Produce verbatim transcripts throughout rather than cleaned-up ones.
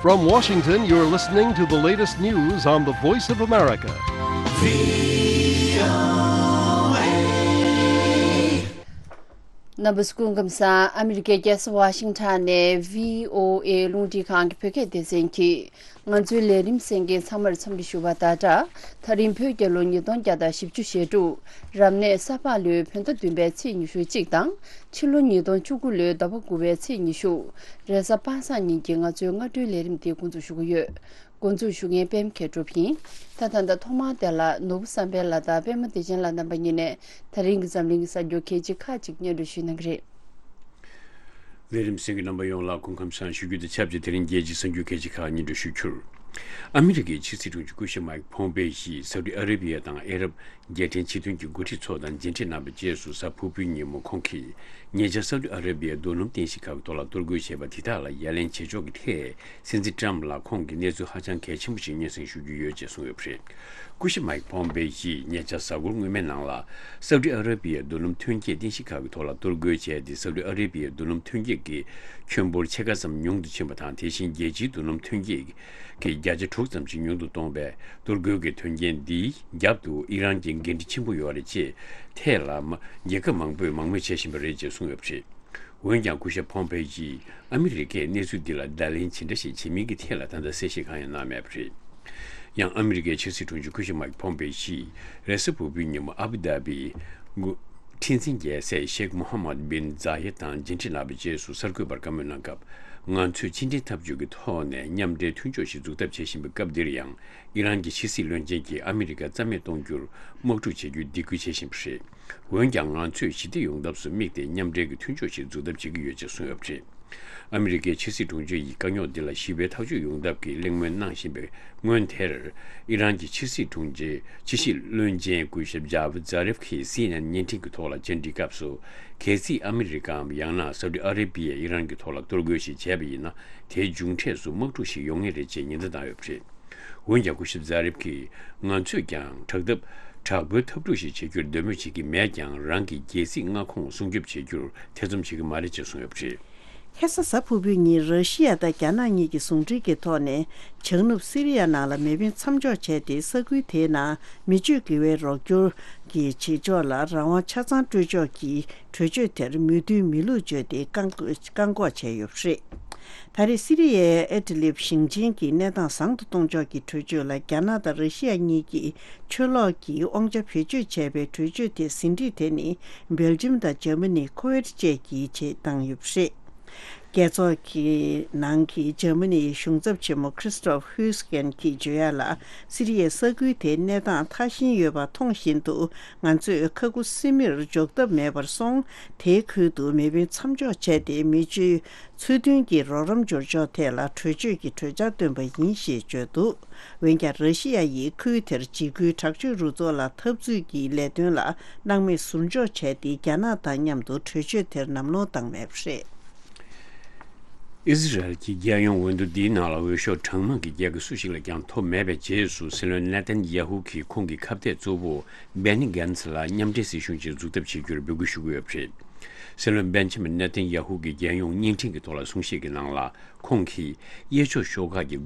From Washington, you're listening to the latest news on the Voice of America. རྣམ་པ་ཚོ་སྐུ་ཁམས་བཟང་། ཨ་མི་རི་ཀའི་རྒྱལ་ས་ཝ་ཤིང་ཊོན་ནས་བྷི་ཨོ་ཨེ་རླུང་འཕྲིན་ཁང་གི་བོད་སྐད་སྡེ་ཚན་གྱིས་ང་ཚོའི་ལས་རིམ་གསན་མཁན་ཚང་མར་འཚམས་འདྲི་ཞུ་བ་དང་སྦྲགས། ད་རིང་བོད་རྒྱལ་ལོ་ཉིས་སྟོང་བརྒྱ་དང་བཞི་བཅུ་ཞེ་དྲུག་རབ་གནས་ས་ཕག་ལོའི་བོད་ཟླ་བདུན་པའི་ཚེས་ཉི་ཤུ་གཅིག་དང་། ཕྱི་ལོ་ཉིས་སྟོང་བཅུ་དགུ་ལོའི་ཟླ་བ་དགུ་པའི་ཚེས་ཉི་ཤུ། རེས་གཟའ་པ་སངས་ཉིན་གྱི་ང་ཚོའི་སྔ་དྲོའི་ལས་རིམ་དེ་འགོ་འཛུགས་ཞུ་གི་ཡོད། འགོ་འཛུགས་ཞུ་མཁན་པད་མ་མཁས་གྲུབ་ཡིན། ད་ད་ལྟ་ཐོག་མར་དེ་ལ་ནོར་བུ་བསམ་འཕེལ་ལགས་དང་པད་མ་བདེ་ཆེན་ལགས་རྣམ་པ་གཉིས་ནས་ད་རིང་གི་འཛམ་གླིང་གི་གསར་འགྱུར་གལ་ཆེ་ཁག་ཅིག་སྙན་སྒྲོན་ཞུ་གནང་གི་རེད། ལས་རིམ་གསན་མཁན་རྣམ་པ་ཡོངས་ལ་སྐུ་ཁམས་བཟང་ཞུ་རྒྱུ་དང་ཆབས་ཅིག་དེ་རིང་རྒྱལ་སྤྱིའི་གསར་འགྱུར་གལ་ཆེ་ཁག་སྙན་སྒྲོན་ཞུ་རྒྱུར། ཨ་མི་རི་ཀའི་ཕྱི་སྲིད་དྲུང་ཆེ་སྐུ་ཞབས་མའིག་ཕོམ་པེ་ཡིས་སའུ་ཏི་ཨ་རེ་བྷི་ཡ་དང་ཨ་རབ་རྒྱལ་ཕྲན་ཕྱི་དོན་གྱི་འགོ་ཁྲིད་ཚོ་དང་མཇལ་འཕྲད་གནང་བའི་རྗེས་སུ་གཟའ་ཕུར་བུའི་ཉིན་མོ་ཁོང་གིས་ཉེ་ཆར་སའུ་ཏི་ཨ་རེ་བྷི་ཡའི་རྡོ་སྣུམ་རྟེན་གཞི་ཁག་གི་ཐོག་ལ་གཏོར་རྒོལ་བྱས་པ་དེ་དག་ལ་ཡ་ལན་བྱེད་ཕྱོགས་ཀྱི་ཐད་སྲིད་འཛིན་ཏྲམ་ལ་ཁོང་གིས་གནས་ཚུལ་ཧ་ཅང་གལ་ཆེན་པོ་ཞིག་སྙན་སེང་ཞུ་རྒྱུ་ཡོད་ཅེས་གསུངས་ཡོད་པ་རེད། སྐུ་ཞབས་མའིག་ཕོམ་པེ་ཡིས་ཉེ་ཆར་གཟའ་འཁོར་སྔོན་མའི་ནང་ལ་སའུ་ཏི་ཨ་རེ་བྷི་ཡའི་རྡོ་སྣུམ་ཐོན་སྐྱེད་རྟེན་གཞི་ཁག་གི་ཐོག་ལ་གཏོར་རྒོལ་བྱས་ཏེ། སའུ་ཏི་ཨ་རེ་བྷི་ཡའི་རྡོ་སྣུམ་ཐོན་སྐྱེད་ཀྱི་ཁྱོན་འབོར་ཕྱེད་ཀ་ཙམ་ཉུང་དུ་ཕྱིན་པ་དང་། དེ་བཞིན་རྒྱལ་སྤྱིའི་རྡོ་སྣུམ་ཐོན་སྐྱེད་ཀྱི་བརྒྱ་ཆ་དྲུག་ཙམ་ཞིག་ཉུང་དུ་གཏོང་བའི་གཏོར་རྒོལ་གྱི་དོན་རྐྱེན་འདིའི་རྒྱབ་ཏུ་ཨི་རན་གྱི་འགན་འཁྲི་ཆེན་པོ་ཡོད་རེད་ཅེས་ཐད་ལ་མ་རྒྱལ་ཁབ་མང་པོས་མང་མོས་བྱེད་བཞིན་པ་རེད་ཅེས་གསུངས་ཡོད་པ་རེད། འོན་ཀྱང་སྐུ་ཞབས་ཕོམ་པེ་ཡིས་ཨ་མི་རི་ཀས་གནས་ཚུལ་འདི་ལ་བརྡ་ལན་ཇི་འདྲ་ཞིག་བྱེད་མིན་གྱི་ཐད་ལ་ད་ལྟ་གསལ་བཤད་གང་ཡང་གནང་མེད་པ་རེད། ཡང་ཨ་མི་རི་ཀའི་ཕྱི་སྲིད་དྲུང་ཆེ་སྐུ་ཞབས་མའིག་ཕོམ་པེ་ཡིས་རེས་གཟའ་ཕུར་བུའི་ཉིན་མོ་ཨ་བུ་དྷ་བིའི་འགོ་ཁྲི་འཛིན་རྒྱལ་སྲས་ཤེག་མོ་ཧམ་མད་བིན་ཛ་ཡེད་དང་མཇལ་འཕྲད་གནང་བའི་རྗེས་སུ་གསར་འགོད་པར་བཀའ་མོལ་གནང་སྐབས། ང་ཚོས་ཕྱི་འབྲེལ་འཐབ་ཇུས་ཀྱི་ཐོག་ནས་མཉམ་འབྲེལ་མཐུན་ཕྱོགས་ཤིག་འཛུགས་ཐབས་བྱེད་བཞིན་པའི་སྐབས་འདིར་ཡང་། ཨི་རན་གྱི་ཕྱི་སྲིད་བློན་ཆེན་གྱིས་ཨ་མི་རི་ཀ་རྩ་མེད་གཏོང་རྒྱུར་དམག་འཁྲུག་བྱེད་རྒྱུའི་སྡིགས་སྐུལ་བྱེད་བཞིན་པ་རེད། འོན་ཀྱང་ང་ཚོས་ཞི་བདེ་ཡོང་ཐབས་སུ་དམིགས་ཏེ་མཉམ་འབྲེལ་གྱི་མཐུན་ཕྱོགས་ཤིག་འཛུགས་ཐབས་བྱེད་ཀྱི་ཡོད་ཅེས་གསུངས་ཡོད་པ་རེད། ཨ་མི་རི་ཀའི་ཕྱི་སྲིད་དྲུང་ཆེ་ཡིས་དཀའ་རྙོག་འདི་ལ་ཞི་བའི་ཐག་གཅོད་ཡོང་ཐབས་ཀྱི་གླེང་མོལ་གནང་བཞིན་པའི་སྔོན་དེར། ཨི་རན་གྱི་ཕྱི་སྲིད་དྲུང་ཆེ་ཕྱི་སྲིད་བློན་ཆེན་སྐུ་ཞབས་ཇ་བྷ་ཛ་རེབ་ཁིས་སི་ཨེན་ཨེན་བརྙན་འཕྲིན་གྱི་ཐོག་ལ་བཅར་འདྲིའི་སྐབས་སུ། གལ་སྲིད་ཨ་མི་རི་ཀའམ་ཡང་ན་སའུ་ཏི་ཨ་རེ་བྷི་ཡས་ཨི་རན་གྱི་ཐོག་ལ་གཏོར་རྒོལ་ཞིག་བྱས་པ་ཡིན་ན། དེའི་མཇུག་འབྲས་སུ་དམག་འཁྲུག་ཞིག་ཡོང་ངེས་རེད་ཅེས་ཉེན་བརྡ་བཏང་ཡོད་པ་རེད། འོན་ཀྱང་སྐུ་ཞབས་ཛ་རེབ་ཀྱིས་ང་ཚོས་ཀྱང་དྲག་འཐབ་དྲག་པོའི་འཐབ་འཁྲུག་ཞིག་བྱེད་རྒྱུར་འདོད་མོས་བྱེད་ཀྱི་མེད་ཀྱང་། རང་གི་རྒྱལ་སྲིད་མངའ་ཁོངས་སྲུང་སྐྱོབ་བྱེད་རྒྱུར་ཐེ་ཚོམ་བྱེད་ཀྱི་མ་རེད་ཅེས་གསུངས་ཡོད་པ་རེད། ཁ་སང་གཟའ་ཕུར་བུའི་ཉིན་ར་ཤི་ཡ་དང་རྒྱ་ནག་གཉིས་ཀྱི་ཟུང་འབྲེལ་གྱི་ཐོག་ནས་བྱང་ནུབ་སི་རི་ཡ་ནང་ལ་མེ་འཕེན་མཚམས་འཇོག་བྱས་ཏེ། ས་ཁུལ་དེའི་ནང་མི་སྤྱོད་དགེ་བའི་རོགས་སྐྱོར་གྱི་བྱེད་ཕྱོགས་ལ་རང་དབང་ཆ་ཚང་སྤྲོད་ཕྱོགས་ཀྱི་གྲོས་ཆོད་དེར་མོས་མཐུན་མེད་ལུགས་བརྗོད་དེ་བཀག་བཀག་འགོག་བྱས་ཡོད་པ་རེད། ད་རེས་སི་རི་ཡའི་ཨེ་ཏི་ལིབ་ཞིང་ཆེན་གྱི་གནས་སྟངས་བཟང་དུ་གཏོང་ཕྱོགས་ཀྱི་གྲོས་ཆོད་ལ་རྒྱ་ནག་དང་ར་ཤི་ཡ་གཉིས་ཀྱིས་ཆུ་ལོག་གི་དབང་ཆ་བེད་སྤྱོད་བྱས་པའི་གྲོས་ཆོད་དེ་ཟིན་བྲིས་དེ་ནི་སྦེལ་ཇམ་དང་འཇར་མ་ནི། ཁུ་ཝེད་བཅས་ཀྱིས་བྱེད་བཏང་ཡོད་པ་རེད། རྒྱལ་ཚོགས་ཀྱི་ནང་གི་འཇར་མ་ནིའི་གཞུང་ཚབ་ཆེན་མོ་ཁྲི་སི་ཊོབ་ཧུས་ཀེན་གྱིས་བརྗོད་ཡ་ལ། སི་རི་ཡའི་ས་ཁུལ་དེའི་གནས་སྟངས་ཐ་ཤིང་ཡོད་པ་མཐོང་བཞིན་དུ། ང་ཚོས་ཁ་ཁུ་སིམ་མེར་འཇོག་ཐབས་མེད་པར་སོང་། དེའི་ཁུལ་དུ་མེ་འཕེན་མཚམས་འཇོག་བྱས་ཏེ། མི་སྤྱོད་ཚུལ་མཐུན་གྱི་རོགས་རམ་སྦྱོར་ཕྱོགས་ཐད་ལ་གྲོས་ཆོད་ཀྱི་གྲོས་འཆར་བཏོན་པ་ཡིན་ཞེས་བརྗོད་འདུག་འོན་ཀྱང་། ར་ཤི་ཡ་ཡིས་ཁུལ་དེར་འཇིགས་སྐུལ་དྲག་སྤྱོད་རུ་ཚོགས་ལ་འཐབ་རྩོད་ཀྱི་ལས་དོན་ལ་སྣང་མེད་ཟུར་འཇོག་བྱས་ཏེ། རྒྱ་ནག་དང་མཉམ་དུ་གྲོས་ཆོད་དེར་ལམ་ལྷོང་བཏང་མེད་པ་རེད། ཨི་ཟི་རལ་གྱི་རྒྱལ་ཡོངས་འོས་བསྡུ་འདིའི་ནང་ལ་འོས་ཤོག་གྲངས་མང་གི་རྒྱལ་ཁ་སུ་ཞིག་ལ་ཀྱང་ཐོབ་མེད་པའི་རྗེས་སུ། སྲིད་བློན་ནེ་ཐན་ཡ་ཧུ་གིས་ཁོང་གི་ཁ་གཏད་གཙོ་བོ་སྦེ་ནི་གྷན་ཚི་ལ་མཉམ་འབྲེལ་སྲིད་གཞུང་ཞིག་འཛུགས་ཐབས་བྱེད་རྒྱུར་འབོད་སྐུལ་ཞུ་གི་ཡོད་པ་རེད། སྲིད་བློན་སྦེན་ཇ་མིན་ནེ་ཐན་ཡ་ཧུ་གིས་རྒྱལ་ཡོངས་བརྙན་འཕྲིན་གྱི་ཐོག་ལ་གསུང་བཤད་ཀྱི་ནང་ལ། ཁོང་གིས་གཡས་ཕྱོགས་ཤོག་ཁག་གི་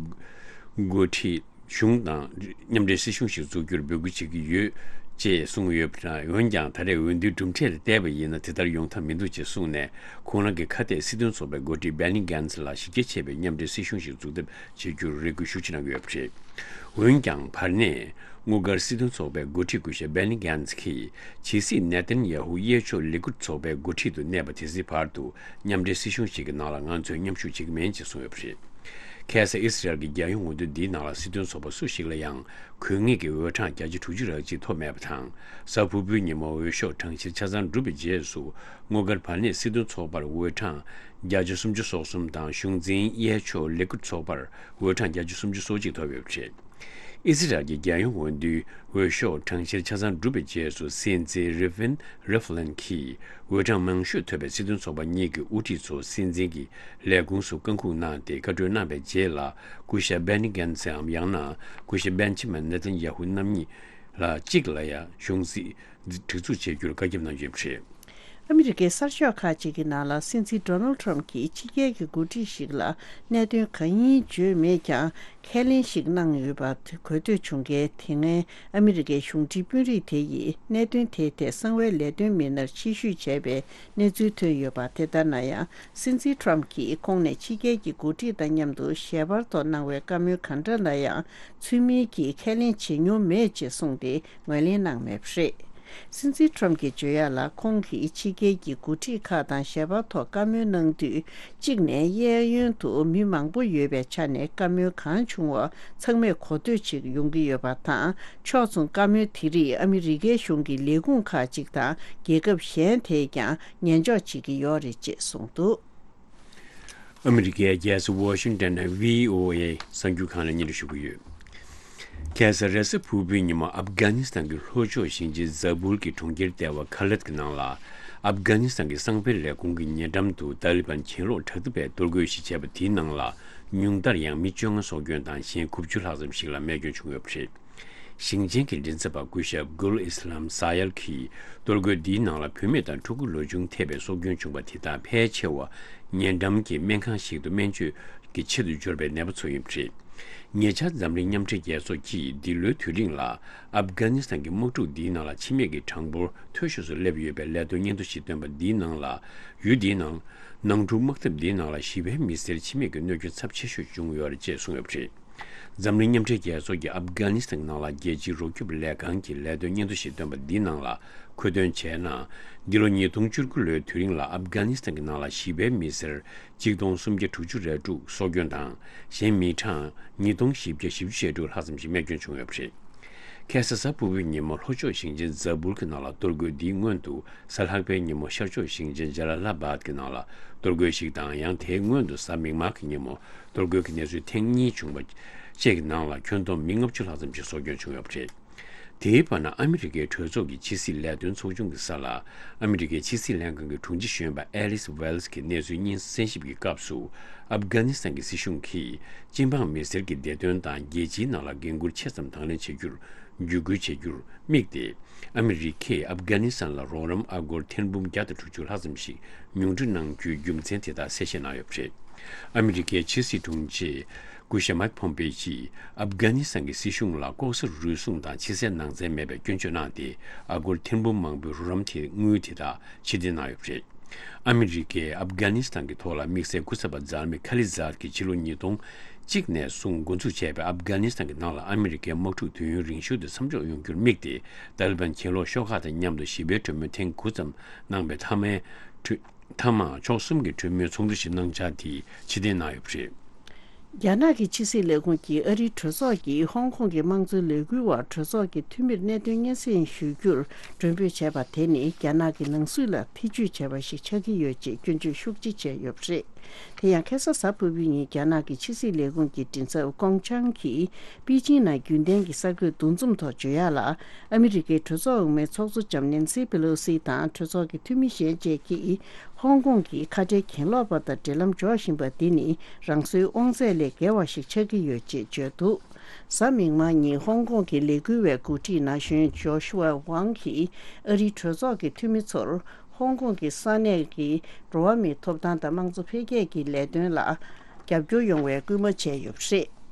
འགོ་ཁྲིད་གཞུང་དང་མཉམ་འབྲེལ་སྲིད་གཞུང་ཞིག་འཛུགས་རྒྱུར་འབོད་སྐུལ་བྱེད་ཀྱི་ཡོད་ཅེས་གསུངས་ཡོད་པ་དང་། འོན་ཀྱང་། ད་རེས་འོས་བསྡུའི་གྲུབ་འབྲས་ལ་བལྟས་པ་ཡིན་ན། དེ་ལྟར་ཡོང་ཐབས་མི་འདུག་ཅེས་གསུངས་ནས། ཁོང་རང་གི་ཁ་གཏད་སྲིད་དོན་ཚོགས་པའི་འགོ་ཁྲིད་སྦེ་ནི་གྷན་ཚི་ལ་གཞི་རྒྱ་ཆེ་བའི་མཉམ་འབྲེལ་སྲིད་གཞུང་ཞིག་འཛུགས་ཐབས་བྱེད་རྒྱུར་རེ་སྐུལ་ཤུགས་ཆེ་གནང་གི་ཡོད་པ་རེད། འོན་ཀྱང་། བར་གནས་དངུལ་སྒར་སྲིད་དོན་ཚོགས་པའི་འགོ་ཁྲིད་སྐུ་ཞབས་སྦེ་ནི་གྷན་ཚི་གིས། ཇེ་སྲིད་ནེ་ཐན་ཡ་ཧུ་གཡས་ཕྱོགས་ལི་ཀུད་ཚོགས་པའི་འགོ་ཁྲིད་དུ་གནས་པ་དེ་ཚོའི་བར་དུ། མཉམ་འབྲེལ་སྲིད་གཞུང་ཞིག་གི་ནང་ལ་ང་ཚོས་མཉམ་ཞུགས་བྱེད་ཀྱི་མིན་ཅེས་གསུངས་ཡོད་པ་རེད། ཁ་སང་ཨི་སི་རལ་གྱི་རྒྱལ་ཡོངས་འོས་བསྡུ་འདིའི་ནང་ལ་སྲིད་དོན་ཚོགས་པ་སུ་ཞིག་ལ་ཡང་དགོས་ངེས་ཀྱི་འོས་གྲངས་བརྒྱ་ཆ་དྲུག་ཅུ་རེ་གཅིག་ཐོབ་མེད་པ་དང་། གཟའ་ཕུར་བུའི་ཉིན་མོ་འོས་ཤོག་གྲངས་བཤེར་ཆ་ཚང་གྲུབ་པའི་རྗེས་སུ། དངུལ་སྒར་བར་གནས་སྲིད་དོན་ཚོགས་པར་འོས་གྲངས་བརྒྱ་ཆ་སུམ་ཅུ་སོ་གསུམ་དང་། གཞུང་འཛིན་གཡས་ཕྱོགས་ལི་ཀུད་ཚོགས་པར་འོས་གྲངས་བརྒྱ་ཆ་སུམ་ཅུ་སོ་གཅིག་ཐོབ་ཡོད་པ་རེད། ཨི་སི་རལ་གྱི་རྒྱལ་ཡོངས་འོས་བསྡུའི་འོས་ཤོག་གྲངས་བཤེར་ཆ་ཚང་གྲུབ་པའི་རྗེས་སུ། སྲིད་འཛིན་རི་ཕིན་རི་ཕ་ལིན་གྱིས་འོས་གྲངས་མང་ཤོས་ཐོབ་པའི་སྲིད་དོན་ཚོགས་པ་གཉིས་ཀྱི་དབུ་ཁྲིད་ཚོ་སྲིད་འཛིན་གྱི་ལས་ཁུངས་སུ་བཀའ་འཁུར་གནང་སྟེ། བཀའ་གྲོས་གནང་བའི་རྗེས་ལ། སྐུ་ཞབས་སྦེ་ནི་གྷན་ཚིའམ་ཡང་ན་སྐུ་ཞབས་སྦན་ཇ་མིན་ནེ་ཐན་ཡ་ཧུ་རྣམ་གཉིས་ལ་གཅིག་ལ་ཡང་གཞུང་སྲིད་སྒྲིག་འཛུགས་བྱེད་རྒྱུར་བཀའ་ཁྱབ་གནང་ཡོད་པ་རེད། ཨ་མི་རི་ཀའི་གསར་ཤོག་ཁག་ཅིག་གི་ནང་ལ་སྲིད་འཛིན་ཌོ་ནལ་ཊམ་གྱིས་ཕྱི་རྒྱལ་གྱི་འགོ་ཁྲིད་ཞིག་ལ་གནད་དོན་གང་ཡིན་བརྗོད་མེད་ཀྱང་། ཁས་ལེན་ཞིག་གནང་ཡོད་པ་གོ་ཐོས་བྱུང་མཁན་དེ་སྔའི་ཨ་མི་རི་ཀའི་གཞུང་འབྲེལ་དཔོན་རིགས་དེ་ཡིས་གནད་དོན་དེའི་ཐད་གསང་བའི་ལས་དོན་མི་སྣར་ཕྱིར་བཤུས་བྱས་པའི་གནས་ཚུལ་ཐོན་ཡོད་པ། དེ་ལྟར་ན་ཡང་། སྲིད་འཛིན་ཊམ་གྱིས་ཁོང་ནས་ཕྱི་རྒྱལ་གྱི་འགོ་ཁྲིད་དང་མཉམ་དུ་ཞལ་པར་ཐོག་གནང་བའི་བཀའ་མོལ་གང་འདྲ་ལ་ཡང་ཚུལ་མིན་གྱིས་ཁས་ལེན་བྱེད་མྱོང་མེད་ཅེས་གསུངས་ཏེ་ངོས་ལེན་གནང་མེད་པ་རེད། སྲིད་འཛིན་ཊམ་གྱིས་བརྗོད་ཡག་ལ། ཁོང་གིས་ཕྱི་རྒྱལ་གྱི་འགོ་ཁྲིད་ཁག་དང་ཞལ་པར་ཐོག་བཀའ་མོལ་གནང་དུས། གཅིག་ནས་གཡས་གཡོན་དུ་མི་མང་པོ་ཡོད་པའི་ཆ་ནས་བཀའ་མོལ་གང་བྱུང་བ་ཚང་མས་གོ་ཐོས་བྱེད་ཡོང་གི་ཡོད་པ་དང་། ཕྱོགས་མཚུངས་བཀའ་མོལ་དེ་རིགས་ཨ་མི་རི་ཀའི་གཞུང་གི་ལས་ཁུངས་ཁག་ཅིག་དང་རྒྱལ་ཁབ་གཞན་དེས་ཀྱང་ཉན་འཇོག་བྱེད་ཀྱི་ཡོད་རེད་ཅེས་གསུངས་འདུག། ཨ་མི་རི་ཀའི་རྒྱལ་ས་ཝ་ཤིང་ཏན་ནས་བྷི་ཨོ་ཨེ་གསར་འགྱུར་ཁང་ལ་སྙན་སྒྲོན་ཞུ་གི་ཡོད། ཁ་སང་རེས་གཟའ་ཕུར་བུའི་ཉིན་མོ་ཨབ་གྷ་ནི་སི་ཐན་གྱི་ལྷོ་ཕྱོགས་ཞིང་ཆེན་ཛ་བུལ་གྱི་གྲོང་ཁྱེར་ལྟེ་བ་ཁ་ལད་ཀྱི་ནང་ལ། ཨབ་གྷ་ནི་སི་ཐན་གྱི་གསང་བའི་ལས་ཁུངས་ཀྱི་ཉེ་འགྲམ་དུ་ཏཱ་ལི་བན་གྱེན་ལོག་དྲག་འཐབ་པས་གཏོར་རྒོལ་ཞིག་བྱས་པ་དེའི་ནང་ལ། ཉུང་མཐར་ཡང་མི་བཅོ་ལྔ་སྲོག་སྐྱོན་དང་གཞན་དགུ་བཅུ་ལྷག་ཙམ་ཞིག་ལ་རྨས་སྐྱོན་བྱུང་ཡོད་པ་རེད། ཞིང་ཆེན་གྱི་མགྲིན་ཚབ་པ་སྐུ་ཞབས་གུལ་ཨི་སི་ལམ་ས་ཡལ་གྱིས། གཏོར་རྒོལ་འདིའི་ནང་ལ་བུད་མེད་དང་ཕྲུ་གུ་ལོ་ཆུང་ཐེ་བའི་སྲོག་སྐྱོན་བྱུང་བ་དེ་དག་ཕལ་ཆེ་བ་ཉེ་འགྲམ་གྱི་སྨན་ཁང་ཞིག་ཏུ་སྨན་བཅོས་ཀྱི་ཆེད་དུ་འབྱོར་པའི་ནད་པ་ཚོ་ཡིན་པ་རེད། ཉེ་ཆར་འཛམ་གླིང་མཉམ་འབྲེལ་རྒྱལ་ཚོགས་ཀྱིས་འདི་ལོའི་དུས་རིང་ལ་ཨབ་གྷ་ནི་སི་ཐན་གྱི་དམག་འཁྲུག་འདིའི་ནང་ལ་འཆི་རྨས་ཀྱི་གྲངས་འབོར་མཐོ་ཤོས་སུ་སླེབས་ཡོད་པའི་ལས་དོན་སྙན་ཐོ་ཞིག་བཏོན་པ་འདིའི་ནང་ལ། ཡུལ་འདིའི་ནང་། ནང་འཁྲུག་དམག་འཐབ་འདིའི་ནང་ལ་བཞི་པའི་མི་སེར་འཆི་རྨས་ཀྱི་གནོད་སྐྱོན་ཚབས་ཆེ་ཤོས་བྱུང་ཡོད་རེད་ཅེས་གསུངས་ཡོད་པ་རེད། འཛམ་གླིང་མཉམ་འབྲེལ་རྒྱལ་ཚོགས་ཀྱིས་ཨབ་གྷ་ནི་སི་ཐན་ནང་ལ་རྒྱལ་སྤྱིའི་རོགས་སྐྱོབ་ལས་ཁང་གི་ལས་དོན་སྙན་ཐོ་ཞིག་བཏོན་པ་འདིའི་ནང་ལ་མཁོ་འདོན་བྱས་ན། འདི་ལོ་ཉིས་སྟོང་བཅུ་དགུ་ལོའི་དུས་རིང་ལ་ཨབ་གྷ་ནི་སི་ཐན་གྱི་ནང་ལ་བཞི་པའི་མི་སེར་གཅིག་སྟོང་སུམ་བརྒྱ་དྲུག་ཅུ་རེ་དྲུག་སྲོག་སྐྱོན་དང་། གཞན་མི་གྲངས་ཉིས་སྟོང་བཞི་བརྒྱ་བཞི་བཅུ་ཞེ་དྲུག་ལྷག་ཙམ་ཞིག་རྨས་སྐྱོན་བྱུང་ཡོད་པ་རེད། ཁ་སང་གཟའ་ཕུར་བུའི་ཉིན་མོ་ལྷོ་ཕྱོགས་ཞིང་ཆེན་ཛ་བུལ་གྱི་ནང་ལ་གཏོར་རྒོལ་འདིའི་སྔོན་དུ། གཟའ་ལྷག་པའི་ཉིན་མོ་ཤར་ཕྱོགས་ཞིང་ཆེན་ཇ་ལ་ལ་བཱད་ཀྱི་ནང་ལ་གཏོར་རྒོལ་ཞིག་དང་། ཡང་དེའི་སྔོན་དུ་གཟའ་མིག་དམར་གྱི་ཉིན་མོ་གཏོར་རྒོལ་གྱི་གནས་ཚུལ་ཐེངས་གཉིས་བྱུང་བ་བཅས་ཀྱི་ནང་ལ་ཁྱོན་བསྡོམས་མི་ལྔ་བཅུ་ལྷག་ཙམ་ཞིག་སྲོག་སྐྱོན་བྱུང་ཡོད་པ་རེད། དེའི་བར་ན། ཨ་མི་རི་ཀའི་གྲོས་ཚོགས་ཀྱི་ཕྱི་སྲིད་ལས་དོན་ཚོགས་ཆུང་གི་ས་ལ། ཨ་མི་རི་ཀའི་ཕྱི་སྲིད་ལྷན་ཁང་གི་དྲུང་ཆེ་གཞོན་པ་ཨེ་ལིས་ཝེལ་སི་གིས་གནས་ཚུལ་སྙན་གསན་ཞིབ་ཀྱི་སྐབས་སུ། ཨབ་གྷ་ནི་སི་ཐན་གྱི་སྲིད་གཞུང་གིས་སྤྱི་འབངས་མི་སེར་གྱི་བདེ་དོན་དང་རྒྱལ་སྤྱིའི་ནང་ལ་འགན་འཁུར་ཆེ་ཙམ་དང་ལེན་བྱེད་རྒྱུར་བརྒྱུད་སྐུལ་བྱེད་རྒྱུར་དམིགས་ཏེ། ཨ་མི་རི་ཀས་ཨབ་གྷ་ནི་སི་ཐན་ལ་རོགས་རམ་ཨ་སྒོར་ཐེར་འབུམ་བརྒྱ་དང་དྲུག་ཅུ་ལྷག་ཙམ་ཞིག་ཉུང་འཕྲི་གནང་རྒྱུའི་རྒྱུ་མཚན་དེ་དག་གསལ་བཤད་གནང་ཡོད་པ་རེད། ཨ་མི་རི་ཀའི་ཕྱི་སྲིད་དྲུང་ཆེ་སྐུ་ཞབས་མཱིག་ཕོམ་པེ་ཡིས་ཨབ་གྷ་ནི་སི་ཐན་གྱི་སྲིད་གཞུང་ལ་ལྐོག་ཟ་རུལ་སུངས་དང་ཕྱི་གསལ་ནང་གསལ་མེད་པའི་སྐྱོན་བརྗོད་གནང་སྟེ། ཨ་སྒོར་ཐེར་འབུམ་མང་པོའི་རོགས་རམ་དེ་དངུལ་དེ་དག་ཕྱིར་འཐེན་གནང་ཡོད་པ་རེད། ཨ་མི་རི་ཀས་ཨབ་གྷ་ནི་སི་ཐན་གྱི་ཐོག་ལ་དམིགས་བསལ་སྐུ་ཚབ་པ་འཛམ་མི་ཁ་ལི་ཛཱད་ཀྱིས་ཕྱི་ལོ་ཉིས་སྟོང་གཅིག་ནས་བཟུང་འགོ་འཛུགས་བྱས་པའི་ཨབ་གྷ་ནི་སི་ཐན་གྱི་ནང་ལ་ཨ་མི་རི་ཀའི་དམག་འཁྲུག་དུས་ཡུན་རིང་ཤོས་དེ་མཚམས་འཇོག་ཡོང་རྒྱུར་དམིགས་ཏེ། ཏཱ་ལི་བན་གྱེན་ལོག་ཤོག་ཁག་དང་མཉམ་དུ་ཞི་བའི་གྲོས་མོལ་ཐེངས་དགུ་ཙམ་གནང་པའི་མཐའ་མའི་གྲོས། མཐའ་མ་ཕྱོགས་གསུམ་གྱི་གྲོས་མོལ་ཚོགས་འདུ་ཞིག་གནང་འཆར་དེ་ཕྱིར་འཐེན་གནང་ཡོད་པ་རེད། རྒྱ་ནག་གི་ཕྱི་སྲིད་ལས་ཁུངས་ཀྱིས་ཨ་རིའི་གྲོས་ཚོགས་ཀྱིས་ཧོང་ཀོང་གི་དམངས་གཙོའི་ལས་འགུལ་བར་གྲོས་ཚོགས་ཀྱི་འཐུས་མིར་གནད་དོན་སྙན་སེང་ཞུ་རྒྱུར་མགྲོན་འབོད་བྱས་པ་དེ་ནི་རྒྱ་ནག་གི་ནང་སྲིད་ལ་ཐེ་ཇུས་བྱས་པ་ཞིག་ཆགས་ཀྱི་ཡོད་ཅེས་སྐྱོན་བརྗོད་ཤུགས་ཆེ་བྱས་ཡོད་པ་རེད། དེ་ཡང་ཁ་སང་གཟའ་ཕུར་བུའི་ཉིན་རྒྱ་ནག་གི་ཕྱི་སྲིད་ལས་ཁུངས་ཀྱི་མགྲིན་ཚབ་ཀོང་ཆང་གིས་པེ་ཅིང་ནང་རྒྱུན་ལྡན་གྱི་གསར་འགོད་འདུ་འཛོམས་ཐོག་བརྗོད་ཡག་ལ། ཨ་མི་རི་ཀའི་གྲོས་ཚོགས་འོག་མའི་ཚོགས་གཙོ་ལྕམ་ནེན་སི་པེ་ལོ་སི་དང་གྲོས་ཚོགས་ཀྱི་འཐུས་མི་གཞན་བཅས་ཀྱིས་ཧོང་ཀོང་གི་ཁ་བྲལ་གྱེན་ལོག་པ་དང་འབྲེལ་ལམ་འཇོག་བཞིན་པ་འདི་ནི་རང་སོའི་དབང་ཚད་ལས་བརྒལ་བ་ཞིག་ཆགས་ཀྱི་ཡོད་ཅེས་བརྗོད་འདུག། གཟའ་མིག་དམར་ཉིན་ཧོང་ཀོང་གི་ལས་འགུལ་བའི་འགོ་ཁྲིད་ན་གཞོན་ཇོ་ཤུ་ཝ་ཝང་གིས་ཨ་རིའི་གྲོས་ཚོགས་ཀྱི་འཐུས་མི་ཚོར་ཧོང་ཀོང་གི་ས་གནས་ཀྱི་འགྲོ་བ་མིའི་ཐོབ་ཐང་དང་དམངས་གཙོ་འཕེལ་རྒྱས་ཀྱི་ལས་དོན་ལ་རྒྱབ་སྐྱོར་ཡོང་བའི་སྐུལ་མ་བྱས་ཡོད་པ་རེད།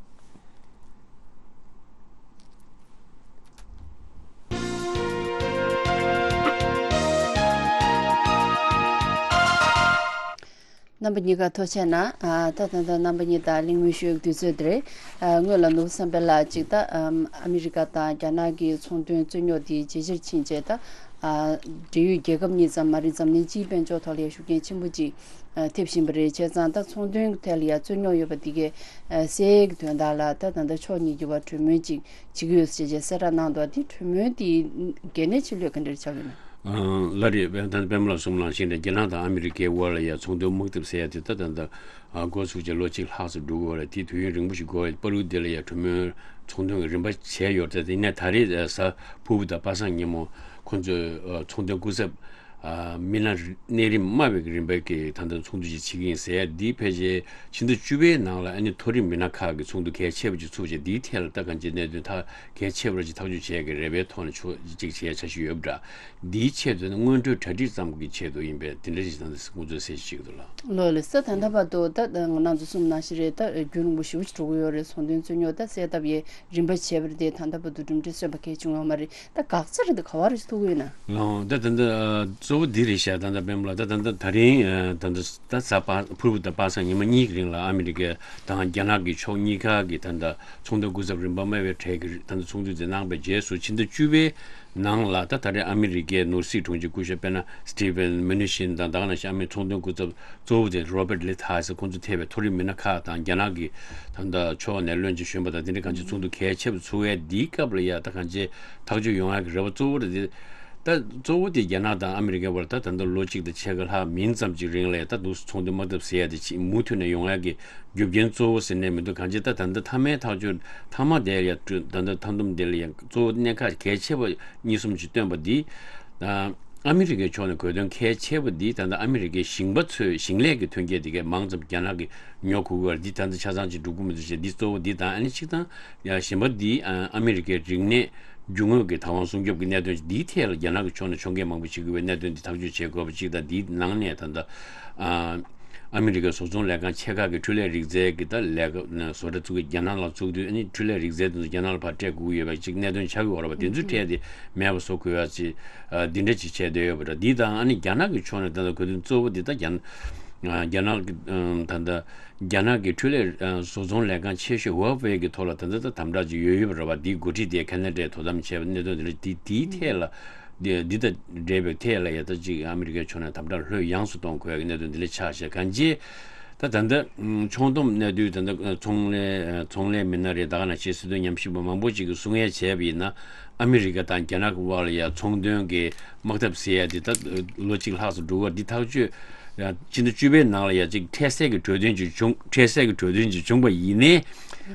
རྣམ་པ་གཉིས་ཀ་ཐུགས་རྗེ་གནང་། ཨ། ད་ད་ལྟ་རྣམ་པ་གཉིས་དང་གླེང་མོལ་ཞུ་ཡག་དུས་ཚོད་འདི་རེད། ཨ། སྔོན་ལ་ནོར་བུ་བསམ་འཕེལ་ལགས་ཅིག་ད་ཨམ། ཨ་མི་རི་ཀ་དང་རྒྱ་ནག་གི་ཚོང་དོན་རྩོད་རྙོག་འདི་ཇེ་ཆེར་ཕྱིན་རྗེས་ད། ཨ། འབྲེལ་ཡོད་རྒྱལ་ཁབ་གཉིས་ཙམ་མ་རེད། འཛམ་གླིང་སྤྱིའི་དཔལ་འབྱོར་ཐོག་ལ་ཡང་ཤུགས་རྐྱེན་ཆེན་པོ་ཅིག་ཨ། ཐེབས་བཞིན་པ་རེད། བྱས་ཙང་ད་ཚོང་དོན་ཐད་ལ་ཡང་རྩོད་རྙོག་ཡོད་པ་འདི་གའི་ཨ། སེལ་ཡག་གི་དོན་དག་ལ་ད་ད་ལྟ་ཕྱོགས་གཉིས་ཀྱི་བར་གྲོས་མོལ་ཅིག་བྱེད་ཀྱི་ཡོད་ཟེར་བྱས་གསལ་བསྒྲགས་གནང་འདུག། འདི་གྲོས་མོལ་འདི་གལ་གནད་ཆེ་ལོས་ག་འདྲ་ཆགས་ཡོད་ན། ཨ། ལགས་རེད། ད་ལྟ་པད་མ་ལགས་གསུངས་ནང་བཞིན་རེད། རྒྱ་ནག་དང་ཨ་མི་རི་ཀའི་དབར་ལ་ཡང་ཚོང་དོན་དམག་འཐབ་ཟེར་ཡ་དེ་ད་ད་ད་ཨ། འགོ་ཚུགས་བྱས་ལོ་གཅིག་ལྷག་ཙམ་འགྲོ་གི་ཡོད་རེད། དེ་དུས་ཡུན་རིང་པོ་ཞིག་འགོར་བའི་བར་དུ་དེ་ལ་ཡང་གྲོས་མོལ་ཚོང་དོན་གྱི་རིམ་པ་བྱས་ཡོད་རེད། དེ་ནས་ད་རེས་གཟའ་ཕུར་བུ་དང་པ་སངས་ཉིན་མོ་ཁོང་ཚོས་ཨ། ཚོང་དོན་སྐུ་ཚབ་ ཨ་མི་སྣ་གནས་རིམ་དམའ་བའི་རིམ་པའི་གི་ད་ལྟ་ཚོགས་འདུ་ཅིག་བྱེད་ཀྱི་ཡིན་ཟེར། འདིའི་ཕལ་ཆེར་ཕྱི་ཟླ་བཅུ་པའི་ནང་ལ་ཨ་ནི་མཐོ་རིམ་མི་སྣ་ཁག་གི་ཚོགས་འདུ་གལ་ཆེ་བ་ཅིག་ཚུགས་བྱས། འདིའི་ཐད་ལ་ད་གང་ཅིའི་གནད་དོན་ཐག་གལ་ཆེ་བ་ཅིག་ཐག་གཅོད་བྱས་ཀྱི་རེ་བའི་ཐོག་ནས་ཆོག་ཅིག་བྱས་འཆར་གཞི་ཡོད་པ་འདྲ། འདིའི་ཆེད་དུ་ནི་སྔོན་འགྲོའི་གྲ་སྒྲིག་ཙམ་གྱི་ཆེད་དུ་ཡིན་པས། དེ་འདྲ་ཞིག་ད་ལྟ་ཁོང་ཚོས་གསལ་བཤད་བྱེད་ཀྱི་འདུག་ལགས། ལོ་ལ་ས་ད་ལྟ་བར་དུ་ད་ང་རང་ཚོ་གསུངས་ནང་བཞིན་རེད། ད་རྒྱུན་རིང་པོ་ཞེ་པོ་ཅིག་འགྲོ་གི་ཡོད་རེད། ཚོང་དོན་རྩོད་རྙོག་ད་སེལ་ཐབས་ཡས་རིམ་པ་བྱས་པ་རེད་དེ། ད་ལྟ་བར་དུ་གྲུབ་འབྲས་སོན་པ་གལ་བྱུང་ཡོད་མ་རེད། ད་འགག་རྩ་རེད་འདི་ག་བ་རེད་ཐུག་གི་ཡོད་ན། ལགས་འོང་། ད་ད་ལྟ་ཨ་གཙོ་བོ་འདི་རེད་ཤག་ད་ལྟ་པད་མ་ལགས། ད་ད་ལྟ་ད་རིང་ཨ་ད་ལྟ་ད་གཟའ་པ་ཕུར་བུ་དང་པ་སངས་ཉི་མ་གཉིས་ཀྱི་རིང་ལ་ཨ་མི་རི་ཀ་དང་རྒྱ་ནག་གི་ཕྱོགས་གཉིས་ཀ་གི་ད་ལྟ་ཚོང་དོན་སྐུ་ཚབ་རིམ་པ་དམའ་བའི་གྲས་ཀྱི་ད་ལྟ་ཚོགས་འདུ་དེ་གནང་པའི་རྗེས་སུ་ཕྱི་ཟླ་བཅུ་པའི་ནང་ལ་ད་ད་རེས་ཨ་མི་རི་ཀའི་ནོར་སྲིད་དྲུང་ཆེ་སྐུ་ཞབས་དཔེར་ན་Steven Mnuchin་དང་། ད་ག་ནང་བཞིན་ཨ་མི་ཚོང་དོན་སྐུ་ཚབ་གཙོ་བོ་དེ་Robert Lighthizer། ཁོང་ཚོ་ཐེ་བའི་མཐོ་རིམ་མི་སྣ་ཁག་དང་། རྒྱ་ནག་གི་ད་ལྟ་ཕྱོགས་ནས་བློན་ཆེན་གཞོན་པ་དང་། དེ་འདྲའི་གང་ཅི་ཚོགས་འདུ་གལ་ཆེ་བ་ཚུགས་ཡས་འདིའི་སྐབས་ལ་ཡ་ད་གང་ཅི་ཐག་གཅོད་ཡོང་ཡ་གི་རེ་བ་གཙོ་བོ་རེད་དེ། ད་གཙོ་བོ་དེ་རྒྱ་ནག་དང་ཨ་མི་རི་ཀའི་བར་ད་ད་ལྟ་ལོ་གཅིག་དང་ཕྱེད་ཀ་ལྷག་མིན་ཙམ་ཅིག་རིང་ལ་ཡ་ད་འདུག་སེ་ཚོང་དོན་དམག་འཐབ་ཟེར་ཡ་དེ་ཅིག་མུ་མཐུད་ནས་ཡོང་ཡ་གི་རྒྱུ་རྐྱེན་གཙོ་བོ་ཟེར་ནས་མི་འདུག་གང་ཅི་ད་ད་ལྟ་མཐའ་མའི་ཐག་གཅོད་མཐའ་མ་དེ་ཡ་ད་ལྟ་མཐའ་སྡོམ་དེ་ལ་ཡང་གཙོ་བོ་གནད་འགག་གལ་ཆེ་བ་གཉིས་གསུམ་ཅིག་བཏོན་པ་འདི། ཨ་ཨ་མི་རི་ཀའི་ཕྱོགས་ནས་གོ་དོན་གལ་ཆེ་བ་འདི་ད་ལྟ་ཨ་མི་རི་ཀའི་ཞིང་པ་ཚོས་ཞིང་ལས་ཀྱི་ཐོན་སྐྱེད་དེ་གའི་མང་ཙམ་རྒྱ་ནག་གིས་ཉོ་དགོས་ཀྱི་ཡོད་རེད། འདི་ད་ལྟ་ཆ་ཚང་ཅིག་འགྲོ་གི་མི་འདུག་ཅེས། འདི་གཙོ་བོ་འདི་དང་། ཨ་ནི་གཅིག་དང་ཡང་གཞན་པ་འདི་ཨ་ཨ་མི་རི་ཀའི་རིག་གནས་རྒྱུ་དངོས་ཀྱི་བདག་དབང་སྲུང་སྐྱོབ་ཀྱི་གནད་དོན། འདིའི་ཐད་ལ་རྒྱ་ནག་གི་ཕྱོགས་ནས་ཕྱོགས་འགལ་མང་པོ་བྱེད་ཀྱི་ཡོད་པའི་གནད་དོན་འདི་ཐག་གཅོད་བྱེད་དགོས་པ་གཅིག་དང་། འདིའི་ནང་ནས་ད་ལྟ་ཨ་ཨ་མི་རི་ཀའི་བཟོ་ཚོང་ལས་ཁང་ཆེ་ཁག་གི་འཕྲུལ་ལས་རིག་རྩལ་གྱི་ད་ལས་ཀ་བཟོ་གྲྭ་བཙུགས་ཀྱི་རྒྱ་ནག་ལ་བཙུགས་དུས། ཨ་ནི་འཕྲུལ་ལས་རིག་རྩལ་དེ་ཚོ་རྒྱ་ནག་ལ་ཕར་སྤྲད་དགོས་ཀྱི་ཡོད་པ་ཅིག་གནད་དོན་ཆགས་ཀྱི་ཡོད་རེད་པ། དེ་ཚོའི་གྲས་དེ་མེད་པ་བཟོ་དགོས་ཡ་ཅིག་ཨ་འདི་འདྲ་ཅིག་བྱས་བསྡད་ཡོད་པ་འདྲ། འདི་དང་ཨ་ནི་རྒྱ་ནག་གི་ཕྱོགས་ནས་ད་ལྟ་གོ་དོན་གཙོ་བོ་འདི་ད་རྒྱ་ཨ་རྒྱ་ནག་གི་ཨ་ད་ལྟ་རྒྱ་ནག་གི་འཕྲུལ་ལས་ཨ་བཟོ་ཚོང་ལས་ཁང་ཆེ་ཤོས་Huawei་གི་ཐོག་ལ་ད་ལྟ་ད་དམ་དྲག་ཅིག་ཡོད་ཡོད་པ་རེད་པ། འདིའི་འགོ་ཁྲིད་དེ་ཁ་ན་ཌའི་དོ་དམ་བྱས་པ་གནད་དོན་འདི་འདྲ། འདི་འདིའི་ཐད་ལ་འདི་འདི་དང་འབྲེལ་བའི་ཐད་ལ་ཡ་ད་ཅིག་ཨ་མི་རི་ཀའི་ཕྱོགས་ནས་དམ་དྲག་ལྷོད་ཡངས་སུ་གཏོང་དགོས་ཡ་གི་གནད་དོན་འདི་འདྲ་ཆགས་བཞག་གང་ཅི། ད་ད་ལྟ་ཨུམ་ཕྱོགས་བསྡོམས་གནས་དུས་ད་ལྟ་ཚོང་ལས་ཚོང་ལས་མི་སྣ་རེད། ད་ག་ནང་བཞིན་སྲིད་དོན་ཉམས་ཞིབ་པ་མང་པོ་ཅིག་གིས་གསུང་ཡས་བྱས་པ་ཡིན་ན། ཨ་མི་རི་ཀ་དང་རྒྱ་ནག་གི་དབར་ལ་ཡ་ཚོང་དོན་གྱི་དམག་འཐབ་ཟེར་ཡ་འདི་ད་ལོ་གཅིག་ལྷག་ཙམ་འགྲོ་གི་ཡོད་རེད། འདི་ཐག་གཅོད་ཡ་ཕྱི་ཟླ་བཅུ་པའི་ནང་ལ་ཡ་ཅིག་འཕྲལ་སེལ་གྱི་གྲོས་དོན་ཅིག་བྱུང་། འཕྲལ་སེལ་གྱི་གྲོས་དོན་ཅིག་བྱུང་པ་ཡིན་ནའི།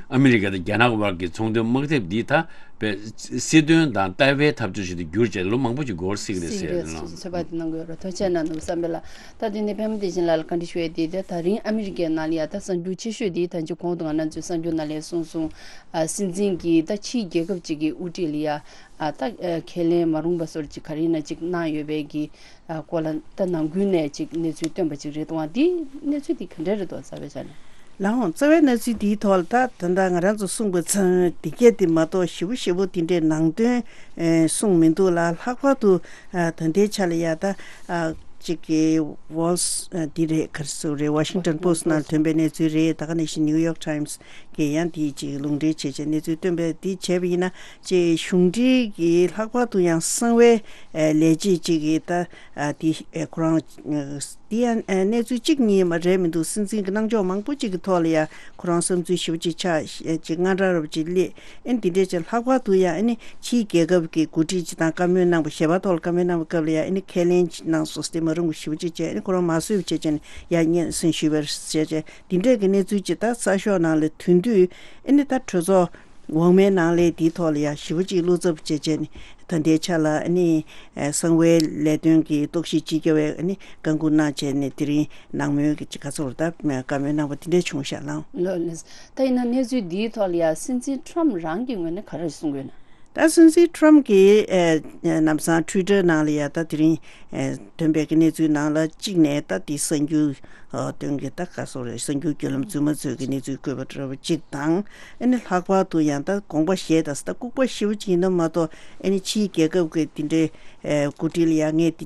ཨ་མི་རི་ཀ་དང་རྒྱ་ནག་དབར་གྱི་ཚོང་དོན་དམག་འཐབ་འདི་ད་པའི་སྲིད་དོན་དང་ལྟ་བའི་འཐབ་རྩོད་ཞིག་ཏུ་གྱུར་བྱས་ལོ་མང་པོ་ཅིག་འགོར་སྲིད་ཀྱི་རེད་ཟེར་ནས། ཚོད་དཔག་དེ་གནང་དགོས་རེད། ཐུགས་རྗེ་གནང་འདུག་བསམ་པས་ལ། ད་དེ་ནས་པད་མ་བདེ་ཆེན་ལགས་ལ་བཀའ་འདྲི་ཞུ་ཡས་དེ། ད་ད་རིང་ཨ་མི་རི་ཀའི་ནང་ལ་ཡ་ད་གསར་འགྱུར་ཆེ་ཤོས་དེ་ད་ཅི་གོང་དུ་ང་རང་ཚོའི་གསར་འགྱུར་ནང་ལ་གསུངས་སོང་། ཨ་སྲིད་འཛིན་གྱིས་ད་ཕྱིའི་རྒྱལ་ཁབ་ཅིག་གི་དབུ་ཁྲིད་ལ་ཡ་ཨ་ད་ཨ་ཁས་ལེན་མ་རུང་བ་སོར་ཅིག་ག་རེ་ཡིན་ན་ཅིག་གནང་ཡོད་པའི་གི་ཨ་སྐོར་ལ་ད་ནང་ཁུལ་ནས་ཅིག་གནས་ཚུལ་བཏོན་པ་ཅིག་རེད་འདུག་ཨ། འདི་གནས་ཚུལ་འདི་ག་འདྲ་རེད་འདུག་རྩ་བའི་ཆ་ནས། ལགས་འོང་། རྩ་བའི་གནས་ཚུལ་འདིའི་ཐོག་ལ་ད་ད་ལྟ་ང་རང་ཚོ་གསུངས་པ་ཚང་འདི་གས་འདི་མ་གཏོགས་ཞེ་པོ་ཞེ་པོ་འདི་འདྲའི་ནང་དོན་ཨེ་གསུངས་མི་འདུག་ལ། ལྷག་པར་དུ་ཨ་ད་ལྟའི་ཆ་ལ་ཡ་ད་ཨ་ཅིག་གི་Wall Street་འདི་རེད། ག་རེ་ཟེར་རེད། Washington Post་ནང་ཐོན་པའི་གནས་ཚུལ་རེད། ད་ག་ནང་བཞིན་New York Times་གིས་ཡང་འདི་ཅིག་ལུང་འདྲེན་བྱས་བྱས་གནས་ཚུལ་བཏོན་པའི་འདི་བྱས་པ་ཡིན་ན། ཅིག་གཞུང་འབྲེལ་གྱི་ལྷག་པར་དུ་ཡང་གསང་བའི་ཨེ་ལས་བྱེད་ཅིག་གིས་ད་ཨ་འདི་ཨེ་ཁོ་རང་ཨ་འདི་ཡང་ཨ་གནས་ཚུལ་གཅིག་གཉིས་མ་རེད་མི་འདུག་སྲིད་འཛིན་གྱི་གནང་ཕྱོགས་མང་པོ་གཅིག་གི་ཐོག་ལ་ཡ་ཁོ་རང་བསམ་ཚུལ་ཞེ་པོ་ཅིག་ཆགས་ཅིག་དངངས་སྐྲག་ར་བ་ཅིག་སླེབས། ཨ་ནི་འདི་འདྲས་ཅིག་ལྷག་པར་དུ་ཡ་ཨ་ནི་ཕྱིའི་རྒྱལ་ཁབ་ཀྱི་འགོ་ཁྲིད་ཅིག་དང་བཀའ་མོལ་གནང་བ། ཞལ་པར་ཐོག་ལ་བཀའ་མོལ་གནང་བའི་སྐབས་ལ་ཡ་ཨ་ནི་ཁས་ལེན་གནང་སོང་། དེ་མ་རུང་བ་ཞེ་པོ་ཅིག་བྱས། ཨ་ནི་ཁོ་རང་མ་བཟོད་པ་བྱས་བྱས་ནས་ཡ་སྙན་སེང་ཞུས་པ་རེད་བྱས་བྱས། འདི་འདྲས་ཀྱི་གནས་ཚུལ་ཅིག་ད་གསར་ཤོག་ནང་ལ་ཐོན་དུས། ཨ་ནི་ད་གྲོས་ཚོགས་འོག་མའི་ནང་ལ་འདིའི་ཐོག་ལ་ཡ་ཞེ་པོ་ཅིག་བློ་འཚབ་བྱས་བྱས་ནས། ད་ལྟའི་ཆ་ལ་ཨ་ནི་ཨ་གསང་བའི་ལས་དོན་གྱི་རྟོག་ཞིབ་ཅིག་བརྒྱབ་པའི་ཨ་ནི་བཀའ་འགུག་གནང་བྱས་ནས་དེ་རིང་ནང་མོལ་གྱི་ཅིག་ག་ཚོད་ད་བཀའ་མོལ་གནང་བ་དེ་འདྲ་བྱུང་ཤག་ལགས། ལགས་ལགས། ད་ཡིན་ན་གནས་ཚུལ་འདིའི་ཐོག་ལ་ཡ་སྲིད་འཛིན་ཊམ་རང་གི་ངོས་ནས་ག་རེ་གསུང་གི་ཡོད་ན། ད་སྲིད་འཛིན་ཊམ་གྱིས་ཨ་ནམ་སང་ཊུའི་ཊར་ནང་ལ་ཡ་ད་དེ་རིང་ཨ་ཐོན་པའི་གི་གནས་ཚུལ་ནང་ལ་གཅིག་ནས་ད་དེ་གསར་འགྱུར་ཨ་དོན་གྱི་ད་ག་ཚོད་རེད། གསར་འགྱུར་བརྒྱུད་ལམ་རྫུན་མ་ཚོས་ཀྱི་གནས་ཚུལ་བཀོད་པ་འདྲ་བ་གཅིག་དང་། ཨ་ནི་ལྷག་པར་དུ་ཡང་ད་དགོངས་པ་བཞེས་དང་ད་ལྐུགས་པ་ཞེ་པོ་ཅིག་ཡིན་ན་མ་གཏོགས། ཨ་ནི་ཕྱིའི་རྒྱལ་ཁབ་ཀྱི་དེ་འདྲའི་ཨེ་འགོ་ཁྲིད་ལ་ཡ་ངས་དེ་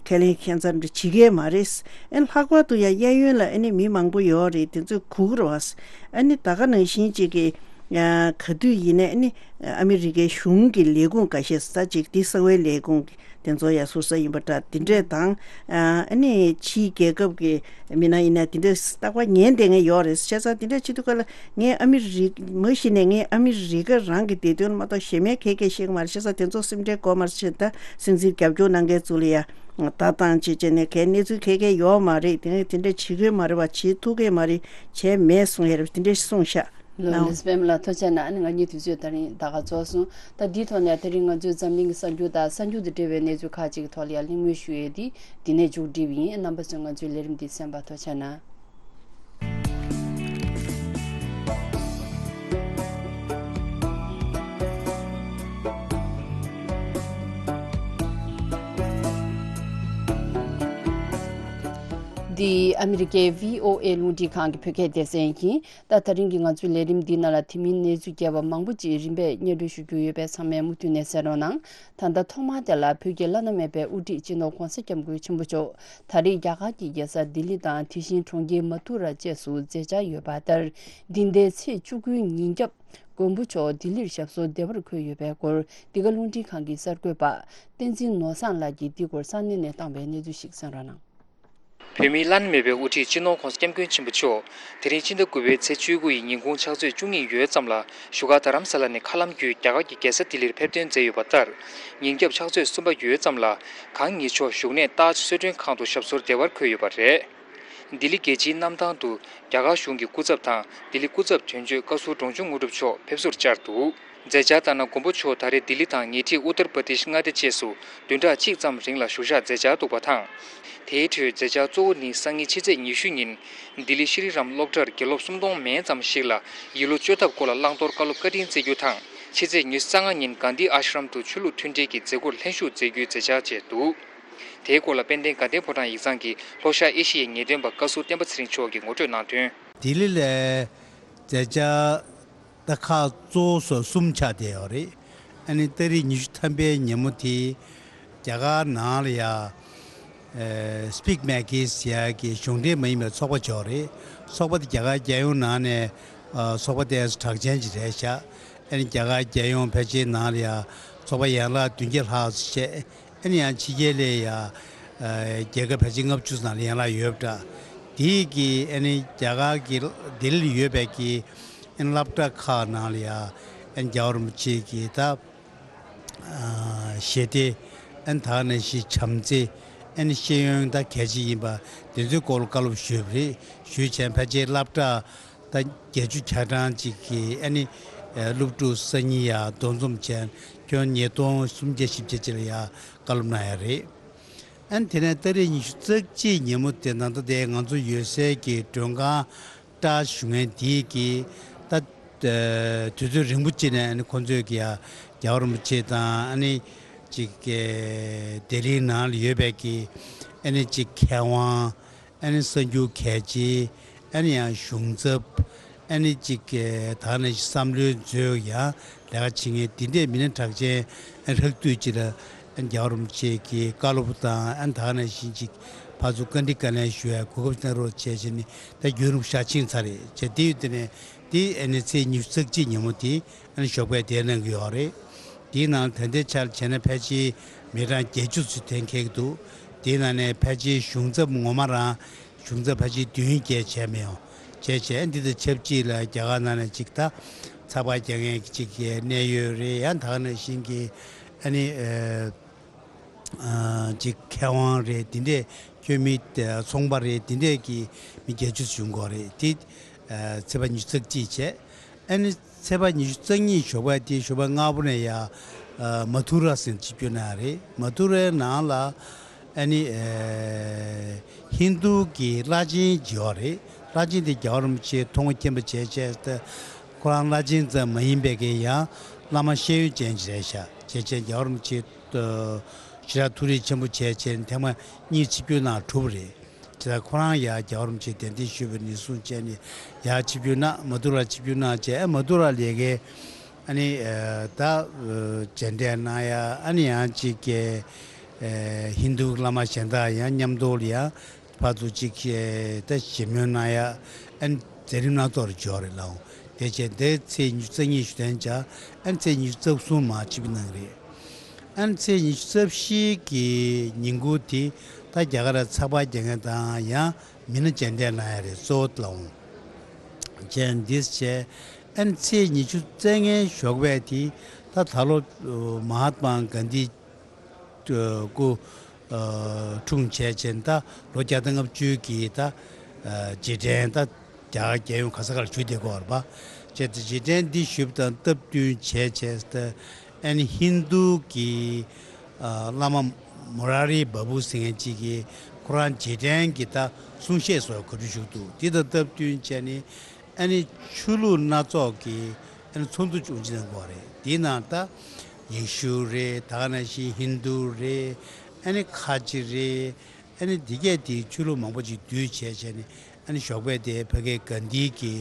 ཁས་ལེན་ཁྱད་མཚར་འདྲ་བྱེད་ཀྱི་མ་རེད། ཨ་ནི་ལྷག་པར་དུ་ཡ་གཡས་གཡོན་ལ་ཨ་ནི་མི་མང་པོ་ཡོད་རེད། དེ་ཚོས་སྒུག་རོགས། ཨ་ནི་ད་ག་ནང་བཞིན་ཅིག་གི་ཨ་ག་དུས་ཡིན་ནའི་ཨ་ནི་ཨ་མི་རི་ཀའི་གཞུང་གི་ལས་ཁུངས་འགའ་ཤས་ས་ཅིག་དེ་གསང་བའི་ལས་ཁུངས་དེ་ཚོ་ཡ་ཟུར་ཟ་ཡིན་པ་འདྲ་དེ་འདྲས་དང་། ཨ་ནི་ཕྱིའི་རྒྱལ་ཁབ་ཀྱི་མི་སྣ་ཡིན་ན་དེ་འདྲས་རྟག་པར་ཉན་བསྡད་མཁན་ཡོད་རེད། བྱས་ཙང་དེ་འདྲས་བྱེད་དུས་སྐབས་ལ་ངས་ཨ་མི་རི་མ་གཞི་ནས་ངས་ཨ་མི་རི་ཀ་རང་གི་བདེ་དོན་མ་གཏོགས་གཞན་མའི་ག་གས་ཤེས་ཀྱི་མ་རེད། བྱས་ཙང་དེ་ཚོ་སེམས་ཁྲལ་དགོས་མ་རེད། བྱས་ད་སྲིད་འཛིན་རྒྱབ་སྐྱོར་གནང་མཁན་ཚོ་ལ་ཡ་ལྟ་སྟངས་བྱས་བྱས་ནས་གའི་གནས་ཚུལ་ག་གས་ཡོད་མ་རེད། དེ་ནས་དེ་འདྲས་བྱེད་དགོས་མ་རེད་པ། བྱེད་ཐུབ་ཀྱི་མ་རེད། བྱས་མེད་གསུང་ཡ་རེད། དེ་འདྲས་གསུངས་ཤག་ལོ་ལེ་སི་པེམ་ལ་ཐུགས་རྗེ་གནང་། ཨ་ནི་ང་གཉིས་དུས་ཚོད་ད་རིང་ད་ག་རྫོགས་སོང་། ད་འདིའི་ཐོག་ནས་དེ་རིང་ང་ཚོའི་འཛམ་གླིང་གི་གསར་འགྱུར་དང་གསར་འགྱུར་དང་འབྲེལ་བའི་གནས་ཚུལ་ཁག་ཅིག་གི་ཐོག་ལ་ཡང་གླེང་མོལ་ཞུ་ཡས་འདི་འདི་ནས་མཇུག་སྒྲིལ་བ་ཡིན། རྣམ་པ་ཚོས་ང་ཚོའི་ལས་རིམ་འདི་གསན་པར་ཐུགས་རྗེ་གནང་། འདི་ཨ་མི་རི་ཀའི་བྷི་ཨོ་ཨེ་རླུང་འཕྲིན་ཁང་གི་བོད་སྐད་སྡེ་ཚན་ཡིན། ད་ད་རིང་གི་ང་ཚོའི་ལས་རིམ་འདིའི་ནང་ལ་དེ་མིན་གནས་ཚུལ་རྒྱས་པ་མང་པོ་ཅིག་རིམ་པས་སྙན་སྒྲོན་ཞུ་རྒྱུ་ཡོད་པས་ཚང་མས་མུ་མཐུད་ནས་གསན་རོགས་གནང་། ད་ལྟ་ཐོག་མར་དེ་ལ་བོད་ཀྱི་བླ་ན་མེད་པའི་དབུ་ཁྲིད་སྤྱི་ནོར་༸གོང་ས་༸སྐྱབས་མགོན་ཆེན་པོ་མཆོག་ད་རེས་རྒྱ་གར་གྱི་རྒྱལ་ས་ལྡི་ལི་དང་དེ་བཞིན་གྲོང་ཁྱེར་མ་ཐུ་ར་བཅས་སུ་མཛད་འཆར་ཡོད་པ་ལྟར། འདི་ཟླའི་ཚེས་བཅུ་དགུའི་ཉིན་རྒྱབ་མགོན་པོ་མཆོག་ལྡི་ལིར་ཞབས་སོར་བདེ་བར་འཁོད་ཡོད་པའི་སྐོར་འདི་ག་རླུང་འཕྲིན་ཁང་གི་གསར་འགོད་པ་བསྟན་འཛིན་ནོར་བཟང་ལགས་ཀྱིས་འདི་སྐོར་ས་གནས་ནས་བཏང་བའི་གནས་ཚུལ་ཞིག་གསན་རོགས་གནང་། བོད་མིའི་བླ་ན་མེད་པའི་དབུ་ཁྲིད་སྤྱི་ནོར་༸གོང་ས་༸སྐྱབས་མགོན་ཆེན་པོ་མཆོག་དེ་རིང་ཕྱི་ཟླ་དགུ་པའི་ཚེས་བཅུ་དགུ་ཡི་ཉིན་གུང་ཕྱག་ཚོད་བཅུ་གཉིས་ཡོལ་ཙམ་ལ་བཞུགས་སྒར་རྡ་རམ་ས་ལ་ནས་མཁའ་ལམ་བརྒྱུད་རྒྱ་གར་གྱི་རྒྱལ་ས་ལྡི་ལིར་ཕེབས་ཐོན་མཛད་ཡོད་པ་ལྟར། ཉིན་རྒྱབ་ཕྱག་ཚོད་གསུམ་པ་ཡོལ་ཙམ་ལ་གང་ཉིད་མཆོག་བཞུགས་གནས་ཏཱཇ་གསོལ་མགྲོན་ཁང་དུ་ཞབས་སོར་བདེ་བར་འཁོད་ཡོད་པ་རེད། ལྡི་ལི་རྒྱལ་སྤྱིའི་གནམ་ཐང་དུ་རྒྱ་གར་གཞུང་གི་སྐུ་ཚབ་དང་ལྡི་ལི་སྐུ་ཚབ་དོན་གཅོད་བཀའ་ཟུར་འབྲོང་ཆུང་དངོས་གྲུབ་མཆོག་ཕེབས་བསུར་བཅར་འདུག་མཛད་འཆར་ལྟར་ན། མགོན་པོ་མཆོག་ད་རེས་ལྡི་ལི་དང་ཉེ་འཁྲིས་ཨུ་ཏར་པར་དེཤ་མངའ་སྡེ་བཅས་སུ་བདུན་ཕྲག་གཅིག་ཙམ་རིང་ལ་བཞུགས་ཞག་མཛད་འཆར་འདུག་པ་དང་། དེའི་ཁྲོད་མཛད་འཆར་གཙོ་བོ་ནི་སང་ཉིན་ཕྱི་ཚེས་ཉི་ཤུ་ཉིན་ལྡི་ལི་ཤྲི་རམ་སློབ་གྲྭར་དགེ་སློབ་སུམ་སྟོང་མན་ཙམ་ཞིག་ལ་ཡིད་བློ་བཅོལ་ཐབས་སྐོར་ལ་བླང་དོར་བཀའ་སློབ་བཀའ་དྲིན་སྩལ་རྒྱུ་དང་། ཕྱི་ཚེས་ཉི་ཤུ་རྩ་ལྔ་ཉིན་གྷན་དྷི་ཨཱཤ་རམ་དུ་ཆོས་ལུགས་མཐུན་སྒྲིལ་གྱི་མཛད་སྒོར་ལྷན་ཞུགས་མཛད་རྒྱུའི་མཛད་འཆར་བཅས་འདུག་དེའི་སྐོར་ལ་དཔལ་ལྡན་དགའ་ལྡན་ཕོ་བྲང་ཡིག་ཚང་གི་ལྷོ་ཤར་ཨེ་ཤི་ཡའི་ངེས་སྟོན་པ་བཀའ་ཟུར་བསྟན་པ་ཚེ་རིང་མཆོག་གིས་ངོ་སྤྲོད་གནང་དོན། ལྡི་ལི་ལ་མཛད་འཆར་ད་ཁག་གཙོ་བོ་སོགས་གསུམ་ཆགས་བསྡད་ཡོད་རེད། ཨ་ནི་ཏ་རིག་ཉི་ཤུ་ཐམ་པའི་ཉིན་མོ་དེ་རྒྱ་གར་ནང་ལ་ཡ་ཨེ་སི་པིག་མེ་ཀེར་ཟེར་ཡ་གི་གཞུང་འབྲེལ་མ་ཡིན་པའི་ཚོགས་པ་ཅིག་ཡོད་རེད། ཚོགས་པ་དེ་རྒྱ་གར་རྒྱལ་ཡོངས་ནང་ནས་ཨ་ཚོགས་པ་དེ་གྲགས་ཅན་ཅིག་རེད་ཤག་ཨ་ནི་རྒྱ་གར་རྒྱལ་ཡོངས་ཕལ་ཆེར་ནང་ལ་ཡ་ཚོགས་པ་ཡན་ལག་བདུན་བརྒྱ་ལྷག་ཙམ་བྱས། ཨ་ནི་ཡང་ཕྱི་རྒྱལ་ལ་ཡ་ཨ་རྒྱལ་ཁབ་ཕལ་ཆེར་ལྔ་བཅུ་ཙམ་ལ་ཡན་ལག་ཡོད་པ་འདྲ། དེའི་གི་ཨ་ནི་རྒྱ་གར་གི་ལྡི་ལིར་ཡོད་པའི་གི་ཨ་ནི་སློབ་གྲྭ་ཁག་ནང་ལ་ཡ་ཨ་ནི་རྒྱལ་བ་རིན་པོ་ཆེ་གི་ད་ཨ་ཞི་བདེ། ཨ་ནི་ད་ག་ནང་བཞིན་བྱམས་བརྩེ། ཨ་ནི་ཤེས་ཡོན་ད་གལ་ཆེ་ཡིན་པ་དེ་ཚོའི་སྐོར་ལ་བཀའ་སློབ་ཞུས་པ་རེད། ཞུས་བྱས་ཕལ་ཆེར་སློབ་གྲྭ་ད་བརྒྱད་ཅུ་གྱ་གྲངས་ཅིག་གི་ཨ་ནི་ཨ་སློབ་ཕྲུག་སང་ཉིན་ཡ་འདུ་འཛོམས་བྱས་ཁྱོན་ཉིས་སྟོང་སུམ་བརྒྱ་བཞི་བརྒྱ་ཅིག་ལ་ཡ་བཀའ་སློབ་གནང་ཡ་རེད། ཨ་ནི་དེ་ནས་ཏ་རིག་ཉི་ཤུ་རྩ་གཅིག་ཉིན་མོ་དེ་ནང་ད་ལྟའི་ང་ཚོ་ཡོད་སའི་གི་མགྲོན་ཁང་ཏཱཇ་བཞུགས་མཁན་དེའི་གི་ད་ཨ་དུས་ཚོད་རིང་པོ་ཅིག་ནས་ཨ་ནི་ཁོང་ཚོས་གི་ཡ་རྒྱལ་བ་རིན་པོ་ཆེ་དང་ཨ་ནི་ཅིག་གི་ལྡི་ལིའི་ནང་ལ་ཡོད་པའི་གི་ཨ་ནི་ཅིག་མཁས་དབང་། ཨ་ནི་གསར་འགྱུར་གལ་ཆེ། ཨ་ནི་ཡང་གཞུང་ཚབ། ཨ་ནི་ཅིག་གི་ད་ག་ནང་བཞིན་བསམ་བློའི་མཛོད་ཡང་ལས་ཀ་བྱེད་མཁན་དེ་འདྲའི་མི་སྣ་གྲགས་ཅན་ཨ་ལྷག་དུས་ཅིག་ལ་ཨ་རྒྱལ་བ་རིན་པོ་ཆེ་གི་བཀའ་སློབ་དང་། ཨ་ནི་ད་ག་ནང་བཞིན་ཅིག་ཕར་ཚུར་བཀའ་འདྲི་བཀའ་ལན་ཞུ་བའི་གོ་སྐབས་གནང་རོགས་བྱས་བྱས་ནས་ད་རྒྱུན་རིང་ཞག་ཕྱིན་ཚར་རེད་བྱས། དེ་ཡོད་དེ་ནས་དེ་ཨ་ནི་ཚེས་ཉི་ཤུ་རྩ་གཅིག་ཉིན་མོ་དེ་ཨ་ནི་ཞོགས་པའི་དེ་གནང་གི་ཡོད་རེད། དེའི་ནང་ད་ལྟའི་ཆར་བྱས་ན་ཕལ་ཆེར་མི་གྲངས་བརྒྱད་ཅུ་ཙམ་ཐོན་འཁེལ་གྱི་འདུག་དེའི་ནང་ནས་ཕལ་ཆེར་གཞུང་ཚབ་ངོ་མ་རང་གཞུང་ཚབ་ཕལ་ཆེར་བདུན་བརྒྱད་བྱས་མི་ཡོང་། བྱས་བྱས་འདི་དང་ཆབས་ཅིག་ལ་རྒྱ་གར་ནང་ནས་ཅིག་ད་ཚགས་པར་རྒྱག་མཁན་གྱི་ཅིག་གནད་ཡོད་རེད། ཡང་ད་ག་ནང་བཞིན་གྱི་ཨ་ནི་ཨ་ཅིག་མཁས་དབང་རེད། དེ་འདྲས་ཁྱོད་མི་ཚོང་པ་རེད། དེ་འདྲས་ཀྱི་མི་བརྒྱད་ཅུ་བྱུང་གི་རེད། དེ་ཨ་ཚེས་པ་ཉི་ཤུ་རྩ་གཅིག་བྱས། ཨ་ནི་ཚེས་པ་ཉི་ཤུ་རྩ་གཉིས་ཞོགས་པ་དེ་ཞོགས་པ་སྔ་པོ་ནས་ཡ་ཨ་མ་ཐུ་ར་ཟེར་ཆིབས་བསྒྱུར་གནང་ཡ་རེད། མ་ཐུ་རའི་ནང་ལ་ཨ་ནི་ཨ་ཧིན་རྡུ་གི་བླ་ཆེན་ཅིག་ཡོད་རེད། བླ་ཆེན་དེ་རྒྱལ་བ་རིན་པོ་ཆེ་མཐོང་མཁྱེན་པ་བྱས་བྱས་ཏེ་ཁོ་རང་བླ་ཆེན་ཙམ་མ་ཡིན་པའི་གི་ཡང་བླ་མ་ཤེས་ཡོན་ཅན་ཅིག་རེད་ཤག་བྱས་བྱས་རྒྱལ་བ་རིན་པོ་ཆེ་ཨ་ཞེ་དྲག་ཐུགས་རེ་ཆེན་པོ་བྱས་བྱས་ཐེངས་མ་གཉིས་ཆིབས་བསྒྱུར་གནང་གྲུབ་པ་རེད། དེ་ལ་ཁོ་རང་ཡར་རྒྱལ་བ་རིན་པོ་ཆེ་གདན་འདྲེན་ཞུས་པ་ནས་བཟུང་བྱས་ནས་ཡར་ཆིབས་བསྒྱུར་གནང་། མ་ཐུ་ར་ཆིབས་བསྒྱུར་གནང་བྱས། ཨ་མ་ཐུ་ར་ལས་ཀའི་ཨ་ནི་ཨ་ད་ཨ་མཇལ་འཕྲད་གནང་ཡ། ཨ་ནི་ཡང་ཅིག་གི་ཨ་ཧིན་རྡུ་བླ་མ་གཞན་དག་ཡང་མཉམ་དུ་ལ་ཡང་ཕར་ཚུར་ཅིག་ཨ་ད་ཞལ་མོལ་གནང་ཡ། ཨ་ནི་མཛད་རིམ་སྣ་ཚོགས་རེ་འབྱོར་རེད་ལགས། དེ་བྱས་འདི་ཚེས་ཉི་ཤུ་རྩ་གཉིས་ཞུ་དོན་བྱ། ཨ་ནི་ཚེས་ཉི་ཤུ་རྩ་གསུམ་མར་ཆིབས་བསྒྱུར་གནང་གི་རེད། ཨ་ནི་ཚེས་ཉི་ཤུ་རྩ་བཞི་གི་ཉིན་གུང་དེ་ད་རྒྱ་གར་ལ་ཚགས་པར་རྒྱག་མཁན་དང་ཡང་མི་སྣ་མཇལ་འཕྲད་གནང་ཡ་རེད། གཙོ་བོ་ལའོ་བྱས་འདི་བྱས། ཨ་ནི་ཚེས་ཉི་ཤུ་རྩ་ལྔའི་ཞོགས་པ་དེ་ད་ད་ལོ་མ་ཧཱ་ཏྨ་གྷན་དྷི་སྐུ་འཁྲུངས་བྱས་བྱས་ད་ལོ་བརྒྱ་དང་ལྔ་བཅུ་གི་ད་རྗེས་དྲན་ད་རྒྱ་གར་རྒྱལ་ཡོངས་ག་ས་ག་ལ་ཞུ་བསྡད་ཀྱི་ཡོད་རེད་པ། བྱས་ཏེ་རྗེས་དྲན་འདི་ཞུས་པ་དང་སྟབས་བསྟུན་བྱས་བྱས་ཏེ་ཨ་ནི་ཧིན་རྡུ་གི་ཨ་བླ་མ་མུ་ར་རི་བ་བུ་ཟེར་མཁན་གཅིག་གིས་ཁོ་རང་རྗེས་དྲན་གྱི་ད་གསུང་བཤད་སོགས་གོ་སྒྲིག་ཞུས་འདུག་དེ་དང་སྟབས་བསྟུན་བྱས་ནས་ཨ་ནི་ཆོས་ལུགས་སྣ་ཚོགས་ཀྱི་ཨ་ནི་ཚོགས་འདུ་ཅུང་ཅིག་གནང་གི་ཡོད་རེད། དེའི་ནང་ད་ཡེ་ཤུ་རེད། ད་ག་ནང་བཞིན་ཧིན་རྡུ་རེད། ཨ་ནི་ཁ་ཆེ་རེད། ཨ་ནི་འདི་གས་དེའི་ཆོས་ལུགས་མང་པོ་ཅིག་འདུས་བྱས་བྱས་ནས་ཨ་ནི་ཞོགས་པ་དེ་ཕ་གའི་གྷན་དྷི་གི་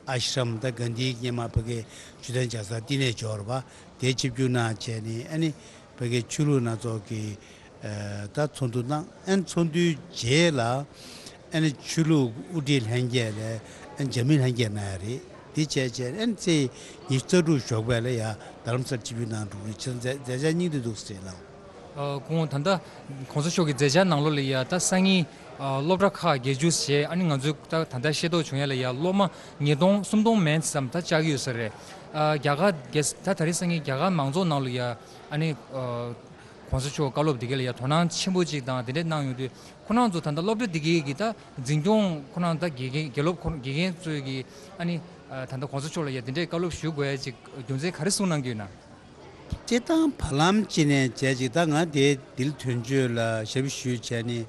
ཨ་ཤྲམ་ད་གྷན་དྷི་གི་སྔོན་མ་ཕ་གའི་བཅུད་ལྡན་ལྕགས་ཟངས་བསྟི་གནས་འབྱོར་བ་དེ་ཆིབས་བསྒྱུར་གནང་བྱས་ནས་ཨ་ནི་ཕ་གའི་ཆོས་ལུགས་སྣ་ཚོགས་ཀྱི་ཨ་ད་ཚོགས་འདུ་གནང་། ཨ་ནི་ཚོགས་འདུའི་རྗེས་ལ་ཨ་ནི་ཆོས་ལུགས་དབུ་ཁྲིད་ལྷན་རྒྱས་ལ་ཨ་ནི་འཇབ་མི་ལྷན་རྒྱས་གནང་ཡ་རེད། དེ་བྱས་བྱས་ཨ་ནི་ཚེས་ཉི་ཤུ་རྩ་དྲུག་ཞོགས་པ་ལ་ཡ་རྡ་རམ་ས་ལ་ཆིབས་བསྒྱུར་གནང་འགྲོ་གི་རེད། ཁྱེད་རང་མཛད་མཛད་འཆར་སྙིང་བསྡུས་འདུག་ཟེར་ལགས། ཨ་ཁོང་ད་ལྟ་གོང་ས་མཆོག་གི་མཛད་འཆར་ནང་ལོགས་ལ་ཡ་ད་སང་ཉིན་ཨ་སློབ་གྲྭ་ཁག་བརྒྱད་ཅུ་ཞེས་ཨ་ནི་ང་ཚོས་ད་ད་ལྟ་ཤེས་རྟོགས་བྱུང་ཡ་ལ་ཡ་སློབ་མ་ཉིས་སྟོང་སུམ་སྟོང་མན་ཙམ་ད་བཅར་གྱི་ཡོད་ས་རེད། ཨ་རྒྱ་གར་རྒྱལ་ས་ད་ད་རེས་སང་ཉིན་རྒྱ་གར་མང་ཚོགས་ནང་ལ་ཡ་ཨ་ནི་ཨ་གོང་ས་མཆོག་བཀའ་སློབ་འདི་ག་ལ་ཡ་དོ་སྣང་ཆེན་པོ་ཅིག་དང་དེ་འདྲས་གནང་ཡོང་དུས་ཁོ་རང་ཚོ་ད་ལྟ་སློབ་གྲྭ་འདི་གའི་གི་ད་འཛིན་སྐྱོང་ཁོ་རང་ད་དགེ་རྒན་དགེ་སློབ་ཁོ་དགེ་རྒན་ཚོས་གི་ཨ་ནི་ཨ་ད་ལྟ་གོང་ས་མཆོག་ལ་ཡ་དེ་འདྲས་བཀའ་སློབ་ཞུ་དགོས་ཡ་ཅིག་རྒྱུ་མཚན་ག་རེ་གསུངས་གནང་གི་ཡོད་ན། སྤྱིར་བཏང་བར་ལམ་ཅིག་ནས་བྱས་ཅིག་ད་ང་དེ་དིལ་དོན་གཅོད་ལ་ཞབས་ཞུ་བྱས་ནས་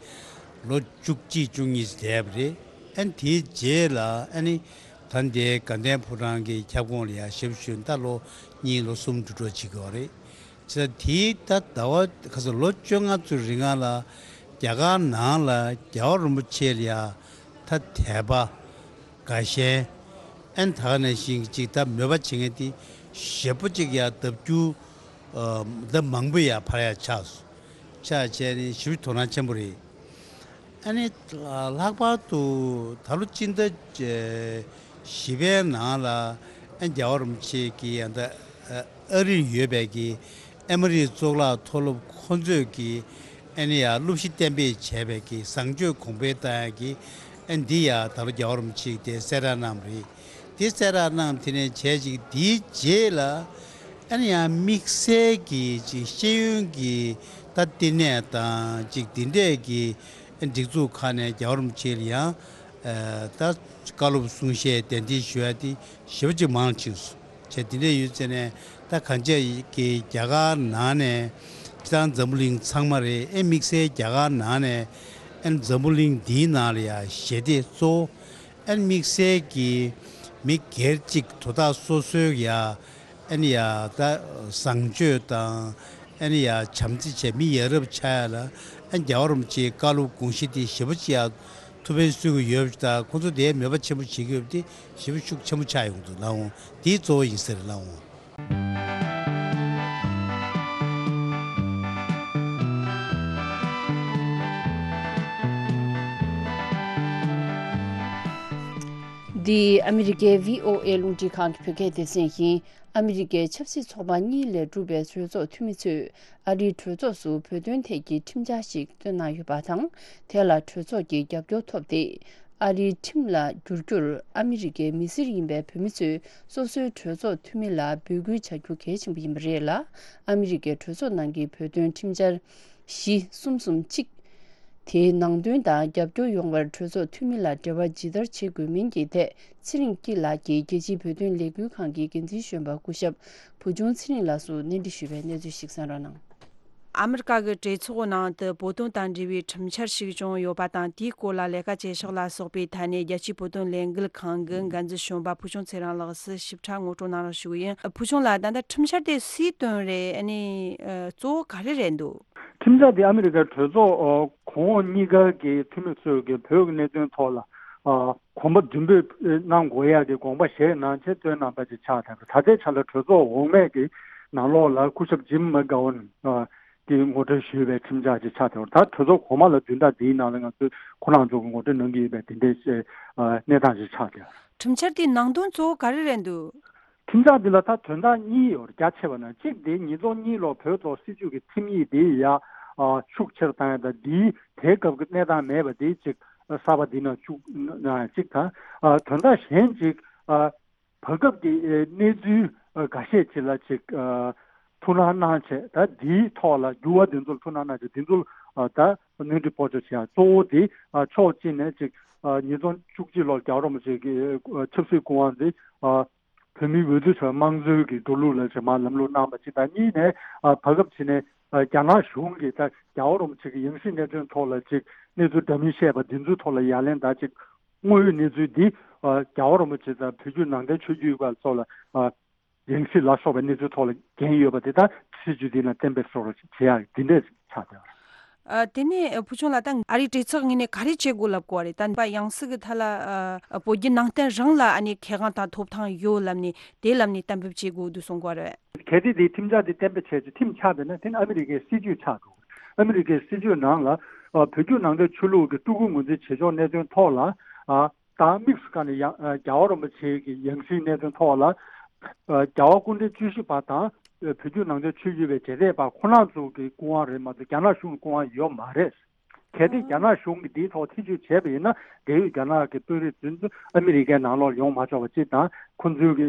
ལོ་བཅུ་གཅིག་བཅུ་གཉིས་བསྡད་པ་རེད། ཨ་ནི་དེའི་རྗེས་ལ་ཨ་ནི་ད་ལྟའི་དགའ་ལྡན་ཕོ་བྲང་གི་ཁྱབ་ཁོངས་ལ་ཡང་ཞབས་ཞུ་ད་ལོ་གཉིས་ལོ་གསུམ་འགྲོ་གྲབས་བྱེད་ཀྱི་ཡོད་རེད། བྱས་ཙང་དེའི་ད་ཟླ་བ་ཁ་སང་ལོ་བཅོ་ལྔ་ཙམ་རིང་ལ་རྒྱ་གར་ནང་ལ་རྒྱལ་བ་རིན་པོ་ཆེ་ལ་ཡང་ད་དད་པ་དགའ་ཞེན་ཨན་ད་ག་ནང་བཞིན་གཅིག་ད་མོས་པ་བྱེད་མཁན་དེ་ཞེ་པོ་ཅིག་ཡ་ལྡབ་འགྱུར་ལྡབ་མང་པོ་ཡ་འཕར་ཡ་ཆགས་སོང་། ཆགས་བྱས་ནས་ཞེ་པོ་དོ་སྣང་ཆེན་པོ་རེད། ཨ་ནི་ལྷག་པར་དུ་ད་ལོ་སྤྱི་ཟླ་བཞི་པའི་ནང་ལ་ཨ་རྒྱལ་བ་རིན་པོ་ཆེ་གི་ཡ་ད་ཨ་རིར་ཡོད་པའི་གི་ཨ་མི་རིགས་གཙུག་ལག་མཐོ་སློབ་ཁོང་ཚོས་ཀྱི་ཨ་ནི་ཡ་སློབ་གཞི་གཏན་འབེབས་བྱས་པའི་གི་བཟང་སྤྱོད་གོང་འཕེལ་བཏང་ཡ་གི་ཨ་འདི་ཡ་ད་ལོ་རྒྱལ་བ་རིན་པོ་ཆེ་གི་དེ་གསལ་བསྒྲགས་གནང་བ་རེད། དེ་གསལ་བསྒྲགས་གནང་དེ་ནས་བྱས་ཅིག་དེའི་རྗེས་ལ་ཨ་ནི་ཡང་དམིགས་བསལ་གྱི་ཅིག་ཤེས་ཡོན་གྱི་ད་བསྟི་གནས་དང་ཅིག་དེ་འདྲས་ཀྱི་སྒྲིག་འཛུགས་ཁག་ནས་རྒྱལ་བ་རིན་པོ་ཆེ་ལ་ཡང་ད་བཀའ་སློབ་གསུང་བཤད་གདན་འདྲེན་ཞུ་ཡ་དེ་ཞེ་པོ་ཅིག་མང་ཕྱིན་སོང་། བྱས་དེ་འདྲས་ཡོད་ཚེ་ནས་ད་གང་ཅི་གི་རྒྱ་གར་ནང་ནས་སྤྱིར་བཏང་འཛམ་བུ་གླིང་ཚང་མ་རེད། ཨེ་དམིགས་བསལ་རྒྱ་གར་ནང་ནས་ཨེ་འཛམ་བུ་གླིང་འདིའི་ནང་ལ་ཡ་ཞི་བདེ་གཙོ་བོ་ཨེ་དམིགས་བསལ་གྱི་མི་སྒེར་གཅིག་དོ་བདག་སོ་སོའི་ཡ་ཨེ་ནི་ཡ་ད་བཟང་སྤྱོད་དང་ཨེ་ནི་ཡ་བྱམས་བརྩེ་བྱས་མི་ཡ་རབས་ཆགས་ཡ་ལ་ཨེ་རྒྱལ་བ་རིན་པོ་ཆེའི་བཀའ་སློབ་དགོངས་གཞི་དེ་ཞེ་པོ་ཅིག་ཡ་ཐུགས་ཕན་གསོས་ཀྱི་ཡོད་པ་ཞིག་དང་ཁོང་ཚོ་དེའི་མོས་པ་ཆེན་པོ་བྱེད་ཀྱི་ཡོད་པ་དེ་ཞེ་པོ་ཤུགས་ཆེན་པོ་ཆགས་ཡོང་འདུག་ལགས་འོང་། དེ་གཙོ་བོ་ཡིན་ཟེར་ལགས་འོང་། འདི་ཨ་མི་རི་ཀའི་བྷི་ཨོ་ཨེ་རླུང་འཕྲིན་ཁང་གི་བོད་སྐད་སྡེ་ཚན་ཡིན། ཨ་མི་རི་ཀའི་ཆབ་སྲིད་ཚོགས་པ་གཉིས་ལས་གྲུབ་པའི་གྲོས་ཚོགས་འཐུས་མི་ཚོས་ཨ་རིའི་གྲོས་ཚོགས་སུ་བོད་དོན་ཐད་ཀྱི་ཁྲིམས་འཆར་ཞིག་བཏོན་གནང་ཡོད་པ་དང་། དེ་ལ་གྲོས་ཚོགས་ཀྱི་རྒྱབ་སྐྱོར་ཐོབ་སྟེ། ཨ་རིའི་ཁྲིམས་ལ་བསྒྱུར་རྒྱུར་ཨ་མི་རི་ཀའི་མི་སེར་ཡིན་པའི་བོད་མི་ཚོས་སོ་སོའི་གྲོས་ཚོགས་འཐུས་མི་ལ་འབོད་སྐུལ་བྱ་རྒྱུ་གལ་ཆེན་པོ་ཡིན་པ་རེད་ལ། ཨ་མི་རི་ཀའི་གྲོས་ཚོགས་ནང་གི་བོད་དོན་ཁྲིམས་འཆར་བཞི་གསུམ་གསུམ་གཅིག་དེའི་ནང་དོན་དང་རྒྱབ་སྐྱོར་ཡོང་བར་གྲོས་ཚོགས་འཐུས་མི་ལ་འབྲེལ་བ་ཇི་ལྟར་བྱེད་དགོས་མིན་གྱི་ཐད་ཚེ་རིང་སྐྱིད་ལགས་ཀྱིས་རྒྱལ་སྤྱིའི་བོད་དོན་ལས་འགུལ་ཁང་གི་འགན་འཛིན་གཞོན་པ་སྐུ་ཞབས་བུ་ཆུང་ཚེ་རིང་ལགས་སུ་གནས་འདྲི་ཞུས་པའི་གནས་ཚུལ་ཞིག་གསན་རོགས་གནང་། ཨ་མི་རི་ཀ་གི་གྲོས་ཚོགས་ནང་དུ་བོད་དོན་དང་འབྲེལ་བའི་ཁྲིམས་འཆར་ཞིག་བྱུང་ཡོད་པ་དང་། དེའི་སྐོར་ལ་ལས་ཀ་བྱེད་ཕྱོགས་ལ་སོགས་པའི་ཐད་ནས་རྒྱལ་སྤྱིའི་བོད་དོན་ལས་འགུལ་ཁང་གི་འགན་འཛིན་གཞོན་པ་བུ་ཆུང་ཚེ་རིང་ལགས་སུ་ཞིབ་ཕྲ་ངོ་སྤྲོད་གནང་རོགས་ཞུ་གི་ཡིན། བུ་ཆུང་ལགས། ད་ལྟ་ཁྲིམས་འཆར་དེ་སུས་བཏོན་རེད། ཨ་ནི་ཨ་གཙོ་བོ་ག་རེ་རེད་འདུག་ཁྲིམས་འཆར་དེ་ཨ་མི་རི་ཀའི་གྲོས་ཚོགས་ཨ་གོང་འོག་གཉིས་ཀ་གི་འཐུས་མི་ཚོས་ཀྱི་བོད་ཀྱི་གནད་དོན་ཐོག་ལ་ཨ་གོམ་པ་མདུན་སྤོས་གནང་དགོས་ཡག་གི་དགོངས་པ་བཞེས་གནང་བྱས་བཏོན་གནང་པ་ཅིག་ཆགས་བསྡད་པ་རེད། ད་ལྟའི་ཆ་ལ་གྲོས་ཚོགས་འོག་མའི་གི་ནང་ལོགས་ལ་སྐུ་ཞབས་ཇིམ་མེག་གྷ་ཝན་ཨ་གིས་ངོ་སྤྲོད་ཞུས་པའི་ཁྲིམས་འཆར་ཅིག་ཆགས་བསྡད་པ་རེད། ད་གྲོས་ཚོགས་གོང་མ་ལ་བདུན་ཕྲག་འདིའི་ནང་ལ་ང་ཚོས་ཁོ་རང་ཚོ་གི་ངོ་སྤྲོད་གནང་གི་ཡོད་པའི་དེ་འདྲའི་ཨ་གནས་སྟངས་ཅིག་ཆགས་བསྡད་པ་རེད། ཁྲིམས་འཆར་དེའི་ནང་དོན་གཙོ་བོ་ག་རེ་རེད་འདུག་ཁྲིམས་འཆར་འདི་ལ་ད་དོན་དག་གཉིས་ཡོད་རེད། རྒྱ་ཆེ་བ་ན་གཅིག་དེ་ཉིས་སྟོང་གཉིས་ལོ་བོད་ཐོག་སྲིད་བྱུས་ཀྱི་ཁྲིམས་ཡིག་དེ་ཡ་ཨ་ཤུགས་ཆེར་བཏང་ཡ་དང་། འདིའི་དེའི་སྐབས་ཀྱི་གནས་སྟངས་མེད་པ་དེ་གཅིག་གསར་པ་འདི་ནང་བཅུག་ན་གཅིག་དང་། ཨ་དོན་དག་གཞན་གཅིག་ཨ་བར་སྐབས་ཀྱི་ཨེ་གནས་ཚུལ་ཨ་འགའ་ཤས་ཅིག་ལ་ཅིག་ཨ་ཐུགས་སྣང་གནང་བྱས། ད་འདིའི་ཐོག་ལ་འགྱུར་བ་འདི་ཚོར་ཐུགས་སྣང་གནང་བྱས། འདི་ཚོར་ཨ་ད་སྣོན་འཕྲི་སྤོ་སྒྱུར་བྱེད་ཡ་གཙོ་བོ་དེ་ཨ་ཕྱོགས་གཅིག་ནས་ཅིག་ཨ་ཉིས་སྟོང་བཅུ་གཅིག་ལོར་རྒྱལ་བ་རིན་པོ་ཆེ་གི་ཨ་ཆབ་སྲིད་སྐུ་དབང་དེ་ཨ་ བོད་མིའི་འོས་བསྡུ་བྱ་བའི་དམངས་གཙོའི་གི་འགྲོ་ལུགས་ལ་ཅིག་མར་ལམ་ལྷོང་གནང་བ་ཅིག་དང་། གཉིས་ནས་ཨ་བར་སྐབས་ཅིག་ནས་ཨ་རྒྱ་ནག་གཞུང་གིས་ད་རྒྱལ་བ་རིན་པོ་ཆེ་གི་ཡང་སྲིད་གནས་དོན་ཐོག་ལ་ཅིག་གནས་ཚུལ་འདྲ་མིན་བཤད་པ་འདི་ཚོའི་ཐོག་ལ་ཡ་ལན་དང་ཅིག་དངོས་ཡོད་གནས་ཚུལ་འདི་ཨ་རྒྱལ་བ་རིན་པོ་ཆེ་དང་བོད་བརྒྱུད་ནང་བསྟན་ཆོས་བརྒྱུད་པ་ཚོ་ལ་ཨ་ཡང་སྲིད་ལ་སོགས་པའི་གནས་ཚུལ་ཐོག་ལ་འགན་ཡོད་པ་དེ་དག་སྲིད་བྱུས་འདི་ནང་གཏན་འབེབས་སོགས་ལ་བྱེད་ཡག་འདི་འདྲས་ཆགས་བསྡད་པ་རེད། ཨ། དེ་ནས་བུ་ཆུང་ལགས། ད་ཨ་རིའི་གྲོས་ཚོགས་ངོས་ནས་ག་རེ་བྱེད་དགོས་ལབ་དགོས་པ་རེད། ད་ཡང་སྲིད་ཀྱི་ཐད་ལ་ཨ་བོད་བརྒྱུད་ནང་བསྟན་རང་ལ་ཨ་ནི་ཁེ་དབང་དང་ཐོབ་ཐང་ཡོད་ལབ་ནས་དེ་ལབ་ནས་གཏན་འབེབས་བྱེད་དགོས་འདུག་གསུང་གི་རེད། གལ་ཏེ་དེ་ཁྲིམས་འཆར་དེ་གཏན་འབེབས་བྱས་ཚེ་ཁྲིམས་ཆགས་པས་ན་དེ་ནི་ཨ་མི་རི་ཀའི་སྲིད་བྱུས་ཆགས་འགྲོ། ཨ་མི་རི་ཀའི་སྲིད་བྱུས་ནང་ལ་ཨ་བོད་བརྒྱུད་ནང་བསྟན་ཆོས་ལུགས་ཀྱི་སྤྲུལ་སྐུ་ངོས་འཛིན་བྱེད་ཕྱོགས་གནད་དོན་ཐོག་ལ་ཨ་དང་དམིགས་སུ་བཀར་ནས་ཡང་ཨ་རྒྱལ་བ་རིན་པོ་ཆེ་གི་ཡང་སྲིད་གནད་དོན་ཐོག་ལ་ཨ་རྒྱལ་བ་སྐུ་ཕྲེང་བཅུ་བཞི་པ་དང་ཨ་བོད་བརྒྱུད་ནང་བསྟན་ཆོས་བརྒྱུད་པའི་རྗེས་འདེད་པ་ཁོ་རང་ཚོ་གི་སྐུ་དབང་རེད་མ་གཏོགས་རྒྱ་ནག་གཞུང་གི་སྐུ་དབང་ཡོད་མ་རེད། གལ་ཏེ་རྒྱ་ནག་གཞུང་གིས་འདིའི་ཐོག་ཐེ་བྱུས་བྱས་པ་ཡིན་ན། འབྲེལ་ཡོད་རྒྱ་ནག་གི་དཔོན་རིགས་དེ་ཚོ་ཨ་མི་རི་ཀའི་ནང་ལོགས་ཡོང་མ་ཆོག་པ་གཅིག་དང་། ཁོ་ཚོའི་གི་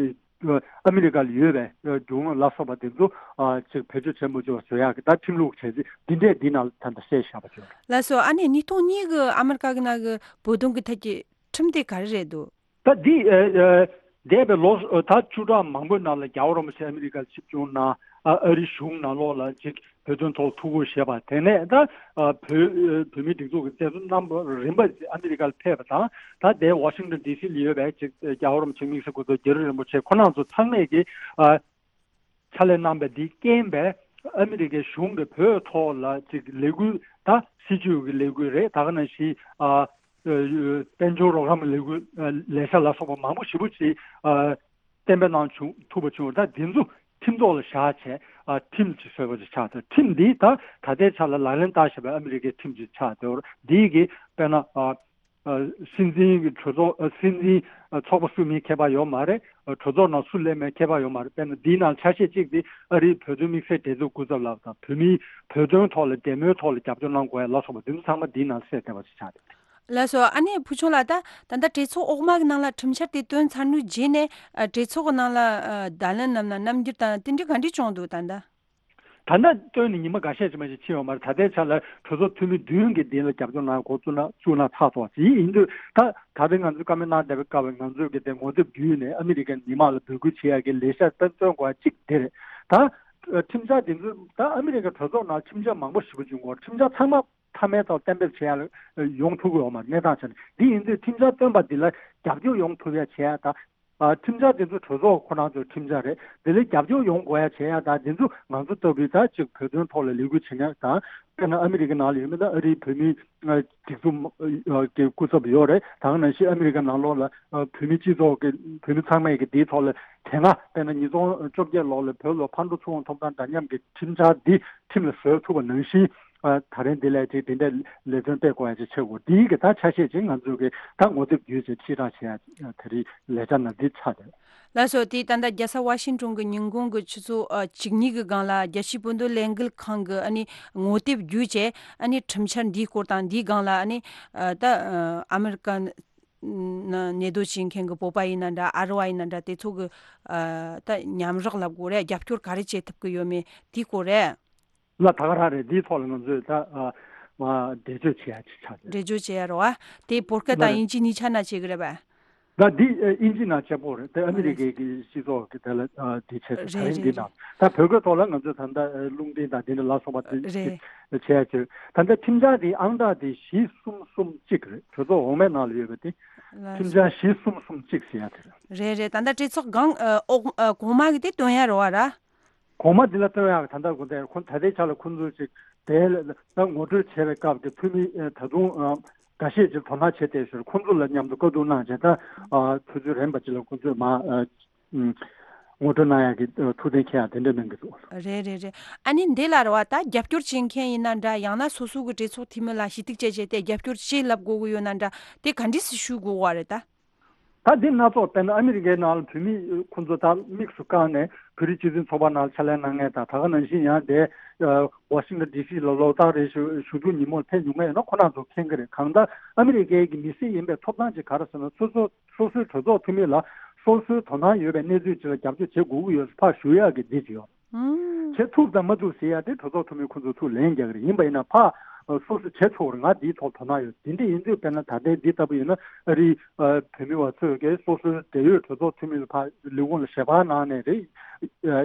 ཨ་མི་རི་ཀ་ལ་ཡོད་པའི་རྒྱུ་དངོས་ལ་སོགས་པ་དེ་ཚོ་ཨ་ཅིག་བེད་སྤྱོད་བྱེད་མི་ཆོག་པ་བཟོ་ཡག་གི་ད་ཁྲིམས་ལུགས་བྱས་རྗེས་འདི་འདྲས་འདི་ནང་ལ་ད་ལྟ་གསལ་བཞག་པ་བྱུང་། ལགས་སོ། ཨ་ནི་ཉིས་སྟོང་གཉིས་གི་ཨ་མི་རི་ཀ་གི་ནང་གི་བོད་དོན་གི་ཐད་ཀྱི་ཁྲིམས་དེ་ག་རེ་རེད་འདུག་ད་འདི་ཨ་ཨ་འདས་པའི་ལོ་ཨ་ད་བཅུ་ཕྲག་མང་པོའི་ནང་ལ་རྒྱལ་བ་རིན་པོ་ཆེ་ཨ་མི་རི་ཀར་ཆིབས་བསྒྱུར་གནང་། ཨ་ཨ་རིའི་གཞུང་ནང་ལོགས་ལ་ཅིག་བོད་དོན་ཐོག་ཐུགས་ཁུར་བཞེས་པ། དེ་ནས་ད་ཨ་བོད་ཨ་བོད་མིའི་སྒྲིག་འཛུགས་ཀྱི་མཛད་གཙོ་རྣམ་པ་རིམ་པ་ཨ་མི་རི་ཀར་ཕེབས་པ་དང་། ད་ལྟའི་ཝ་ཤིང་ཏོན་ཌི་སི་ལ་ཡོད་པའི་ཅིག་རྒྱལ་བ་རིན་པོ་ཆེ་དམིགས་བསལ་སྐུ་ཚབ་རྒྱ་རི་རིན་པོ་ཆེ་ཁོ་རང་ཚོ་ཚང་མས་ཀྱི་ཨ་ཕྱག་ལས་གནང་བའི་འདི་རྐྱེན་པས་ཨ་མི་རི་ཀའི་གཞུང་གིས་བོད་ཐོག་ལ་ཅིག་ལས་འགུལ། ད་སྲིད་བྱུས་ཀྱི་ལས་འགུལ་རེད། ད་ག་ནང་བཞིན་ཨ་དཔལ་འབྱོར་རོགས་རམ་ལས་འགུལ། ཨ་ལས་འཆར་ལ་སོགས་པ་མང་པོ་ཞེ་པོ་ཅིག་ཨ་གཏན་འབེབས་གནང་བྱུང་ཐུབ་པ་བྱུང་། ད་འདི་ཚོ་ཁྲིམས་ཐོག་ལ་བཞག་བྱས་ཨ་ཁྲིམས་ཅིག་བཟོས་པ་ཅིག་ཆགས་ཚར། ཁྲིམས་འདི་ད་ད་ལྟའི་ཆ་ལ་ལག་ལེན་བསྟར་བཞིན་པའི་ཨ་མི་རི་ཀའི་ཁྲིམས་ཅིག་ཆགས་ཚར། འདི་གི་དཔེར་ན་ཨ་ཨ་སྲིད་འཛིན་གྱི་གྲོས་ཚོགས། ཨ་སྲིད་འཛིན་ཨ་ཚོགས་པ་སུ་མིན་ཁྱད་པར་ཡོད་མ་རེད། ཨ་གྲོས་ཚོགས་ནང་སུ་སླེབས་མིན་ཁྱད་པར་ཡོད་མ་རེད། དཔེར་ན་འདིའི་ནང་ཆ་ཤས་གཅིག་དེ་ཨ་རིའི་བོད་དོན་དམིགས་བསལ་འབྲེལ་མཐུད་སྐུ་ཚབ་ལགས་དང་། བོད་མིའི་བོད་དོན་ཐོག་ལ་འབྲེལ་མོལ་ཐོག་ལ་རྒྱབ་སྐྱོར་གནང་དགོས་ཡ་ལ་སོགས་པ་འདི་ཚོ་ཚང་མ་འདིའི་ནང་གསལ་བསྡད་པ་ཞིག་ཆགས་འདུག་ལགས་སོ། ཨ་ནེ་བུ་ཆུང་ལགས། ད་ད་ལྟ་གྲོས་ཚོགས་འོག་མ་གི་ནང་ལ་ཁྲིམས་འཆར་དེ་བཏོན་ཚར་དུས་རྗེས་ནས་ཨ་གྲོས་ཚོགས་གི་ནང་ལ་ཨ་བརྡ་ལན་ནམ་ན་རྣམ་འགྱུར་དང་དེ་འདྲ་ག་འདྲ་བྱུང་འདུག་ད་ལྟ། ད་ལྟ་བཏོན་ནས་ཉི་མ་འགའ་ཤས་ཅིག་མ་ཞིག་ཕྱིན་ཡོད་མ་རེད། ད་ལྟའི་ཆ་ལ་གྲོས་ཚོགས་འཐུས་མི་བདུན་གྱིས་འདི་ལ་རྒྱབ་སྐྱོར་གནང་འགོ་བཙུགས་ན་བཙུགས་ན་ཚར་ཐོག་ཅིག་ཡིན་དུས། ད་ད་རེས་ང་ཚོས་བཀའ་མོལ་གནང་བསྡད་པའི་སྐབས་ང་ཚོས་གི་དེ་ངོ་དེབ་བརྒྱུད་ནས་ཨ་མི་རི་ཀའི་མི་མང་ལ་འབོད་སྐུལ་བྱེད་ཡག་གི་ལས་འཆར་བཏོན་བཏོན་དགོས་ཡ་གཅིག་དེ་རེད། ད་ཁྲིམས་འཆར་འདི་ཚོ་ད་ཨ་མི་རི་ཀའི་གྲོས་ཚོགས་ནང་ཁྲིམས་འཆར་མང་པོ་ཞེ་པོ་ཅིག་ཡོད་རེད། ཁྲིམས་འཆར་ཚང་མ་མཐའ་མའི་ཐོག་གཏན་འབེབས་བྱེད་ཡ་ཡོང་ཐུབ་ཀྱི་ཡོད་མ་རེད། གནས་སྟངས་ཆ་ནས་འདི་ཡིན་དུས་ཁྲིམས་འཆར་བཏོན་པ་འདི་ལ་རྒྱབ་སྐྱོར་ཡོང་ཐུབ་ཡ་བྱེད་ཡ་ད། ཨ་ཁྲིམས་འཆར་དེ་ཚོ་གྲོས་ཚོགས་ཁོ་རང་ཚོའི་ཁྲིམས་འཆར་རེད། དེ་ལ་རྒྱབ་སྐྱོར་ཡོང་དགོས་ཡ་བྱེད་ཡ་དང་། དེ་ཚོ་ང་ཚོ་ལྟ་བུའི་ད་ཅིག་བོད་དོན་ཐོག་ལ་ལས་འགུལ་བྱེད་མཁན་དང་། དཔེར་ན་ཨ་མི་རི་ཀའི་ནང་ལ་ཡོད་མི་ད་ཨ་རིའི་བོད་མིའི་ཨ་སྒྲིག་འཛུགས་ཨ་གི་སྐུ་ཚབ་ཡོད་རེད། ད་ག་ནང་བཞིན་ཨ་མི་རི་ཀའི་ནང་ལོགས་ལ་ཨ་བོད་མི་སྤྱི་ཚོགས་ཀྱི་བོད་མི་ཚང་མས་ཀྱི་དེའི་ཐོག་ལ་དེ་སྔ་དཔེར་ན་ཉིས་སྟོང་བཅོ་བརྒྱད་ལོ་ལ་བོད་ལ་ཕར་འགྲོ་ཚུར་འོང་ཐོབ་ཐང་འདྲ་མཉམ་གྱི་ཁྲིམས་འཆར་འདི་ཁྲིམས་ལ་བཟོ་ཐུབ་པ་ནང་བཞིན། ཨ་ད་རིང་འདི་ལས་ཅིག་འདི་འདྲའི་ལས་དོན་སྤེལ་དགོས་ཡ་ཅིག་བྱེད་དགོས། འདིའི་གི་ད་ཆ་ཤས་ཅིག་ང་ཚོས་གི་ད་ངོ་དེབ་བརྒྱུད་ཅིག་ཕྱིར་བསྒྲགས་བྱེད་ཡ་ད་རེས་ལས་འཆར་ནང་འདི་ཆགས་བསྡད། ལགས་སོ། དེ་ད་ལྟ་རྒྱལ་ས་ཝ་ཤིང་ཏོན་གི་ཉིན་གུང་གི་ཆུ་ཚོད་ཨ་བཅུ་གཉིས་གི་སྒང་ལ་རྒྱལ་སྤྱིའི་བོད་དོན་ལས་འགུལ་ཁང་གི་ཨ་ནི་ངོ་དེབ་བརྒྱུད་བྱས་ཨ་ནི་ཁྲིམས་འཆར་འདིའི་སྐོར་དང་། འདིའི་སྒང་ལ་ཨ་ནི་ཨ་ད་ཨ་ཨ་མི་རི་ཀ་ནང་གནས་སྡོད་བྱེད་མཁན་གི་བོད་པ་ཡིན་ན་འདྲ། ཨ་རི་བ་ཡིན་ན་འདྲ། དེ་ཚོ་གི་ཨ་ད་མཉམ་རོགས་ལབ་དགོས་རེད། རྒྱབ་སྐྱོར་ག་རེ་བྱེད་ཐུབ་ཀྱི་ཡོད་མེད་དེའི་སྐོར་རེད། ལ་ད་ག་རང་རེད། འདིའི་ཐོག་ལ་ང་ཚོས་ད་ཨ་མ་འགྲེལ་བརྗོད་བྱེད་ཡ་ཅིག་ཆགས་ཡོད། འགྲེལ་བརྗོད་བྱེད་ཡ་རེད་བ། དེ་བོད་སྐད་དང་ལ་དབྱིན་ཇི་གཉིས་ཆ་ན་བྱེད་ཀྱི་རེད་པས། ད་འདི་ཨ་དབྱིན་ཇི་ནང་གཅིག་པོ་རེད། དེ་ཨ་མི་རི་ཀའི་གི་སྤྱི་ཚོགས་ཀྱི་དེ་ལ་ཨ་འདི་བྱས་ཚེ་ད་རེད་རིང་འདི་རེད་ནང་ད་བོད་སྐད་ཐོག་ལ་ང་ཚོས་ད་ལྟ་ཨ་རླུང་འཕྲིན་དང་འདི་འདྲ་ལ་སོགས་པ་དེ་རེད། བྱས་ཡ་ཅིག་ད་ལྟ་ཁྲིམས་འཆར་དེའི་ཨང་གྲངས་དེ་བཞི་གསུམ་གསུམ་གཅིག་རེད། གྲོས་ཚོགས་འོག་མའི་ནང་ལ་ཡོད་པ་དེ། ལགས་ཁྲིམས་སོ། འཆར་བཞི་གསུམ་གསུམ་གཅིག་ཟེར་ཡ་དེ་རེད། རེད་རེད། ད་ལྟ་གྲོས་ཚོགས་སྒང་ཨ་འོག་ཨ་གོང་མ་གི་དེ་བཏོན་ཡ་རེད་བ་ར། གོང་མ་འདི་ལ་བཏོན་ཡག་ད་ལྟ་དགོས་དེ་ཁོ་ད་ལྟའི་ཆ་ལ་ཁོ་ཚོས་ཅིག་དེ་ལ་ད་ངོ་སྤྲོད་བྱས་པའི་སྐབས་དེ་འཐུས་མི་ཨ་ད་དུང་ཨ་འགའ་ཤས་ཅིག་དོ་སྣང་བྱས་ཏེ་ཞོར་ཁོ་ཚོ་ལ་མཉམ་དུ་བཀའ་བསྡུར་གནང་བྱས། ད་ཨ་ཆུ་ཚོད་རན་པ་ཅིག་ལ་ཁོ་ཚོས་མ་ཨ་ཨུམ་ངོ་སྤྲོད་གནང་ཡག་གི་ཨ་ཐུགས་གཏན་འཁེལ་ཡག་དེ་འདྲ་གནང་གི་འདུག་རེད་རེད་རེད། ཨ་ནི་འདི་ལ་རེད་བ། ད་རྒྱབ་སྐྱོར་བྱེད་མཁན་ཡིན་ན་འདྲ། ཡང་ན་སོ་སོ་གི་གྲོས་ཚོགས་འཐུས་མི་ལ་ཞུ་གཏུག་བྱས་བྱས་ཏེ་རྒྱབ་སྐྱོར་ཅིག་ལབ་དགོས་ཀྱི་ཡོད་ན་འདྲ། དེ་ག་འདྲས་སེ་ཞུ་དགོས་བ་རེད་ད། ད་འདི་སྣ་ཚོགས་དཔེར་ན་ཨ་མི་རི་ཀའི་ནང་ལ་བོད་མི་ཁོང་ཚོ་ད་དམིགས་སུ་བཀར་ནས་བོད་རིགས་སྤྱི་མཐུན་ཚོགས་པ་ནང་ལ་ཕྱག་ལས་གནང་མཁན་དང་། ད་ག་ནང་བཞིན་ཡང་དེ་ཝ་ཤིང་ཏོན་ཌི་སི་ལ་ལོ་ལྟར་རེ་བཞུགས་བཞུགས་རྒྱུ་ཉིན་མོར་ཕེབས་མྱོང་མཁན་ཡིན་ན་ཁོ་རང་ཚོ་མཁྱེན་གྱི་རེད། གང་ལྟར་ཨ་མི་རི་ཀའི་གི་མི་སེར་ཡིན་པའི་ཐོབ་ཐང་ཅིག་ག་རེ་ཟེར་ན། སོ་སོ་སོ་སོའི་གྲོས་ཚོགས་འཐུས་མི་ལ་སོ་སོའི་དོ་སྣང་ཡོད་པའི་གནས་ཚུལ་ཅིག་ལ་རྒྱབ་སྐྱོར་བྱེད་དགོས་ཀྱི་ཡོད་ཕར་ཞུ་ཡག་གི་འདི་ཅིག་ཡོད། བྱེད་ཐུབ་དང་མ་ཐུབ་ཟེར་ཡ་དེ་གྲོས་ཚོགས་འཐུས་མི་ཁོ་ཚོ་ཐུགས་ལན་རྒྱག་གི་རེད། ཡིན་པ་ཡིན་ན་ཕ་ སོ་སོས་བྱེད་ཆོག་རེད། ང་འདིའི་ཐོག་དོ་སྣང་ཡོད། དེ་འདྲ་ཡིན་དུས་དཔེར་ན་ད་ལྟའི་འདི་ལྟ་བུ་ཡིན་ན་ཨ་རིའི་བོད་མི་བ་ཚོས་ཀྱི་སོ་སོའི་འབྲེལ་ཡོད་གྲོས་ཚོགས་འཐུས་མི་ལ་ཕར་ལས་ཁུངས་ལ་ཞལ་པར་གནང་ནས་རེད།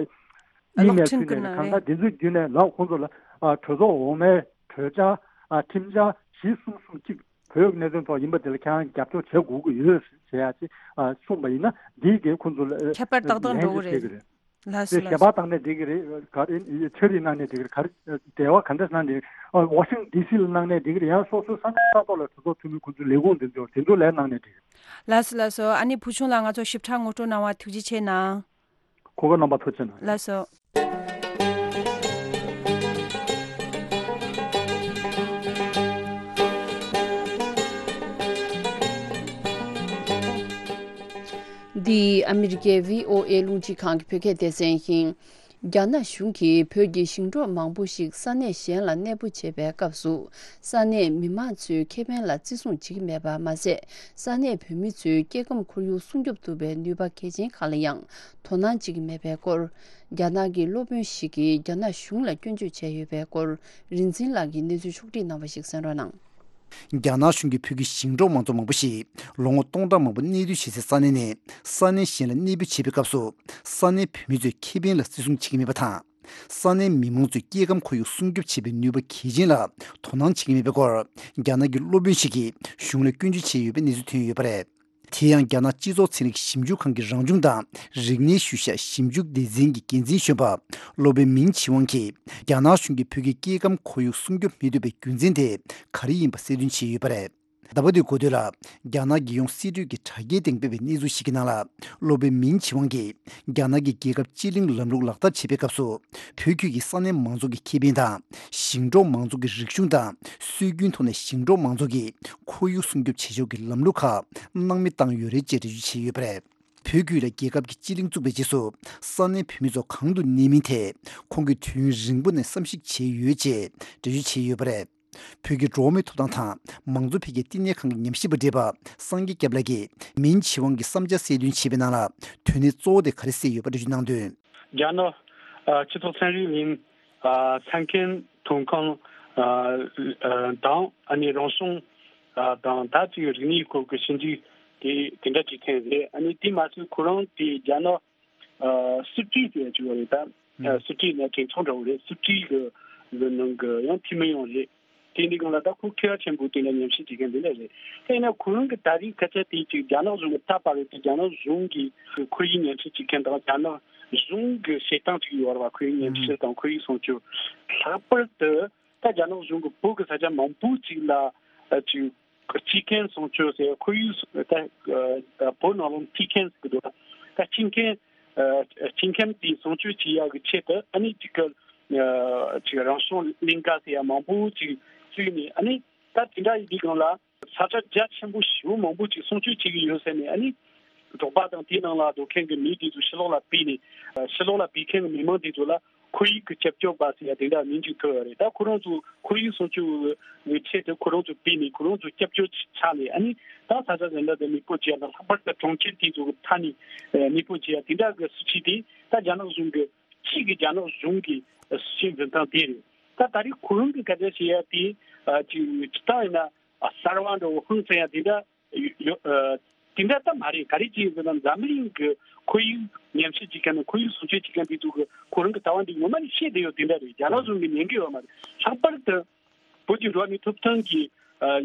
ཨིན་མེལ་ཕུལ་ནས་གང་ལྟར་འདི་ཚོའི་བརྒྱུད་ནས་ལགས་ཁོང་ཚོ་ལ་གྲོས་ཚོགས་འོག་མའི་གྲོས་འཆར་ཁྲིམས་འཆར་བཞི་གསུམ་གསུམ་གཅིག་བོད་ཀྱི་གནད་དོན་ཐོག་ཡིན་པ་དེ་ལ་ཁྱེད་རང་རྒྱབ་སྐྱོར་བྱེད་དགོས་ཀྱི་ཡོད་ཟེར་ཡ་ཅིག་གསུངས་པ་ཡིན་ན་འདིས་ཀྱི་ཁོང་ཚོ་ལ་ཁྱད་པར་ཏག་ཏག་འགྲོ་གི་རེད། ལགས་སོ། ལགས་སོ། ཞལ་པར་བཏང་ནས་འགྲིག་གི་རེད། ག་རེ་འཆར་རེ་གནང་ནས་འགྲིག་གི་རེད། ག་རེ་འབྲེལ་བ་ག་འདྲ་གནང་འགྲིག་གི་རེད། ཝ་ཤིང་ཌི་སི་ལ་གནང་ནས་འགྲིག་གི་རེད། ཡང་སོ་སོའི་ས་གནས་ས་ཐོག་ལ་གྲོས་ཚོགས་འཐུས་མི་ཁོང་ཚོའི་ལས་ཁུངས་དེ་ཚོ་དེ་ཚོ་ལ་གནང་ནས་འགྲིག་གི་རེད། ལགས་སོ་ལགས་སོ། ཨ་ནི་བུ་ཆུང་ལགས་ང་ཚོ་ཞིབ་ཕྲ་ངོ་སྤྲོད་གནང་བ་ཐུགས་རྗེ་ཆེ་གནང་། གོ་སྐབས་གནང་བ་ཐུགས་རྗེ་གནང་། ལགས་སོ། འདི་ཨ་མི་རི་ཀའི་བྷི་ཨོ་ཨེ་རླུང་འཕྲིན་ཁང་གི་བོད་སྐད་སྡེ་ཚན་ཡིན། རྒྱ་ནག་གཞུང་གིས་བོད་ཀྱི་ཞིང་འབྲོག་མང་པོ་ཞིག་ས་གནས་གཞན་ལ་གནས་སྤོ་བྱེད་པའི་སྐབས་སུ། ས་གནས་མི་མང་ཚོའི་ཁེ་ཕན་ལ་བརྩི་སྲུང་བྱེད་ཀྱི་མེད་པ་མ་ཟད། ས་གནས་བོད་མི་ཚོའི་སྐྱེ་ཁམས་ཁོར་ཡུག་སྲུང་སྐྱོབ་ཐུབ་པའི་ནུས་པ་གལ་ཆེན་ཁག་ལ་ཡང་དོ་སྣང་བྱེད་ཀྱི་མེད་པའི་སྐོར། རྒྱ་ནག་གི་སློབ་དཔོན་ཞིག་གིས་རྒྱ་ནག་གཞུང་ལ་སྐྱོན་བརྗོད་བྱས་ཡོད་པའི་སྐོར། རིན་འཛིན་ལགས་ཀྱིས་གནས་ཚུལ་ཕྱོགས་བསྒྲིགས་གནང་བ་ཞིག་གསན་རོགས་གནང་། རྒྱ་ནག་གཞུང་གིས་བོད་ཀྱི་ཞིང་འབྲོག་མང་ཚོགས་མང་པོ་ཞིག་ལོ་ངོ་སྟོང་ཕྲག་མང་པོ་གནས་སྡོད་བྱེད་སའི་ས་གནས་ནས་ས་གནས་གཞན་ལ་གནས་སྤོ་བྱེད་པའི་སྐབས་སུ། ས་གནས་བོད་མི་ཚོའི་ཁེ་ཕན་ལ་བརྩི་སྲུང་བྱེད་ཀྱི་མེད་པ་དང་། ས་གནས་མི་མང་ཚོའི་སྐྱེ་ཁམས་ཁོར་ཡུག་སྲུང་སྐྱོབ་བྱེད་པའི་ནུས་པ་གལ་ཆེན་ལ་དོ་སྣང་བྱེད་ཀྱི་མེད་པའི་སྐོར། རྒྱ་ནག་གི་སློབ་དཔོན་ཞིག་གིས་གཞུང་ལ་སྐྱོན་བརྗོད་བྱས་ཡོད་པའི་གནས་ཚུལ་ཐོན་ཡོད་པ་རེད། དེ་ཡང་རྒྱ་ནག་སྤྱི་ཚོགས་ཚན་རིག་ཞིབ་འཇུག་ཁང་གི་རང་བྱུང་དང་རིག་གནས་ཤུལ་བཞག་ཞིབ་འཇུག་སྡེ་ཚན་གྱི་འགན་འཛིན་གཞོན་པ་སློབ་དཔོན་མིན་ཆི་ཝང་གིས། རྒྱ་ནག་གཞུང་གིས་བོད་ཀྱི་སྐྱེ་ཁམས་ཁོར་ཡུག་སྲུང་སྐྱོབ་མི་ཐུབ་པའི་རྒྱུ་མཚན་དེ་ག་རེ་ཡིན་པ་གསལ་སྟོན་བྱས་ཡོད་པ་རེད། ཟླ་བ་འདིའི་འགོ་སྟོད་ལ། རྒྱ་ནག་རྒྱལ་ཡོངས་སྲིད་གྲོས་ཀྱིས་དྲ་རྒྱའི་སྟེང་སྤེལ་བའི་གནས་ཚུལ་ཞིག་གི་ནང་ལ། སློབ་དཔོན་མིན་ཆི་ཝང་གིས། རྒྱ་ནག་གིས་རྒྱལ་ཁབ་སྤྱི་གླིང་ལམ་ལུགས་ལག་བསྟར་བྱེད་པའི་སྐབས་སུ། བོད་ཁུལ་གྱི་ས་གནས་མང་ཚོགས་ཀྱི་ཁེ་ཕན་དང་། ཞིང་འབྲོག་མང་ཚོགས་ཀྱི་རིག་གཞུང་དང་། སྲོལ་རྒྱུན་ཐོག་ནས་ཞིང་འབྲོག་མང་ཚོགས་ཀྱི་ཁོར་ཡུག་སྲུང་སྐྱོབ་བྱེད་ཕྱོགས་ཀྱི་ལམ་ལུགས་ཁག་སྣང་མེད་བཏང་ཡོད་རེད་ཅེས་འགྲེལ་བརྗོད་བྱས་ཡོད་པ་རེད། བོད་ཁུལ་ལ་རྒྱལ་ཁབ་ཀྱི་སྤྱི་གླིང་བཙུགས་པའི་རྗེས་སུ། ས་གནས་བོད་མི་ཚོ་གང་དུ་གནས་མིན་ཐད། ཁོང་གིས་དུས་ཡུན་རིང་པོ་ནས་བསམ་གཞིག་བྱས་ཡོད་ཅེས་འགྲེལ་བརྗོད་བྱས་ཡོད་པ་རེད། བོད་ཀྱི་འགྲོ་བ་མིའི་ཐོབ་ཐང་དང་མང་གཙོ་འཕེལ་རྒྱས་བསྟི་གནས་ཁང་གི་ཉམས་ཞིབ་པ་བགྲེས་པ་སངས་རྒྱས་སྐྱབས་ལགས་ཀྱིས་མིན་ཆི་ཝང་གི་བསམ་འཆར་གསལ་སྟོན་བྱས་པའི་ནང་ལ། དོན་གནད་གཙོ་བོ་དེ་ག་རེ་གསལ་ཡོད་པ་འགྲེལ་བརྗོད་གནང་དོན། རྒྱ་ནག་ཨ་སྤྱི་ཚོགས་ཚན་རིག་གླིང་ཨ་ས་ཁན་ཐོན་ཁུངས་ཨ་ཨ་དང་ཨ་ནི་རང་བྱུང་ཨ་དང་ད་ཅིག་རིག་གནས་སྐོར་གྱི་ཞིབ་འཇུག་དེ་དེ་འདྲ་བྱེད་མཁན་རེད། ཨ་ནི་དེ་མ་ཟད་ཁོ་རང་དེ་རྒྱ་ནག་ཨ་སི་ཀྲི་ཟེར་ཡ་ཅིག་ཡོད་རེད་ད། ཨ་སི་ཀྲི་ནི་གྲོས་ཚོགས་འདྲ་བོ་རེད། སི་ཀྲི་གི་གི་ནང་གི་ཡང་འཐུས་མི་ཡང་རེད། དེ་འདི་སྒང་ལ་ད་ཁོ་མཁས་པ་ཆེན་པོ་དེ་འདྲ་ཉམས་ཞིབ་བྱེད་མཁན་འདི་འདྲ་རེད། དེ་ཡིན་ན་ཁོ་རང་གི་ད་རེས་སྐད་ཆ་དེ་ཅིག་རྒྱ་ནག་གཞུང་གི་ད་བར་དུ་རྒྱ་ནག་གཞུང་གི་ཁོར་ཡུག་ཉམས་ཞིབ་བྱེད་མཁན་དང་རྒྱ་ནག་གཞུང་གི་བྱེད་སྟངས་ཅིག་ཡོད་རེད་བ། ཁོར་ཡུག་ཉམས་ཞིབ་དང་ཁོར་ཡུག་སྲུང་སྐྱོབ། ལྷག་པར་དུ་ད་རྒྱ་ནག་གཞུང་གི་བོད་ཀྱི་ས་ཆ་མང་པོ་ཅིག་ལ་ཅིག་སྤྱི་ཁྱིམ་སྲུང་སྐྱོབ་ཟེར། ཁོར་ཡུག་ད་བོད་ནང་ལོགས་ནས་སྤྱི་ཁྱིམ་ཟེར་གི་འདུག་ད་སྤྱི་ཁྱིམ་སྤྱི་ཁྱིམ་དེ་སྲུང་སྐྱོབ་བྱེད་ཡག་གི་ཆེད་དུ་ཨ་ནི་ཅིག་གི་ཅིག་རང་བྱུང་གླིང་ག་ཟེར་ཡ་མང་པོ་ཅིག་བཙུགས་ནས། ཨ་ནི་ད་དེ་འདྲ་ཡིན་དུས་སྒང་ལ་ས་ཆ་རྒྱ་ཆེན་པོ་ཞེ་པོ་མང་པོ་ཅིག་སྲུང་སྐྱོབ་བྱེད་ཀྱི་ཡོད་ཟེར་ནས། ཨ་ནི་འབྲོག་པ་དང་དེའི་ནང་ལ་སྡོད་མཁན་གྱི་མི་དེ་ཚོ་ཕྱི་ལོགས་ལ་ཕུད་ནས། ཕྱི་ལོགས་ལ་ཕུད་མཁན་གྱི་མི་མང་དེ་ཚོ་ལ་ཁོར་ཡུག་གི་སྐྱབས་བཅོལ་བ་ཟེར་ཡ་དེ་འདྲ་མིང་ཅིག་ཐོབ་ཡོད་རེད། ད་ཁོ་རང་ཚོ་ཁོར་ཡུག་སྲུང་སྐྱོབ་ཀྱི་ཆེད་དུ་ཁོ་རང་ཚོ་ཕུད་ནས་ཁོ་རང་ཚོ་སྐྱབས་བཅོལ་ཆགས་ནས། ཨ་ནི་ད་ས་ཆ་གཞན་དག་ཏུ་གནས་སྤོ་བྱེད་ཡ་དང་། ལྷག་པར་དུ་གྲོང་ཁྱེར་དེ་ཚོ་གི་མཐའ་ནས་གནས་སྤོ་བྱེད་ཡ་དེ་འདྲ་གི་སྲིད་བྱུས་དེ་ད་རྒྱ་ནག་གཞུང་གི་གཅིག་གི་རྒྱ་ནག་གཞུང་གི་སྲིད་བྱུས་འཛིན་སྟངས་དེ་རེད། ད་ད་རེས་ཁོ་རང་གི་སྐད་ཆ་བཤད་ཡ་དེ་ཅིག་སྤྱིར་བཏང་ཡིན་ན་གསར་བ་འདྲ་བོ་ཧང་སང་ཡ་དེ་འདྲ་ཡོད། དེ་འདྲ་ད་མ་རེད། ག་རེ་བྱས་ཡོད་ཟེར་ན་འཛམ་གླིང་གི་ཁོར་ཡུག་ཉམས་ཞིབ་བྱེད་མཁན་དང་ཁོར་ཡུག་སྲུང་སྐྱོབ་བྱེད་མཁན་དེ་ཚོ་གི་ཁོ་རང་གི་ལྟ་བ་འདི་ངོ་མ་ནས་བཤད་བསྡད་ཡོད་དེ་འདྲ་རེད། རྒྱ་ནག་གཞུང་གིས་ཉན་གི་ཡོད་མ་རེད། ལྷག་པར་དུ་བོད་ཀྱི་འགྲོ་བ་མིའི་ཐོབ་ཐང་གི་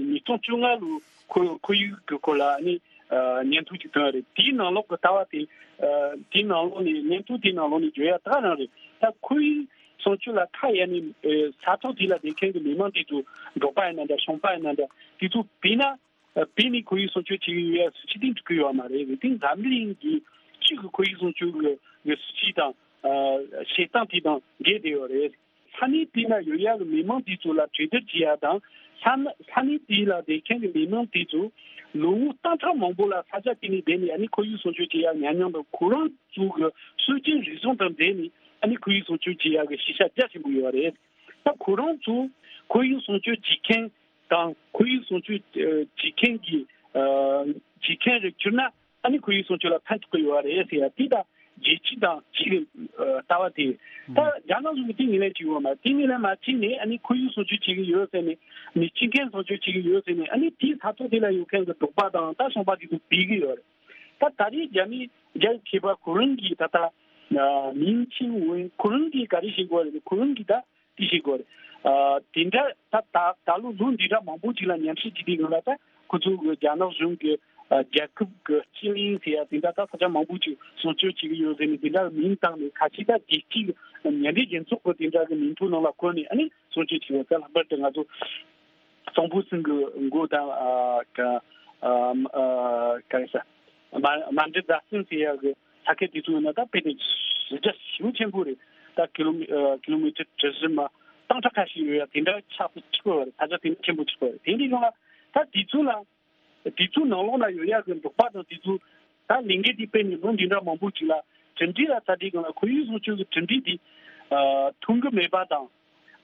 ཉིས་སྟོང་བཅོ་ལྔ་ལོའི་ཁོར་ཁོར་ཡུག་གི་སྐོར་ལ་ནི་སྙན་ཐོ་ཅིག་བཏོན་ཡོད་རེད། དེའི་ནང་ལོགས་ཀྱི་ལྟ་བ་དེ་དེའི་ནང་ལོགས་ནས་སྙན་ཐོ་དེའི་ནང་ལོགས་ནས་བརྗོད་ཡ་ད་ག་རང་རེད། ད་ཁོར་ཡུག་སྲུང་སྐྱོབ་ལ་ཁ་གཡར་ནས་ས་ཐོག་དེ་ལ་བསྡད་མཁན་གྱི་མི་མང་དེ་ཚོ་འབྲོག་པ་ཡིན་ན་འདྲ་ཞིང་པ་ཡིན་ན་འདྲ་དེ་ཚོ་བོས་ན། ཨ་བོད་ནས་ཁོར་ཡུག་སྲུང་སྐྱོབ་བྱེད་ཀྱི་ཡོད་ཡ་སྲིད་བྱུས་དེ་འགྲིག་གི་ཡོད་མ་རེད། དེ་འཛམ་གླིང་གི་སྤྱི་གི་ཁོར་ཡུག་སྲུང་སྐྱོབ་ཀྱི་སྲིད་བྱུས་དང་ཨ་བྱེད་སྟངས་དེ་དང་འགལ་བསྡད་ཡོད་རེད། ས་གནས་དེ་ན་ཡོད་ཡ་གི་མི་མང་དེ་ཚོ་ལ་གྲོས་བསྡུར་བྱེད་ཡ་དང་། ས་ས་གནས་དེ་ལ་བསྡད་མཁན་གྱི་མི་མང་དེ་ཚོ་ལོ་ངོ་སྟོང་ཕྲག་མང་པོ་ལ་ས་ཆ་དེ་ནས་བསྡད་ནས་ཨ་ནི་ཁོར་ཡུག་སྲུང་སྐྱོབ་བྱེད་ཡ་ཉམས་མྱོང་དང་ཁོ་རང་ཚོ་གི་སྲོལ་རྒྱུན་རིག་གཞུང་དང་འབྲེལ་ནས་ཨ་ནི་ཁོར་ཡུག་སྲུང་སྐྱོབ་བྱེད་ཡ་གི་ཤེས་བྱ་རྒྱ་ཆེན་པོ་ཡོད་རེད། ད་ཁོ་རང་ཚོ་ཁོར་ཡུག་སྲུང་སྐྱོབ་བྱེད་མཁན་དང་ཁོར་ཡུག་སྲུང་སྐྱོབ་ཨ་བྱེད་མཁན་གྱི་ཨ་བྱེད་མཁན་རེ་གྱུར་ན་ཨ་ནི་ཁོར་ཡུག་སྲུང་སྐྱོབ་ལ་ཕན་ཐོགས་ཀྱི་ཡོད་རེད་ཟེར་ཡ་དེ་ད་ རྒྱལ་སྤྱི་དང་གཅིག་གི་ལྟ་བ་དེ། ད་རྒྱ་ནག་གཞུང་གིས་དེ་ངོས་ལེན་བྱེད་ཀྱི་ཡོད་མ་རེད། དེ་ངོས་ལེན་མ་བྱས་ནས་ཨ་ནི་ཁོར་ཡུག་སྲུང་སྐྱོབ་བྱེད་ཀྱི་ཡོད་ཟེར་ནས། མི་སྤྱི་མཁན་སྲུང་སྐྱོབ་བྱེད་ཀྱི་ཡོད་ཟེར་ནས། ཨ་ནི་དེའི་ས་ཐོག་དེ་ལ་ཡོད་མཁན་གྱི་འབྲོག་པ་དང་ད་ཞིང་པ་དེ་ཚོ་འབུད་ཀྱི་ཡོད་རེད། ད་ད་རེས་རྒྱ་མི་རྒྱ་ཡི་མཁས་པ་ཁོ་རང་གིས་ད་ལྟ་མིང་ཆེན་འོན་ཁོ་རང་གིས་ག་རེ་བྱེད་དགོས་རེད། ཁོ་རང་གིས་ད་དེ་བྱེད་དགོས་རེད། ཨ་དེ་འདྲ་ད་ད་ད་ལོ་ལོ་འདི་འདྲ་མང་པོ་ཅིག་ལ་མཉམ་ཞུགས་བྱེད་དུས་སྒང་ལ། ད་ཁོ་ཚོ་གི་རྒྱ་ནག་གཞུང་གི་ཨ་རྒྱལ་ཁབ་ཀྱི་སྤྱི་གླིང་ཟེར་ཡ་དེ་འདྲ་ད་ས་ཆ་མང་པོ་ཅིག་སྲུང་སྐྱོབ་བྱེད་ཀྱི་ཡོད་ཟེར་ནས། དེ་འདྲ་གི་མིང་བཏགས་ནས། ཁ་ཤས་ད་རྒྱལ་སྤྱིའི་མཉམ་འབྲེལ་རྒྱལ་ཚོགས་ཀྱི་དེ་འདྲ་གི་མིང་ཐོ་ནང་ལ་བཀོད་ནས་ཨ་ནི་སྲུང་སྐྱོབ་བྱེད་པ། ད་ལྷག་པར་དུ་ང་ཚོ་གཙང་པོ་ཚང་གི་མགོ་དང་ཨ་ག་ཨ་ག་རེ་ཟ། མ་མ་འདྲི་རྫ་སེང་ཟེར་ཡག་གི་ས་ཁུལ་དེ་ཚོ་ཡིན་ན་ད་དཔེ་དེ་གཞི་རྒྱ་ཞེ་པོ་ཆེན་པོ་རེད། ད་ཀི་ལོ་མི་ཨ་ཀི་ལོ་མི་ཊར་གྲུ་བཞི་མ་སྟོང་ཕྲག་ཁ་ཤས་ཡོད་ཡ་དེ་འདྲ་ཆགས་སུ་ཆུད་པ་རེད། ས་ཆ་དེ་འདྲ་ཆེན་པོ་ཆགས་པ་རེད། དེ་འདྲའི་སྒང་ལ་ད་དེ་ཚོ་ལ། དེ་ཚོའི་ནང་ལོགས་ན་ཡོད་ཡག་གི་འབྲོག་པ་དང་དེ་ཚོ་ད་ལས་འགུལ་དེ་སྤེལ་ནས་ལོ་འདི་འདྲ་མང་པོ་ཅིག་ལ་གྲུབ་འབྲས་ལ་ལྟ་དུས་སྒང་ལ་ཁོར་ཡུག་སྲུང་སྐྱོབ་ཀྱི་གྲུབ་འབྲས་དེ་ཨ་ཐོན་གྱི་མེད་པ་དང་།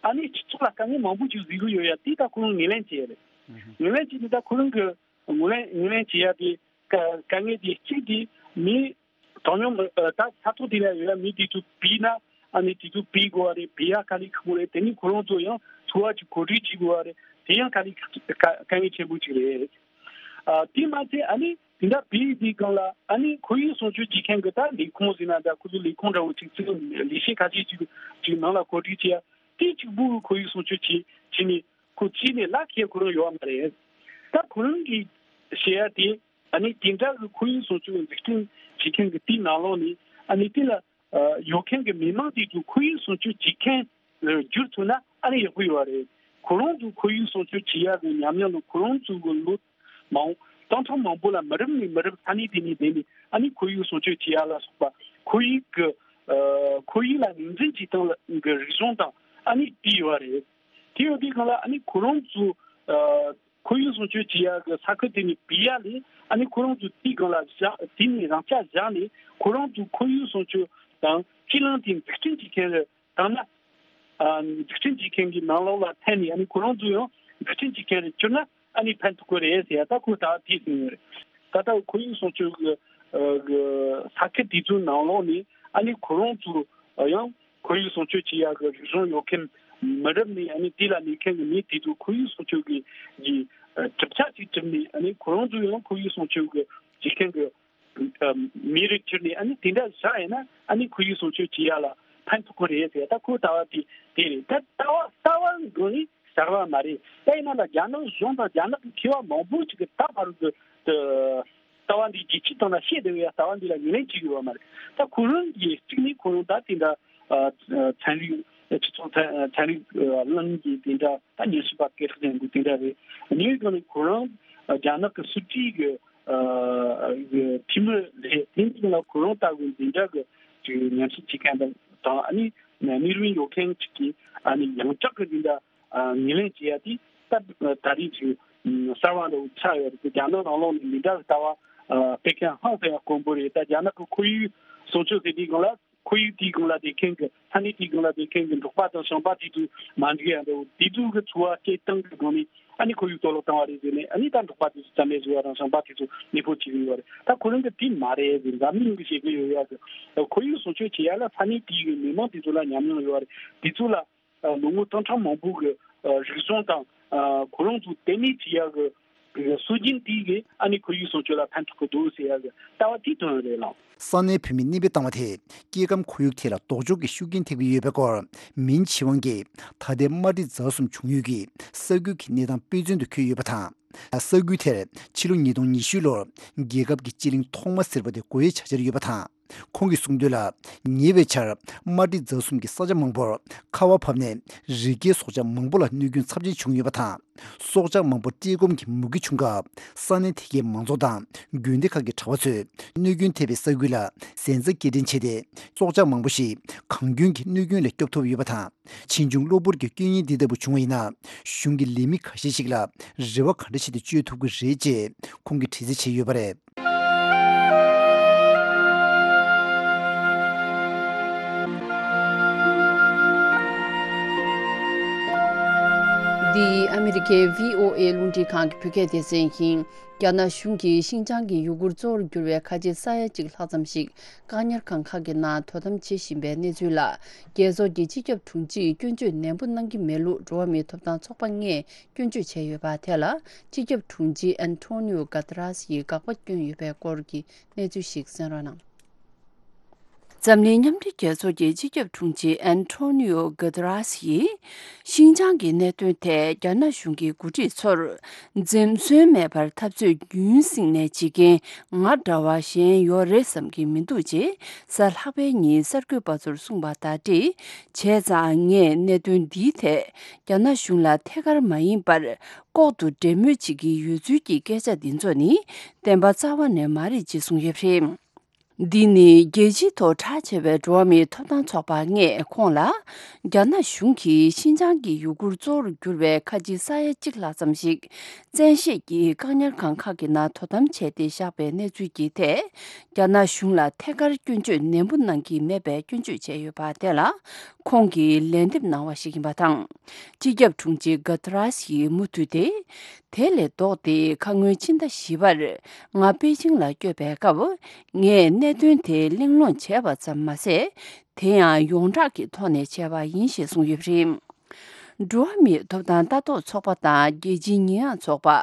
ཨ་ནི་སྤྱི་ཚོགས་ལ་དཀའ་ངལ་མང་པོ་ཅིག་བཟོ་གི་ཡོད་ཡ་དེ་ད་ཁོ་རང་ངོས་ལེན་བྱས་རེད། ངོས་ལེན་བྱས་ནས་ད་ཁོ་རང་གི་ངོས་ལེན་ངོས་ལེན་བྱེད་ཡ་དེ་དཀའ་དཀའ་ངལ་དེ་གཅིག་དེ་མི་གྲངས་ཉུང་མི་ཨ་ད་ས་ཐོག་དེ་ལ་ཡོད་ཡ་མི་དེ་ཚོ་བུད་ན་ཨ་ནི་དེ་ཚོ་བུད་དགོས་པ་རེད། བུད་ཡ་དཀའ་ལས་ཁག་པོ་རེད། དེ་ནི་ཁོ་རང་ཚོ་ཡང་འཚོ་བ་ཅིག་གོ་སྒྲིག་བྱེད་དགོས་པ་རེད། དེ་ཡང་དཀའ་ལས་ཁག་དཀའ་དཀའ་ངལ་ཆེན་པོ་ཅིག་རེད། ཨ་དེ་མ་ཚད་ཨ་ནི་དེ་འདྲ་བུད་དུས་སྒང་ལ་ཨ་ནི་ཁོར་ཡུག་སྲུང་སྐྱོབ་བྱེད་མཁན་གྱི་ད་ལས་ཁུངས་ཟེར་ན་འདྲ། ཁོ་ཚོ་ལས་ཁུངས་འདྲ་བོ་ཅིག་ཚུར་ལས་བྱེད་ཁ་ཤས་ཅིག་ཅིག་ནང་ལ་གོ་སྒྲིག་བྱེད་ཡ་དེ་གཅིག་པུ་ཁོར་ཡུག་སྲུང་སྐྱོབ་བྱེད་བྱེད་ནས་ཁོ་ཅིག་ནས་ལག་ཁྱེར་ཁོ་རང་ཡོད་མ་རེད། ད་ཁོ་རང་གིས་བཤད་ཡ་དེ། ཨ་ནི་དེ་འདྲ་གི་ཁོར་ཡུག་སྲུང་སྐྱོབ་འཛུགས་སྐྲུན་བྱེད་མཁན་གྱི་དེའི་ནང་ལོགས་ནས་ཨ་ནི་དེ་ལ་ཨ་ཡོད་མཁན་གྱི་མི་མང་དེ་ཚོ་ཁོར་ཡུག་སྲུང་སྐྱོབ་བྱེད་མཁན་ལ་འགྱུར་ཐུབ་ན་ཨ་ནི་ཡག་པོ་ཡོད་རེད། ཁོ་རང་ཚོ་ཁོར་ཡུག་སྲུང་སྐྱོབ་བྱེད་ཡག་གི་ཉམས་མྱོང་ལ་ཁོ་རང་ཚོ་གི་ལོ་མང་སྟོང་ཕྲག་མང་པོ་ལ་མི་རབས་ནས་མི་རབས་ས་གནས་དེ་ནས་བསྡད་ནས་ཨ་ནི་ཁོར་ཡུག་སྲུང་སྐྱོབ་བྱེད་ཡག་ལ་སོགས་པ་ཁོར་ཡུག་གི་ཨ་ཁོར་ཡུག་ལ་ངོས་འཛིན་བྱེད་སྟངས་ལ་གི་རིག་གཞུང་དང་ཨ་ནི་དེ་ཡོད་རེད། དེ་ཡོད་དུས་སྒང་ལ་ཨ་ནི་ཁོ་རང་ཚོ་ཨ་ཁོར་ཡུག་སྲུང་སྐྱོབ་བྱེད་ཡག་གི་ས་ཁུལ་དེ་ནས་བུད་ཡ་ལས་ཨ་ནི་ཁོ་རང་ཚོ་དེའི་སྒང་ལ་བཞག་དེ་ནས་རང་ཆ་བཞག་ནས་ཁོ་རང་ཚོ་ཁོར་ཡུག་སྲུང་སྐྱོབ་དང་སྤྱི་གླིང་དེ་འཛུགས་སྐྲུན་བྱེད་མཁན་རེད། དང་ན་ཨ་འཛུགས་སྐྲུན་བྱེད་མཁན་གྱི་ནང་ལོགས་ལ་འཐེན་ནས་ཨ་ནི་ཁོ་རང་ཚོ་ཡང་འཛུགས་སྐྲུན་བྱེད་མཁན་རེད་གྱུར་ན་ཨ་ནི་ཕན་ཐོགས་ཀྱི་རེད་ཟེར་ཡ་ད་ཁོས་ད་དེ་ཟེར་ཡོད་རེད། ད་ལྟ་ཁོར་ཡུག་སྲུང་སྐྱོབ་ཀྱི་ཨ་གི་ས་ཁུལ་དེ་ཚོའི་ནང་ལོགས་ནས་ཨ་ནི་ཁོ་རང་ཚོ་ཡང་ཁོར་ཡུག་སྲུང་སྐྱོབ་བྱེད་ཡག་གི་རིག་གཞུང་ཡོད་མཁན་མི་རབས་ནས་ཨ་ནི་དེ་ལ་གནས་མཁན་གྱི་མི་དེ་ཚོ་ཁོར་ཡུག་སྲུང་སྐྱོབ་ཀྱི་གི་ཨ་གྲུབ་ཆ་ཅིག་གྲུབ་ནས་ཨ་ནི་ཁོ་རང་ཚོ་ཡང་ཁོར་ཡུག་སྲུང་སྐྱོབ་ཀྱི་བྱེད་མཁན་གྱི་ཨ་མི་རིགས་གྱུར་ནས་ཨ་ནི་དེ་འདྲ་བཞག་ཡིན་ན་ཨ་ནི་ཁོར་ཡུག་སྲུང་སྐྱོབ་བྱེད་ཡག་ལ་ཕན་ཐོགས་ཀྱི་རེད་ཟེར། ད་ཁོའི་ལྟ་བ་དེ་དེ་རེད། ད་ལྟ་བ་ལྟ་བ་འགྲོ་ནི་གསར་བ་མ་རེད། ད་ཡིན་ན་ལ་རྒྱ་ནག་གཞུང་དང་རྒྱ་ནག་གི་མཁས་པ་མང་པོ་ཅིག་གིས་ད་བར་དུ་ལྟ་བ་འདི་རྒྱལ་སྤྱིའི་སྟེང་ལ་བཤད་བསྡད་པའི་ལྟ་བ་འདི་ལ་ངོས་ལེན་བྱེད་ཀྱི་ཡོད་མ་རེད། ད་ཁོ་རང་གིས་གཅིག་ནི་ཁོ་རང་ད་དེ་འདྲ་ཨ་ཚན་རིག་སྤྱི་ཚོགས་ཚན་ཚན་རིག་ཨ་གླིང་གི་དེ་འདྲ་ད་ཉམས་ཞིབ་པ་སྐད་གྲགས་ཅན་གྱི་དེ་འདྲ་རེད། གཉིས་ཀ་ནི་ཁོ་རང་ཨ་རྒྱ་ནག་གི་སྲིད་བྱུས་ཀྱི་ཨ་གི་འཐུས་མི་རེད། དེ་འདི་ལ་ཁོ་རང་ལྟ་བུའི་འཛིན་གྲྭ་གི་ཅིག་ཉམས་ཞིབ་བྱེད་མཁན་དང་དང་ཨ་ནི་གནས་རིམ་ཡོད་མཁན་ཅིག་གིས་ཨ་ནི་ཡང་བསྐྱར་གི་འཛིན་གྲྭ་ཨ་ངོས་ལེན་བྱེད་ཡ་དེ་ད་ད་རེས་ཀྱི་གསར་བ་འདྲ་བོ་ཆགས་ཡོད་རེད། རྒྱ་ནག་ནང་ལོགས་ནས་འདི་འདྲ་གི་ལྟ་བ་ཨ་སྤེལ་མཁན་ཧང་སང་ཡ་དཀོན་པོ་རེད། ད་རྒྱ་ནག་གི་ཁོར་ཡུག་སྲུང་སྐྱོབ་ཟེར་དུས་སྒང་ལ་ཁོར་ཡུག་དེའི་སྒང་ལ་བསྡད་མཁན་གྱི་ས་གནས་དེའི་སྒང་ལ་བསྡད་མཁན་གྱི་འབྲོག་པ་དང་ཞིང་པ་དེ་ཚོ་མ་འགྲིག་ཡ་འདྲ་བོ་དེ་ཚོ་གི་འཚོ་བ་སྐྱེལ་སྟངས་ཀྱི་སྒང་ནས་ཨ་ནི་ཁོར་ཡུག་གཏོར་བརླག་བཏང་བ་རེད་ཟེར་ནས་ཨ་ནི་ད་འབྲོག་པ་དེ་ཚོ་རྩ་མེད་བཟོ་བ་དང་ཞིང་པ་དེ་ཚོ་གནས་སྤོ་བྱེད་ཀྱི་ཡོད་རེད། ད་ཁོ་རང་གི་དེ་མ་རེད་ཟེར་འཛམ་གླིང་གི་བཤད་ཀྱི་ཡོད་ཡ་གི་ཁོར་ཡུག་སྲུང་སྐྱོབ་བྱེད་ཡ་ལ་ས་གནས་དེའི་གི་མི་མང་དེ་ཚོ་ལ་ཉམས་མྱོང་ཡོད་རེད། དེ་ཚོ་ལ་ལོ་ངོ་སྟོང་ཕྲག་མང་པོ་གི་རིག་གཞུང་དང་ཁོ་རང་ཚོ་ལྟེ་གནས་བྱེད་ཡག་གི་སྲོལ་རྒྱུན་དེ་གི་ཨ་ནི་ཁོར་ཡུག་སྲུང་སྐྱོབ་ལ་ཕན་ཐོགས་ཀྱི་འདུག་ཟེར་ཡག་གི་ལྟ་བ་དེ་བཏོན་ཡོད་རེད་ལགས། ས་གནས་བོད་མིས་གནས་སྤོས་བཏང་བ་དེས་སྐྱེ་ཁམས་ཁོར་ཡུག་ཐད་ལ་ལྡོག་ཕྱོགས་ཀྱི་ཤུགས་རྐྱེན་ཐེབས་ཀྱི་ཡོད་པའི་སྐོར་མིན་ཆི་ཝང་གིས་ད་ལྟའི་དམར་འབྲི་རྫ་གསུམ་བྱུང་ཡུལ་གྱི་ས་ཁུལ་གྱི་གནས་སྟངས་དཔེ་མཚོན་དུ་འཁོད་ཡོད་པ་དང་། ས་ཁུལ་དེར་ཕྱི་ལོ་ཉིས་སྟོང་ཉི་ཤུ་ལོར་རྒྱལ་ཁབ་ཀྱི་སྤྱི་གླིང་ཐོག་མ་ཟེར་བ་དེ་དགོས་ཡས་ཆགས་འཆར་ཡོད་པ་དང་། ཁོང་གིས་གསུངས་དོན་ལ། ཉེ་བའི་ཆར་དམར་འབྲི་རྫ་གསུམ་གྱི་ས་ཆ་མང་པོར་ཁ་བ་བབས་ནས་རི་སྐྱེས་སྲོག་ཆགས་མང་པོ་ལ་གནོད་སྐྱོན་ཚབས་ཆེན་བྱུང་ཡོད་པ་དང་། སྲོག་ཆགས་མང་པོ་བཀྲེས་སྐོམ་གྱི་མུ་གེ་བྱུང་སྐབས་ས་གནས་དེ་གའི་མང་ཚོགས་དང་དགོན་སྡེ་ཁག་གི་གྲྭ་པ་ཚོས་གནོད་སྐྱོན་ཐེབས་པའི་ས་ཁུལ་ལ་གཟན་རྩྭ་སྐྱེལ་འདྲེན་བྱས་ཏེ་སྲོག་ཆགས་མང་པོ་ཞིག་གངས་སྐྱོན་གྱི་གནོད་སྐྱོན་ལས་སྐྱོབ་ཐུབ་ཡོད་པ་དང་། ཕྱིས་འབྱུང་གློ་བུར་གྱི་སྐྱོན་ཡོན་འདི་ལྟ་བུ་བྱུང་བ་ཡིན་ན། གཞུང་གི་ལས་མི་ཁ་ཤས་ཤིག་ལ་རེ་བ་ག་འདྲ་བྱས་ཏེ་བཅོལ་ཐུབ་ཀྱི་རེད་ཅེས་ཁོང་གིས་དྲི་རྩད་བྱས་ཡོད་པ་རེད། འདི་ཨ་མི་རི་ཀའི་བྷི་ཨོ་ཨེ་རླུང་འཕྲིན་ཁང་གི་བོད་སྐད་སྡེ་ཚན་ཡིན། རྒྱ་ནག་གཞུང་གིས་ཤིན་ཅང་གི་ཡུ་གུར་གཙོ་བོར་གྱུར་བའི་ཁ་ཆེ་ས་ཡ་གཅིག་ལྷག་ཙམ་ཞིག་བཀག་ཉར་ཁང་ཁག་གི་ནང་དོ་དམ་བྱེད་བཞིན་པའི་གནས་ཚུལ་ལ། རྒྱལ་ཚོགས་ཀྱི་སྤྱི་ཁྱབ་དྲུང་ཆེས་སྐྱོན་བརྗོད་ནན་པོ་གནང་གི་མེད་ལུགས་འགྲོ་བ་མིའི་ཐོབ་ཐང་ཚོགས་པ་ལྔས་སྐྱོན་བརྗོད་བྱས་ཡོད་པ་དེ་ལ། སྤྱི་ཁྱབ་དྲུང་ཆེ་ཨན་ཐོ་ནིའོ་ག་ཏི་རཱས་ཡིས་དགག་པ་བསྐྱོན་ཡོད་པའི་སྐོར་གྱི་གནས་ཚུལ་ཞིག་གསན་རོགས་གནང་། འཛམ་གླིང་མཉམ་འབྲེལ་རྒྱལ་ཚོགས་ཀྱི་སྤྱི་ཁྱབ་དྲུང་ཆེ་ཨན་ཐོ་ནིའོ་ག་ཏི་རཱས་ཡིས། ཤིན་ཅང་གི་གནད་དོན་ཐད་རྒྱ་ནག་གཞུང་གི་འགོ་ཁྲིད་ཚོར་འཛེམ་ཟོན་མེད་པར་འཐབ་རྩོད་རྒྱུན་བསྲིངས་ནས་བྱེད་མཁན་ང་འདྲ་བ་གཞན་ཡོད་རེད་བསམ་གྱི་མི་འདུག་ཅེས་གཟའ་ལྷག་པའི་ཉིན་གསར་འགོད་པ་ཚོར་གསུངས་པ་དང་འབྲེལ། བྱས་ཙང་ངས་གནད་དོན་འདིའི་ཐད་རྒྱ་ནག་གཞུང་ལ་ཐད་ཀར་མ་ཡིན་པར་ལྐོག་ཏུ་འབྲེལ་མོལ་བྱེད་ཀྱི་ཡོད་ཚུལ་གྱི་སྐད་ཆ་འདི་ཚོ་ནི་བདེན་པ་རྩ་བ་ནས་མ་རེད་ཅེས་གསུངས་ཡོད་པ་རེད། འདི་ནི་རྒྱལ་སྤྱིའི་ཐོག་གྲགས་ཆེ་བའི་འགྲོ་བ་མིའི་ཐོབ་ཐང་ཚོགས་པ་ལྔས་ཁོང་ལ། རྒྱ་ནག་གཞུང་གིས་ཤིན་ཅང་གི་ཡུ་གུར་གཙོ་བོར་གྱུར་བའི་ཁ་ཆེ་ས་ཡ་གཅིག་ལྷག་ཙམ་ཞིག་བཙན་ཤེད་ཀྱིས་བཀག་ཉར་ཁང་ཁག་གི་ནང་དོ་དམ་བྱས་ཏེ་བཞག་པའི་གནས་ཚུལ་གྱི་ཐད། རྒྱ་ནག་གཞུང་ལ་ཐད་ཀར་སྐྱོན་བརྗོད་ནན་པོ་གནང་གི་མེད་པའི་སྐྱོན་བརྗོད་བྱས་ཡོད་པ་དེ་ལ། ཁོང་གིས་ལན་འདེབས་གནང་བ་ཞིག་ཡིན་པ་དང་། སྤྱི་ཁྱབ་དྲུང་ཆེ་ག་ཏི་རཱས་ཡིས་མུ་མཐུད་དེ། དེ་ལས་ལྡོག་སྟེ་ཁ་སྔོན་ཕྱི་ཟླ་བཞི་པར་ང་པེ་ཅིང་ལ་བསྐྱོད་པའི་སྐབས། ངས་གནད་དོན་དེ་གླེང་སློང་བྱས་པ་ཙམ་མ་ཟད། དེ་ཡང་ཡོངས་གྲགས་ཀྱི་ཐོག་ནས་བྱས་པ་ཡིན་ཞེས་གསུངས་ཡོད་པ་རེད། འགྲོ་བ་མིའི་ཐོབ་ཐང་ལྟ་རྟོག་ཚོགས་པ་དང་རྒྱལ་སྤྱིའི་ཉེས་ཡངས་ཚོགས་པ།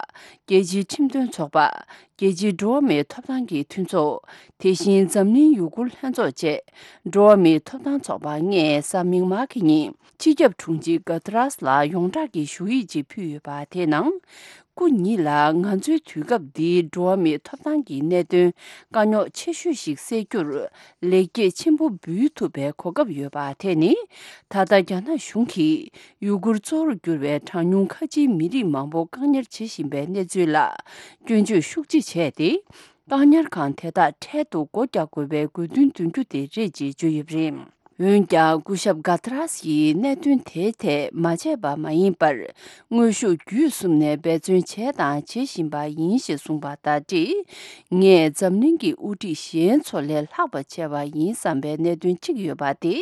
རྒྱལ་སྤྱིའི་ཁྲིམས་དོན་ཚོགས་པ། རྒྱལ་སྤྱིའི་འགྲོ་བ་མིའི་ཐོབ་ཐང་གི་མཐུན་ཚོགས། དེ་བཞིན་འཛམ་གླིང་ཡུ་གུར་ལྷན་ཚོགས་བཅས་འགྲོ་བ་མིའི་ཐོབ་ཐང་ཚོགས་པ་ལྔས་གཟའ་མིག་དམར་གྱི་ཉིན་སྤྱི་ཁྱབ་དྲུང་ཆེ་ག་ཏི་རཱས་ལ་ཡོངས་གྲགས་ཀྱི་ཞུ་ཡིག་ཅིག་ཕུལ་ཡོད་པ་དེའི་ནང་། སྐུ་ཉིད་ལ་ང་ཚོའི་དུས་སྐབས་འདིའི་འགྲོ་བ་མིའི་ཐོབ་ཐང་གི་གནད་དོན་དཀའ་རྙོག་ཆེ་ཤོས་ཤིག་སེལ་རྒྱུར་ལེགས་སྐྱེས་ཆེན་པོ་འབུལ་ཐུབ་པའི་གོ་སྐབས་ཡོད་པ་དེ་ནི། ད་ལྟ་རྒྱ་ནག་གཞུང་གིས་ཡུ་གུར་གཙོ་བོར་གྱུར་བའི་གྲངས་ཉུང་ཁ་ཆེའི་མི་རིགས་མང་པོ་བཀག་ཉར་བྱེད་བཞིན་པའི་གནས་ཚུལ་ལ་སྐྱོན་བརྗོད་ཤུགས་ཆེ་བྱས་ཏེ། བཀག་ཉར་ཁང་དེ་དག་འཕྲལ་དུ་སྒོ་རྒྱག་དགོས་པའི་དགོས་འདུན་འདོན་རྒྱུ་དེ་རེད་ཅེས་བརྗོད་ཡོད་པ་རེད། འོན་ཀྱང་སྐུ་ཞབས་ག་ཏི་རཱས་ཡིས་གནད་དོན་དེའི་ཐད་མ་བྱས་པ་མ་ཡིན་པར། དངོས་ཤུགས་བརྒྱུད་གསུམ་ནས་འབད་བརྩོན་བྱས་དང་བྱེད་བཞིན་པ་ཡིན་ཞེས་གསུངས་པ་དང་འབྲེལ། ངས་འཛམ་གླིང་གི་དབུ་ཁྲིད་གཞན་ཚོ་ལས་ལྷག་པ་བྱས་པ་ཡིན་བསམ་པའི་གནད་དོན་གཅིག་ཡོད་པ་དེ།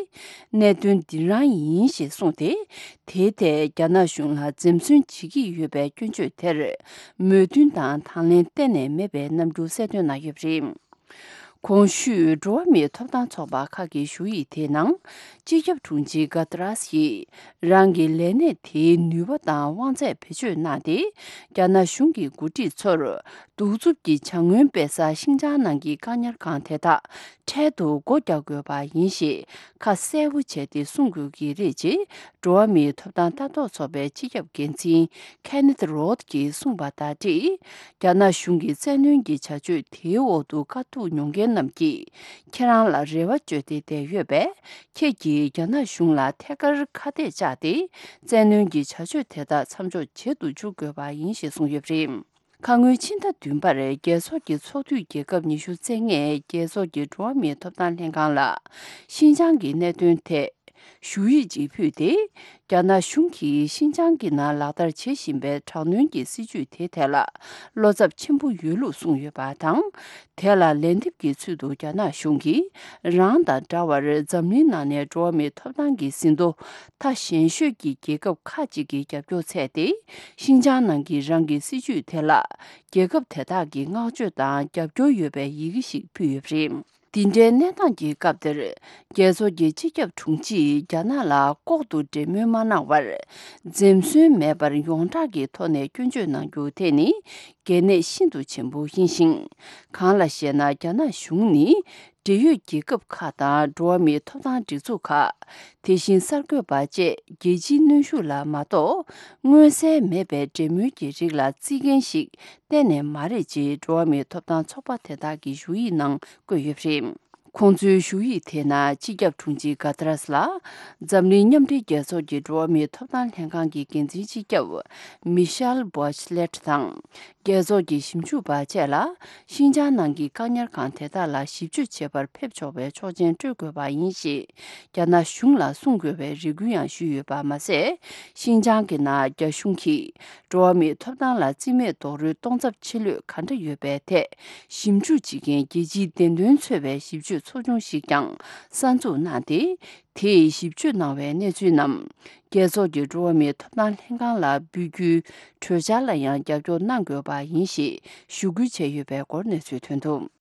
གནད་དོན་འདི་རང་ཡིན་ཞེས་གསུངས་ཏེ། དེའི་ཐད་རྒྱ་ནག་གཞུང་ལ་འཛེམ་ཟོན་བྱེད་ཀྱི་ཡོད་པའི་སྐྱོན་བརྗོད་དེར། མོས་མཐུན་དང་དང་ལེན་གཏན་ནས་མེད་པའི་རྣམ་འགྱུར་གསལ་སྟོན་གནང་ཡོད་པ་རེད། གོང་ཞུས་འགྲོ་བ་མིའི་ཐོབ་ཐང་ཚོགས་པ་ཁག་གི་ཞུ་ཡིག་དེའི་ནང་། སྤྱི་ཁྱབ་དྲུང་ཆེ་ག་ཏི་རཱས་ཡིས། རང་གི་ལས་གནས་དེའི་ནུས་པ་དང་དབང་ཚད་བེད་སྤྱོད་གནང་སྟེ། རྒྱ་ནག་གཞུང་གི་འགོ་ཁྲིད་ཚོར། གདུག་རྩུབ་ཀྱི་བྱ་སྔོན་སྤེལ་ས་ཤིང་ཅང་ནང་གི་བཀག་ཉར་ཁང་དེ་དག་འཕྲལ་དུ་སྒོ་རྒྱག་དགོས་པ་ཡིན་ཞེས་ཁ་གསལ་པོ་བྱས་ཏེ་གསུང་དགོས་ཀྱི་རེད་ཅེས་འགྲོ་བ་མིའི་ཐོབ་ཐང་ལྟ་རྟོག་ཚོགས་པའི་སྤྱི་ཁྱབ་འགན་འཛིན་ཁེ་ནེད་རོད་ཀྱིས་གསུངས་པ་དང་འབྲེལ། རྒྱ་ནག་གཞུང་གི་བཙན་གནོན་གྱི་བྱ་སྤྱོད་དེའི་འོག་ཏུ་དཀའ་སྡུག་མྱོང་མཁན་རྣམས་ཀྱིས་ཁྱེད་རང་ལ་རེ་བ་བཅོལ་ཏེ་བསྡད་ཡོད་པས། ཁྱེད་ཀྱིས་རྒྱ་ནག་གཞུང་ལ་ཐད་ཀར་ཁ་གཏད་བཅག་སྟེ། བཙན་གནོན་གྱི་བྱ་སྤྱོད་དེ་དག་མཚམས་འཇོག་བྱེད་དུ་འཇུག་དགོས་པ་ཡིན་ཞེས་གསུངས་ཡོད་པ་རེད། ཁ་སྔོན་ཕྱི་ཟླ་བདུན་པར་རྒྱལ་ཚོགས་ཀྱི་ཚོགས་འཐུས་རྒྱལ་ཁབ་ཉི་ཤུ་རྩ་ལྔས་རྒྱལ་ཚོགས་ཀྱི་འགྲོ་བ་མིའི་ཐོབ་ཐང་ལྷན་ཁང་ལ་ཤིན་ཅང་གི་གནད་དོན་ཐད་ཞུ་ཡིག་ཅིག་ཕུལ་ཏེ། རྒྱ་ནག་གཞུང་གིས་ཤིན་ཅང་གི་ནང་ལག་བསྟར་བྱེད་བཞིན་པའི་དྲག་གནོན་གྱི་སྲིད་བྱུས་དེ་ཐད་ལ་བློ་འཚབ་ཆེན་པོ་ཡོད་ལུགས་གསུངས་ཡོད་པ་དང་། དེ་ལ་ལན་འདེབས་ཀྱི་ཚུལ་དུ་རྒྱ་ནག་གཞུང་གིས་རང་དང་འདྲ་བར་འཛམ་གླིང་ནང་ནས་འགྲོ་བ་མིའི་ཐོབ་ཐང་གི་ཟིན་ཐོ་མཐའ་ཞན་ཤོས་ཀྱི་རྒྱལ་ཁབ་ཁག་ཅིག་གི་རྒྱབ་སྐྱོར་འཚལ་ཏེ། ཤིན་ཅང་ནང་གི་རང་གི་སྲིད་བྱུས་དེ་ལ་རྒྱལ་ཁབ་དེ་དག་གིས་བསྔགས་བརྗོད་དང་རྒྱབ་སྐྱོར་ཡོད་པའི་ཡི་གེ་ཞིག་ཕུལ་ཡོད་པ་རེད། འདི་འདྲའི་གནས་སྟངས་ཀྱི་སྐབས་དེར། རྒྱལ་ཚོགས་ཀྱི་སྤྱི་ཁྱབ་དྲུང་ཆེས་རྒྱ་ནག་ལ་ལྐོག་ཏུ་འབྲེལ་མོལ་མ་གནང་བར། འཛེམ་ཟོན་མེད་པར་ཡོངས་གྲགས་ཀྱི་ཐོག་ནས་སྐྱོན་བརྗོད་གནང་རྒྱུ་དེ་ནི་གལ་གནད་ཤིན་ཏུ་ཆེན་པོ་ཡིན་ཞིང་། གང་ལ་ཞེ་ན། རྒྱ་ནག་གཞུང་ནི་འབྲེལ་ཡོད་རྒྱལ་ཁབ་ཁག་དང་འགྲོ་བ་མིའི་ཐོབ་ཐང་སྒྲིག་འཛུགས་ཁག། དེ་བཞིན་གསར་འགོད་པ་བཅས་རྒྱལ་སྤྱིའི་གནོན་ཤུགས་ལ་མ་གཏོགས། མངོན་གསལ་མེད་པའི་འབྲེལ་མོལ་གྱི་རིགས་ལ་བརྩི་མཁན་ཞིག་གཏན་ནས་མ་རེད་ཅེས་འགྲོ་བ་མིའི་ཐོབ་ཐང་ཚོགས་པ་དེ་དག་གི་ཞུ་ཡིག་ནང་བཀོད་ཡོད་པ་རེད། ཁོང་ཚོའི་ཞུ་ཡིག་དེའི་ནང་སྤྱི་ཁྱབ་དྲུང་ཆེ་ག་ཏི་རཱས་ལ། འཛམ་གླིང་མཉམ་འབྲེལ་རྒྱལ་ཚོགས་ཀྱི་འགྲོ་བ་མིའི་ཐོབ་ཐང་ལྷན་ཁང་གི་འགན་འཛིན་སྤྱི་ཁྱབ་མི་ཤེལ་བྷོ་ཆི་ལེཊ་དང་། རྒྱལ་ཚོགས་ཀྱི་ཞིབ་འཇུག་པ་བཅས་ལ། ཤིན་ཅང་ནང་གི་བཀག་ཉར་ཁང་དེ་དག་ལ་ཞིབ་དཔྱོད་བྱེད་པར་ཕེབས་ཆོག་པའི་ཆོག་མཆན་སྤྲོད་དགོས་པ་ཡིན་ཞེས། རྒྱ་ནག་གཞུང་ལ་གསུང་དགོས་པའི་རེ་སྐུལ་ཡང་ཞུས་ཡོད་པ་མ་ཟད། ཤིན་ཅང་གི་ནང་རྒྱ་གཞུང་གིས། འགྲོ་བ་མིའི་ཐོབ་ཐང་ལ་རྩིས་མེད་རྡོག་རོལ་གཏོང་ཚབས་ཆེ་ལོས་ག་འདྲ་ཡོད་པའི་ཐད། ཞིབ་འཇུག་བྱེད་མཁན་རྒྱལ་སྤྱིའི་བདེན་དོན་འཚོལ་བའི་ཞིབ་དཔྱོད་ཚོགས་ཆུང་ཞིག་ཀྱང་གསར་འཛུགས་གནང་སྟེ། དེས་ཞིབ་དཔྱོད་གནང་བའི་གནས་ཚུལ་རྣམས། རྒྱ་ རྒྱལ་ཚོགས་ཀྱི་འགྲོ་བ་མིའི་ཐོབ་ཐང་ལྷན་ཁང་ལ་འབུལ་རྒྱུའི་གྲོས་འཆར་ལ་ཡང་རྒྱབ་སྐྱོར་གནང་དགོས་པ་ཡིན་ཞེས་ཞུ་སྐུལ་བྱས་ཡོད་པའི་སྐོར་གནས་ཚུལ་ཐོན་འདུག།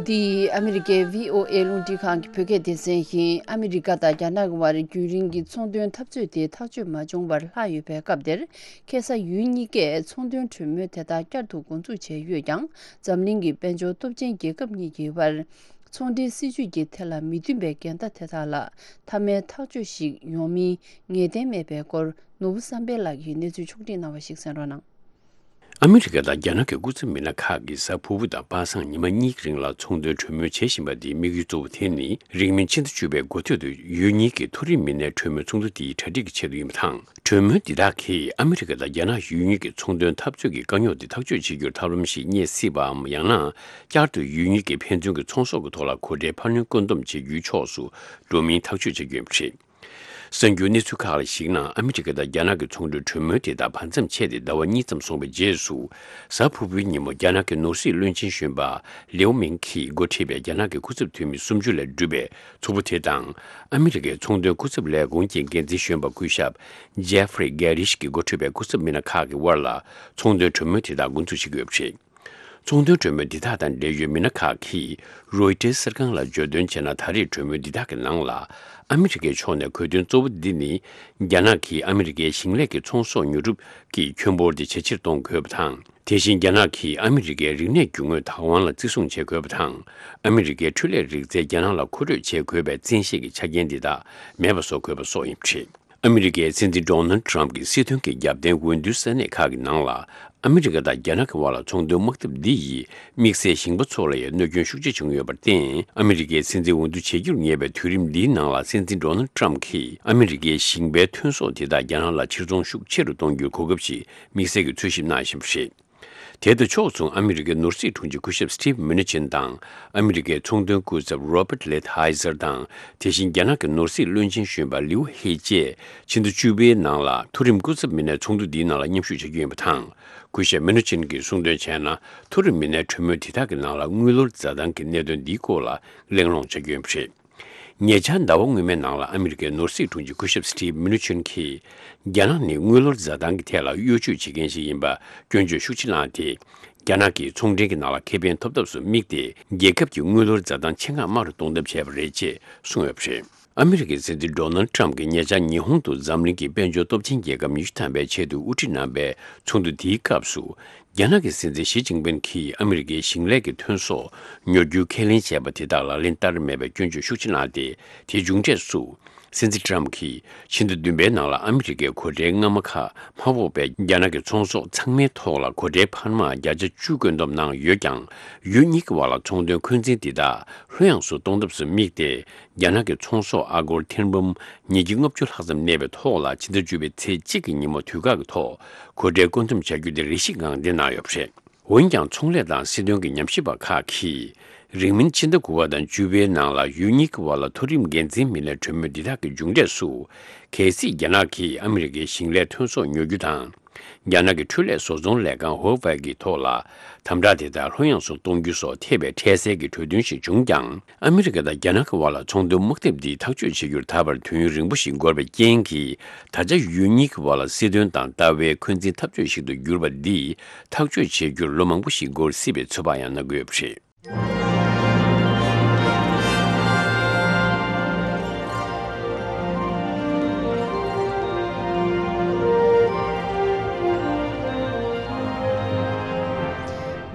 འདི་ཨ་མི་རི་ཀའི་བྷི་ཨོ་ཨེ་རླུང་འཕྲིན་ཁང་གི་བོད་སྐད་སྡེ་ཚན་ཡིན། ཨ་མི་རི་ཀ་དང་རྒྱ་ནག་གི་དབར་རྒྱུན་རིང་གི་ཚོང་དོན་འཐབ་རྩོད་དེ་ཐག་གཅོད་མ་བྱུང་བར་ལྷག་ཡོད་པའི་སྐབས་འདིར། ཁ་སང་ཡུལ་གཉིས་ཀས་ཚོང་དོན་གྲོས་མོལ་དེ་དག་བསྐྱར་དུ་འགོ་འཛུགས་བྱས་ཡོད་ཀྱང་། འཛམ་གླིང་གི་དཔལ་འབྱོར་སྟོབས་ཆེན་རྒྱལ་ཁབ་གཉིས་ཀྱི་དབར། ཚོང་འབྲེལ་སྲིད་ཇུས་ཀྱི་ཐད་ལ་མི་མཐུན་པའི་འགལ་ཟླ་དེ་དག་ལ་མཐའ་མའི་ཐག་གཅོད་ཞིག་ཡོང་མིན་ངེས་གཏན་མེད་པའི་སྐོར། ནོར་བུ་བསམ་འཕེལ་ལགས་ཀྱིས་གནས་ཚུལ་ཕྱོགས་སྒྲིག་གནང་བ་ཞིག་གསན་རོགས་གནང་། ཨ་མི་རི་ཀ་དང་རྒྱ་ནག་གི་སྐུ་ཚབ་མི་སྣ་ཁག་གིས་གཟའ་ཕུར་བུ་དང་པ་སངས་ཉི་མ་གཉིས་ཀྱི་རིང་ལ་ཚོང་དོན་གྲོས་མོལ་བྱེད་བཞིན་པ་འདིའི་དམིགས་ཡུལ་གཙོ་བོ་དེ་ནི། རིང་མིན་ཕྱི་ཟླ་བཅུ་པའི་འགོ་སྟོད་དུ་ཡུལ་གཉིས་ཀྱི་མཐོ་རིམ་མི་སྣའི་གྲོས་མོལ་ཚོགས་འདུ་དེའི་གྲ་སྒྲིག་གི་ཆེད་དུ་ཡིན་པ་དང་། གྲོས་མོལ་འདི་དག་གིས་ཨ་མི་རི་ཀ་དང་རྒྱ་ནག་ཡུལ་གཉིས་ཀྱི་ཚོང་དོན་འཐབ་རྩོད་ཀྱི་དཀའ་རྙོག་དེ་ཐག་གཅོད་བྱེད་རྒྱུར་ཐབས་ལམ་ཞིག་རྙེད་སྲིད་པའམ། ཡང་ན། བསྐྱར་དུ་ཡུལ་གཉིས་ཀྱི་ཕན་ཚུན་གྱི་ཚོང་ཟོག་གི་ཐོག་ལ་གོ་ཁྲལ་འཕར་སྣོན་བཀོད་འདོམས་བྱེད་རྒྱུའི་ཕྱོགས་སུ་འགྲོ་མིན་ཐག་གཅོད་བྱ་རྒྱུ་ཡིན་པ་རེད། གསར་འགྱུར་གནས་ཚུལ་ཁག་ལ་གཞིགས་ན། ཨ་མི་རི་ཀ་དང་རྒྱ་ནག་གི་ཚོང་འབྲེལ་གྲོས་མོལ་དེ་དག་བར་མཚམས་ཆད་དེ་ཟླ་བ་གཉིས་ཙམ་སོང་བའི་རྗེས་སུ། གཟའ་ཕུར་བུའི་ཉིན་མོ་རྒྱ་ནག་གི་ནོར་སྲིད་བློན་ཆེན་གཞོན་པ་ལིའུ་མིང་གིས་འགོ་ཁྲིད་པའི་རྒྱ་ནག་གི་སྐུ་ཚབ་འཐུས་མི་སུམ་ཅུ་ལས་གྲུབ་པའི་ཚོགས་པ་དེ་དང་། ཨ་མི་རི་ཀའི་ཚོང་དོན་སྐུ་ཚབ་ལས་ཁུངས་ཀྱི་འགན་འཛིན་གཞོན་པ་སྐུ་ཞབས་ཇེ་ཧྥ་རི་གྷེ་རིཤ་གིས་འགོ་ཁྲིད་པའི་སྐུ་ཚབ་མི་སྣ་ཁག་གི་དབར་ལ་ཚོང་དོན་གྲོས་མོལ་དེ་དག་འགོ་འཛུགས་བྱེད་ཀྱི་ཡོད་པ་རེད། ཚོང་དོན་གྲོས་མོལ་འདི་དག་དང་འབྲེལ་ཡོད་མི་སྣ་ཁག་གིས་རོའི་ཊར་གསར་ཁང་ལ་བརྗོད་དོན་བྱས་ན། ད་རེས་གྲོས་མོལ་འདི་དག་གི་ནང་ལ་ཨ་མི་རི་ཀའི་ཕྱོགས་ནས་དགོས་དོན་གཙོ་བོ་འདི་ནི། རྒྱ་ནག་གིས་ཨ་མི་རི་ཀའི་ཞིང་ལས་ཀྱི་ཚོང་ཟོག་ཉོ་སྒྲུབ་ཀྱི་ཁྱོན་འབོར་དེ་ཇེ་ཆེར་གཏོང་དགོས་པ་དང་། དེ་བཞིན་རྒྱ་ནག་གིས་ཨ་མི་རི་ཀའི་རིག་གནས་རྒྱུ་དངོས་བདག་དབང་ལ་བརྩི་སྲུང་བྱེད་དགོས་པ་དང་། ཨ་མི་རི་ཀའི་འཕྲུལ་ལས་རིག་རྩལ་རྒྱ་ནག་ལ་མཁོ་སྤྲོད་བྱེད་དགོས་པའི་བཙན་ཤེད་ཀྱི་ཆ་རྐྱེན་འདི་དག་མེད་པ་བཟོ་དགོས་པ་སོགས་ཡིན་པ་རེད། ཨ་མི་རི་ཀའི་སྲིད་འཛིན་ཌོ་ནལ་ཌི་ཊརམ་ཕི་གྱི་རྒྱབ་རྟེན་འོས་བསྡུའི་ས་གནས་ཁག་གི་ནང་ལ། ཨ་མི་རི་ཀ་དང་རྒྱ་ནག་གི་དབར་ལ་ཚོང་དོན་དམག་འཐབ་འདི་ཡིས་དམིགས་བསལ་ཞིང་པ་ཚོ་ལ་ཡང་གནོད་སྐྱོན་ཤུགས་ཆེ་བྱུང་ཡོད་པར་བརྟེན། ཨ་མི་རི་ཀའི་སྲིད་འཛིན་འོས་བསྡུ་བྱེད་རྒྱུར་ངེས་པའི་དུས་རིམ་འདིའི་ནང་ལ། སྲིད་འཛིན་ཌོ་ནལ་ཌི་ཊརམ་ཕི་གྱིས་ཨ་མི་རི་ཀའི་ཞིང་པའི་ཐོན་ཟོག་དེ་དག་རྒྱ་ནག་ལ་ཕྱིར་ཚོང་ཤུགས་ཆེ་རུ་གཏོང་རྒྱུའི་གོ་སྐབས་ཤིག་དམིགས་བསལ་གྱིས་འཚོལ་ཞིབ་གནང་བཞིན་པ་རེད། དེ་དང་ཕྱོགས་མཚུངས། ཨ་མི་རི་ཀའི་ནོར་སྲིད་དྲུང་ཆེ་སྐུ་ཞབས་སི་ཊིབ་མུ་ནི་ཆིན་དང་། ཨ་མི་རི་ཀའི་ཚོང་དོན་སྐུ་ཚབ་རོ་པར་ལི་ཐའི་ཛར་དང་། དེ་བཞིན་རྒྱ་ནག་གི་ནོར་སྲིད་བློན་ཆེན་གཞོན་པ་ལིའུ་ཧེ་བཅས་ཕྱི་ཟླ་བཅུ་པའི་ནང་ལ་མཐོ་རིམ་སྐུ་ཚབ་མི་སྣའི་ཚོགས་འདུ་འདིའི་ནང་ལ་མཉམ་ཞུགས་བྱ་རྒྱུ་ཡིན་པ་དང་། སྐུ་ཞབས་མུ་ནི་ཆིན་གྱིས་གསུངས་དོན་བྱས་ན། མཐོ་རིམ་མི་སྣའི་གྲོས་མོལ་དེ་དག་གི་ནང་ལ་དངུལ་ལོར་འཛའ་ཐང་གི་གནད་དོན་འདིའི་སྐོར་ལ་གླེང་སློང་བྱ་རྒྱུ་ཡིན་པ་རེད། ཉེ་ཆར་ཟླ་བ་སྔོན་མའི་ནང་ལ་ཨ་མི་རི་ཀའི་ནོར་སྲིད་དྲུང་ཆེ་སྐུ་ཞབས་སི་ཊིབ་མུ་ནི་ཆིན་གྱིས། རྒྱ་ནག་ནི་དངུལ་ལོར་འཛའ་ཐང་གི་ཐད་ལ་གཡོ་ཇུས་བྱེད་མཁན་ཞིག་ཡིན་པ་སྐྱོན་བརྗོད་ཤུགས་ཆེ་གནང་སྟེ། རྒྱ་ནག་གིས་ཚོང་འབྲེལ་གྱི་ནང་ལ་ཁེ་ཕན་ཐོབ་ཐབས་སུ་དམིགས་ཏེ། རྒྱལ་ཁབ་ཀྱི་དངུལ་ལོར་འཛའ་ཐང་ཆེད་མངགས་དམའ་རུ་གཏོང་ཐབས་བྱས་པ་རེད་ཅེས་གསུངས་ཡོད་པ་རེད། ཨ་མི་རི་ཀའི་སྲིད་འཛིན་ཌོ་ནལ་ཌི་ཊརམ་ཕི་གྱིས་ཉེ་ཆར་ཉི་ཧོང་དུ་འཛམ་གླིང་གི་དཔལ་འབྱོར་སྟོབས་ཆེན་རྒྱལ་ཁབ་ཉི་ཤུ་ཐམ་པའི་ཆེད་དུ་དབུ་ཁྲིད་གནང་པའི་ཚོགས་འདུ་དེའི་སྐབས་སུ། རྒྱ་ནག་གི་སྲིད་འཛིན་ཞི་ཅིན་ཕིན་གྱིས་ཨ་མི་རི་ཀའི་ཞིང་ལས་ཀྱི་ཐོན་ཟོག་ཉོ་རྒྱུའི་ཁས་ལེན་བྱས་པ་དེ་དག་ལག་ལེན་བསྟར་མེད་པའི་སྐྱོན་བརྗོད་ཤུགས་ཆེ་གནང་སྟེ། དེའི་མཇུག་འབྲས་སུ། སྲིད་འཛིན་ཊརམ་ཕི་གྱིས་ཕྱི་ཟླ་བདུན་པའི་ནང་ལ་ཨ་མི་རི་ཀའི་གོ་གྲྭའི་སྔ་མ་ཁག་མ་ཕོག་པའི་རྒྱ་ནག་གི་ཚོང་ཟོག་ཚང་མའི་ཐོག་ལ་གོ་གྲྭའི་འཕར་མ་བརྒྱ་ཆ་བཅུ་བཀོད་འདོམས་གནང་ཡོད་ཀྱང་། ཡུལ་གཉིས་ཀྱི་བར་ལ་ཚོང་དོན་འཁོན་འཛིན་འདི་དག་ལྷོད་ཡངས་སུ་གཏོང་ཐབས་སུ་དམིགས་ཏེ། རྒྱ་ནག་གི་ཚོང་ཟོག་ཨ་སྒོར་ཐེར་འབུམ་ཉིས་བརྒྱ་ལྔ་བཅུ་ལྷག་ཙམ་གནས་པའི་ཐོག་ལ་ཕྱི་ཟླ་བཅུ་པའི་ཚེས་གཅིག་གི་ཉིན་མོ་དུས་བཀག་གི་ཐོག་གོ་གྲྭའི་བཀོད་འདོམས་བྱ་རྒྱུ་དེ་རེ་ཞིག་ངང་འདེད་གནང་ཡོད་པ་རེད། འོན་ཀྱང་། ཚོང་ལས་དང་སྲིད་དོན་གྱི་ཉམས་ཞིབ་པ་ཁག་གིས། རིང་མིན་ཕྱི་ཟླ་དགུ་པ་དང་བཅུ་པའི་ནང་ལ་ཡུལ་གཉིས་ཀྱི་བར་ལ་མཐོ་རིམ་འགན་འཛིན་མི་སྣའི་གྲོས་མོལ་འདི་དག་གི་མཇུག་འབྲས་སུ། གལ་སྲིད་རྒྱ་ནག་གིས་ཨ་མི་རི་ཀའི་ཞིང་ལས་ཐོན་ཟོག་ཉོ་རྒྱུ་དང་། རྒྱ་ནག་གི་འཕྲུལ་ལས་བཟོ་ཚོང་ལས་ཁང་ཧོ་ཝའེ་གི་ཐོག་ལ་དམ་དྲག་དེ་དག་ལྷོད་ཡངས་སུ་གཏོང་རྒྱུ་སོགས་ཐེ་བའི་འཕྲལ་སེལ་གྱི་གྲོས་མཐུན་ཞིག་བྱུང་ཀྱང་། ཨ་མི་རི་ཀ་དང་རྒྱ་ནག་གི་བར་ལ་ཚོང་དོན་དམག་འཐབ་འདི་ཐག་གཅོད་བྱེད་རྒྱུར་ད་བར་དུས་ཡུན་རིང་པོ་ཞིག་འགོར་བའི་རྐྱེན་གྱིས། ད་ཆ་ཡུལ་གཉིས་ཀྱི་བར་ལ་སྲིད་དོན་དང་ལྟ་བའི་འཁོན་འཛིན་འཐབ་རྩོད་ཞིག་ཏུ་གྱུར་པ་འདིས་ཐག་གཅོད་བྱེད་རྒྱུར་ལོ་མང་པོ་ཞིག་འགོར་སྲིད་པའི་ཚོད་དཔག་ཡང་གནང་གི་ཡོད་པ་རེད།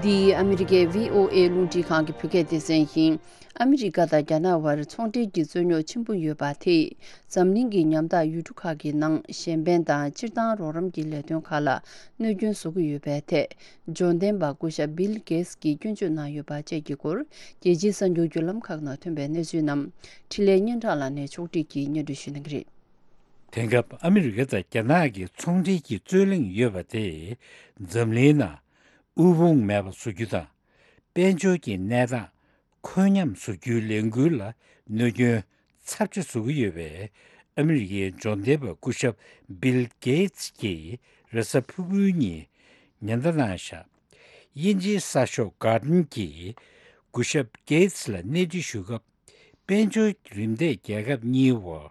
འདི་ཨ་མི་རི་ཀའི་བྷི་ཨོ་ཨེ་རླུང་འཕྲིན་ཁང་གི་བོད་སྐད་སྡེ་ཚན་ཡིན། ཨ་མི་རི་ཀ་དང་རྒྱ་ནག་དབར་ཚོང་འབྲེལ་གྱི་རྩོད་རྙོག་ཆེན་པོ་ཡོད་པ་དེས། འཛམ་གླིང་གི་ཉམ་ཐག་ཡུལ་གྲུ་ཁག་གི་ནང་གཞན་ཕན་དང་སྤྱིར་བཏང་རོགས་རམ་གྱི་ལས་དོན་ཁག་ལ་གནོད་སྐྱོན་བཟོ་གི་ཡོད་པའི་ཐད། འབྱོར་ལྡན་པ་སྐུ་ཞབས་བྷིལ་གེ་ཊི་གིས་སྐྱོན་བརྗོད་གནང་ཡོད་པ་བཅས་ཀྱི་སྐོར། རྒྱལ་སྤྱིའི་གསར་འགྱུར་བརྒྱུད་ལམ་ཁག་ནང་ཐོན་པའི་གནས་ཚུལ་རྣམས། འཕྲིན་ལས་སྙན་གྲགས་ལགས་ནས་ཕྱོགས་སྒྲིག་གིས་སྙན་སྒྲོན་ཞུ་གནང་གི་རེད། དེང་སྐབས་ཨ་མི་རི་ཀ་དང་རྒྱ་ནག་གི་ཚོང་འབྲེལ་གྱི་རྩོད་གླེང་ཡོད་པ་དེས། འཛམ་གླིང་ནང་དབུལ་ཕོངས་མེད་པ་བཟོ་རྒྱུ་དང་། དཔལ་འབྱོར་གྱི་གནས་སྟངས་འཁོད་ཉམས་བཟོ་རྒྱུའི་ལས་འགུལ་ལ་གནོད་སྐྱོན་ཚབས་ཆེ་བཟོ་གི་ཡོད་པས། ཨ་མི་རི་ཀའི་འབྱོར་ལྡན་པ་སྐུ་ཞབས་བྷིལ་གེ་ཊི་གིས་ རེས་གཟའ་ཕུར་བུའི་ཉིན་ཉེན་བརྡ་གནང་བཞག་དབྱིན་ཇིའི་གསར་ཤོག་Guardian་གྱིས་སྐུ་ཞབས་Gates་ལ་གནས་འདྲི་ཞུ་སྐབས། དཔལ་འབྱོར་རིམ་འདས་རྒྱལ་ཁབ་གཉིས་བར་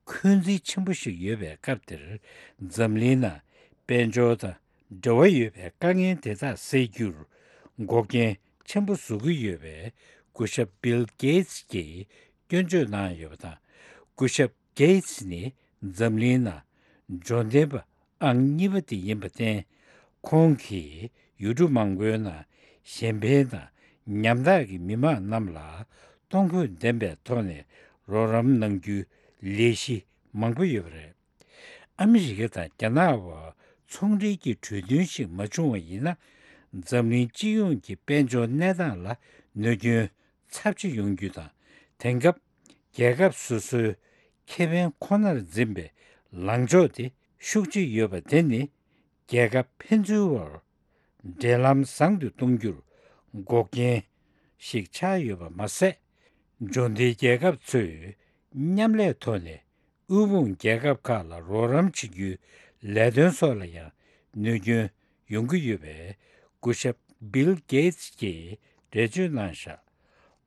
འཁོན་འཛིན་ཆེན་པོ་ཞིག་ཡོད་པའི་སྐབས་དེར། འཛམ་གླིང་ནང་དཔལ་འབྱོར་དང་འབྲེལ་བ་ཡོད་པའི་དཀའ་ངལ་དེ་དག་སེལ་རྒྱུར་འགོག་རྐྱེན་ཆེན་པོ་བཟོ་གི་ཡོད་པའི་སྐུ་ཞབས་Bill Gates་གྱིས་སྐྱོན་བརྗོད་གནང་ཡོད་པ་དང་། སྐུ་ཞབས་Gates་ནི་འཛམ་གླིང་ནང་འབྱོར་ལྡན་པ་ཨང་གཉིས་པ་དེ་ཡིན་པར་བརྟེན། ཁོང་གིས་ཡུལ་གྲུ་མང་པོའི་ནང་གཞན་ཕན་དང་ཉམ་ཐག་གི་མི་མང་རྣམས་ལ་གཏོང་ཕོད་ལྡན་པའི་ཐོག་ནས་རོགས་རམ་གནང་རྒྱུའི་ལས་གཞི་མང་པོ་ཡོད་པ་རེད། ཨ་མི་རི་ཀ་དང་རྒྱ་ནག་བར་ཚོང་འབྲེལ་གྱི་གྲོས་མཐུན་ཞིག་མ་བྱུང་བ་ཡིན་ན། འཛམ་གླིང་སྤྱི་ཡོངས་ཀྱི་དཔལ་འབྱོར་གནས་སྟངས་ལ་གནོད་སྐྱོན་ཚབས་ཆེ་ཡོང་རྒྱུ་དང་། དེང་སྐབས་རྒྱལ་ཁབ་སོ་སོའི་ཁེ་ཕན་ཁོ་ནར་འཛིན་པའི་ལངས་ཕྱོགས་དེ་ཤུགས་ཆེ་ཡོད་པ་དེ་ནི། རྒྱལ་ཁབ་ཕན་ཚུན་བར་འབྲེལ་ལམ་བཟང་དུ་གཏོང་རྒྱུར་འགོག་རྐྱེན་ཞིག་ཆགས་ཡོད་པ་མ་ཟད། འབྱོར་ལྡན་རྒྱལ་ཁབ་ཚོས་མཉམ་ལས་ཐོག་ནས་དབུལ་ཕོངས་རྒྱལ་ཁབ་ཁག་ལ་རོགས་རམ་བྱེད་རྒྱུའི་ལས་དོན་སོགས་ལ་ཡང་གནོད་སྐྱོན་ཡོང་གི་ཡོད་པས། སྐུ་ཞབས་Bill Gates་གྱིས་འགྲེལ་བརྗོད་གནང་བཞག་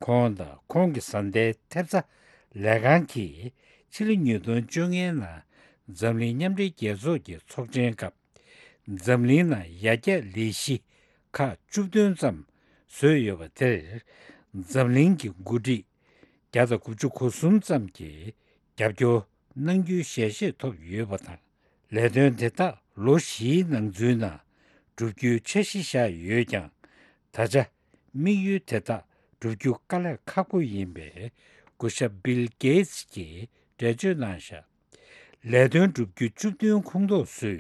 ཁོང་དང་ཁོང་གི་བཟའ་ཟླའི་ཐེབས་རྩ་ལས་ཁང་གིས་ཕྱི་ལོ་ཉིས་སྟོང་བཅོ་ལྔའི་ནང་འཛམ་གླིང་མཉམ་འབྲེལ་རྒྱལ་ཚོགས་ཀྱི་ཚོགས་ཆེན་སྐབས། འཛམ་གླིང་ནང་ཡར་རྒྱས་ལས་གཞི་ཁག་བཅུ་བདུན་ཙམ་བཟོས་ཡོད་པ་དེར། འཛམ་གླིང་གི་འགོ་ཁྲིད་བརྒྱ་དང་དགུ་བཅུ་གོ་གསུམ་ཙམ་གྱིས་རྒྱབ་སྐྱོར་གནང་རྒྱུའི་ཞལ་བཞེས་ཐོབ་ཡོད་པ་དང་། ལས་དོན་དེ་དག་ལོ་བཞིའི་ནང་ཚུད་ནང་བསྒྲུབ་རྒྱུའི་འཆར་གཞི་བཞག་ཡོད་ཀྱང་། ད་ཆ་དམིགས་ཡུལ་དེ་དག་བསྒྲུབ་རྒྱུ་དཀའ་ལས་ཁག་པོ་ཡིན་པས། སྐུ་ཞབས་Bill Gates་གྱིས་འགྲེལ་བརྗོད་གནང་བཞག་ལས་དོན་བསྒྲུབ་རྒྱུ་བཅུ་བདུན་ཁོངས་གཏོགས་སུ་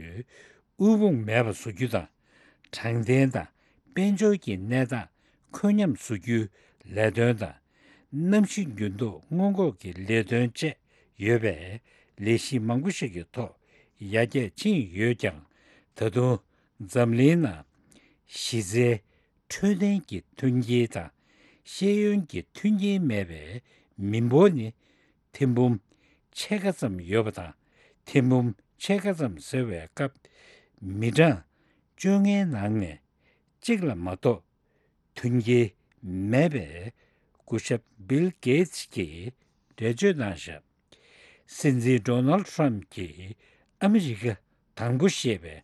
དབུལ་ཕོངས་མེད་པ་བཟོ་རྒྱུ་དང་། དྲང་བདེན་དང་དཔལ་འབྱོར་གྱི་གནས་སྟངས་འཁོད་མཉམ་བཟོ་རྒྱུའི་ལས་དོན་དང་། གནམ་གཤིས་འགྱུར་ལྡོག་སྔོན་འགོག་གི་ལས་དོན་བཅས་ཡོད་པའི་ལས་གཞི་མང་པོ་ཞིག་གི་ཐོག་ཡར་རྒྱས་ཕྱིན་ཡོད་ཀྱང་། ད་དུང་འཛམ་གླིང་ནང་གཞི་རྩའི་འཕྲོད་བསྟེན་གྱི་མཐུན་རྐྱེན་དང་། ཤེས་ཡོན་གྱི་མཐུན་རྐྱེན་མེད་པའི་མི་འབོར་ནི་ཐེར་འབུམ་ཕྱེད་ཀ་ཙམ་ཡོད་པ་དང་། ཐེར་འབུམ་ཕྱེད་ཀ་ཙམ་ཟེར་བའི་སྐབས། མི་གྲངས་བཅོ་ལྔའི་ནང་ནས་གཅིག་ལ་མ་གཏོགས་མཐུན་རྐྱེན་མེད་པའི་སྐུ་ཞབས་Bill Gates་གྱིས་འགྲེལ་བརྗོད་གནང་བཞག་སྲིད་འཛིན་Donald Trump་གྱིས་ཨ་མི་རི་ཀ་དང་པོ་ཞེས་པའི་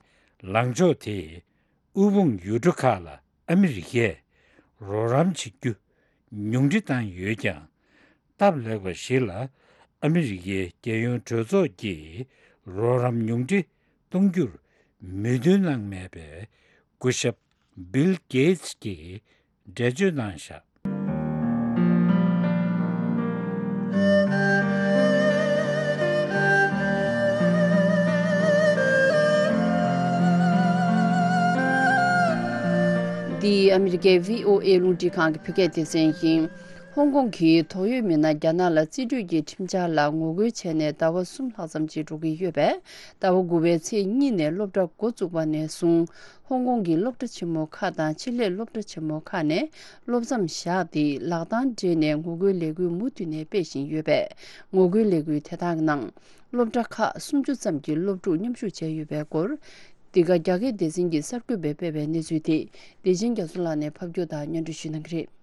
ལངས་ཕྱོགས་དེས། དབུལ་ཕོངས་ཡུལ་གྲུ་ཁག་ལ་ཨ་མི་རི་ཀས་རོགས་རམ་བྱེད་རྒྱུ་ཉུང་འཕྲི་བཏང་ཡོད་ཀྱང་། སྟབས་ལེགས་པ་ཞིག་ལ་ཨ་མི་རི་ཀའི་རྒྱལ་ཡོངས་གྲོས་ཚོགས་ཀྱིས་རོགས་རམ་ཉུང་འཕྲི་གཏོང་རྒྱུར་མོས་མཐུན་གནང་མེད་པས། སྐུ་ཞབས་Bill Gates་གྱིས་འགྲེལ་བརྗོད་གནང་བཞག་འདི་ཨ་མི་རི་ཀའི་བྷི་ཨོ་ཨེ་རླུང་འཕྲིན་ཁང་གི་བོད་སྐད་སྡེ་ཚན་ཡིན། ཧོང་ཀོང་གི་དོགས་ཡོད་མི་སྣ་རྒྱ་ནག་ལ་རྩིས་སྤྲོད་ཀྱི་ཁྲིམས་འཆར་ལ་ངོ་རྒོལ་བྱས་ནས་ཟླ་བ་གསུམ་ལྷག་ཙམ་ཅིག་འགྲོ་གི་ཡོད་པས། ཟླ་བ་དགུ་པའི་ཚེས་གཉིས་ནས་སློབ་གྲྭ་འགོ་བཙུགས་པ་ནས་བཟུང་། ཧོང་ཀོང་གི་སློབ་གྲྭ་ཆེན་མོ་ཁག་དང་ཆེད་ལས་སློབ་གྲྭ་ཆེན་མོ་ཁག་ནས་སློབ་མཚམས་བཞག་སྟེ་ལག་གདང་སྦྲེལ་ནས་ངོ་རྒོལ་ལས་འགུལ་མུ་མཐུད་ནས་སྤེལ་བཞིན་ཡོད་པས། ངོ་རྒོལ་ལས་འགུལ་དེ་དག་ནང་སློབ་གྲྭ་ཁག་སུམ་ཅུ་ཙམ་གྱི་སློབ་ཕྲུག་མཉམ་ཞུགས་བྱས་ཡོད་པའི་སྐོར། འདི་ག་རྒྱ་སྐད་སྡེ་ཚན་གྱིས་གསར་འགོད་པས་སྤེལ་བའི་གནས་ཚུལ་དེ། བདེ་ཆེན་རྒྱ་མཚོ་ལགས་ནས་ཕབ་སྒྱུར་དང་སྙན་སྒྲོན་ཞུ་གནང་གི་རེད།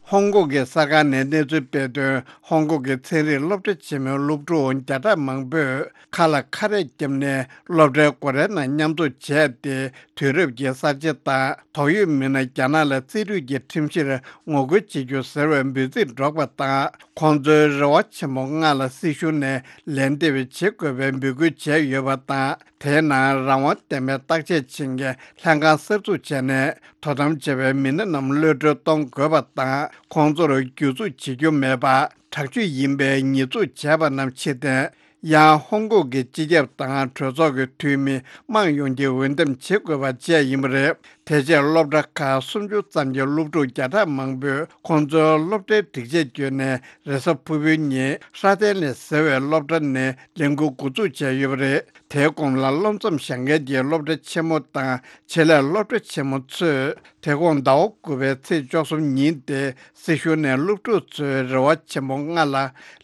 ཧོང་ཀོང་གི་གསར་ཁང་ནས་གནས་ཚུལ་སྤེལ་དོན། ཧོང་ཀོང་གི་ཚན་རིག་སློབ་གྲྭ་ཆེན་མོའི་སློབ་ཕྲུག་བརྒྱ་ཕྲག་མང་པོས་ཁ་ལ་ཁ་རས་བརྒྱབ་ནས་སློབ་གྲྭའི་སྒོ་རའི་ནང་མཉམ་འཛོམས་བྱས་ཏེ། དུས་རབས་ཀྱི་གསར་བརྗེ་དང་དོགས་ཡོད་མི་སྣ་རྒྱ་ནག་ལ་རྩིས་སྤྲོད་ཀྱི་ཁྲིམས་གཞིར་ངོ་རྒོལ་བྱེད་རྒྱུ་ཟེར་བའི་འབོད་ཚིག་སྒྲོག་པ་དང་། ཁོང་ཚོའི་རེ་བ་ཆེན་པོ་སྔ་ལ་སྲིད་གཞུང་ནས་ལན་འདེབས་བྱེད་དགོས་པའི་འབོད་སྐུལ་བྱས་ཡོད་པ་དང་། དེའི་ནང་རང་དབང་ལྡན་པའི་བརྟག་དཔྱད་བྱེད་མཁན་ལྷན་ཁང་གསར་འཛུགས་བྱས་ནས། དོ་དམ་བྱ་བའི་མི་སྣ་རྣམས་གློད་གྲོལ་གཏོང་དགོས་པ་དང་། ཁོང་ཚོར་གྱོད་འཛུགས་བྱེད་རྒྱུ་མེད་པ། དྲག་སྤྱོད་ཡིན་པའི་ཉེས་འཛུགས་བྱས་པ་རྣམས་ཕྱིར་འཐེན། ཡང་ཧོང་ཀོང་གི་སྤྱི་ཁྱབ་དང་གྲོས་ཚོགས་ཀྱི་འཐུས་མི་དམངས་ཡོངས་ཀྱིས་འོས་འདེམས་བྱེད་དགོས་པ་བཅས་ཡིན་པ་རེད། དེ་རྗེས་སློབ་གྲྭ་ཁག་སུམ་ཅུ་ཙམ་གྱི་སློབ་ཕྲུག་བརྒྱ་ཕྲག་མང་པོས་ཁོང་ཚོའི་སློབ་གྲྭའི་སྒྲིག་ཆས་བརྒྱུད་ནས་རེས་གཟའ་ཕུར་བུའི་ཉིན་ཧྲ་ཏན་ལི་ཟེར་བའི་སློབ་གྲྭ་ནས་ལས་འགུལ་འགོ་འཛུགས་བྱས་ཡོད་པ་རེད། དེའི་གོང་ལ་སློབ་མཚམས་བཞག་མཁན་གྱི་སློབ་གྲྭ་ཆེན་མོ་དང་ཆེད་ལས་སློབ་གྲྭ་ཆེན་མོ་ཚོས་དེ་དགོང་ཟླ་བ་དགུ་པའི་ཚེས་བཅུ་གསུམ་ཉིན་ཏེ་སྲིད་གཞུང་ནས་སློབ་ཕྲུག་ཚོའི་རེ་བ་ཆེན་པོ་ལྔ་ལ་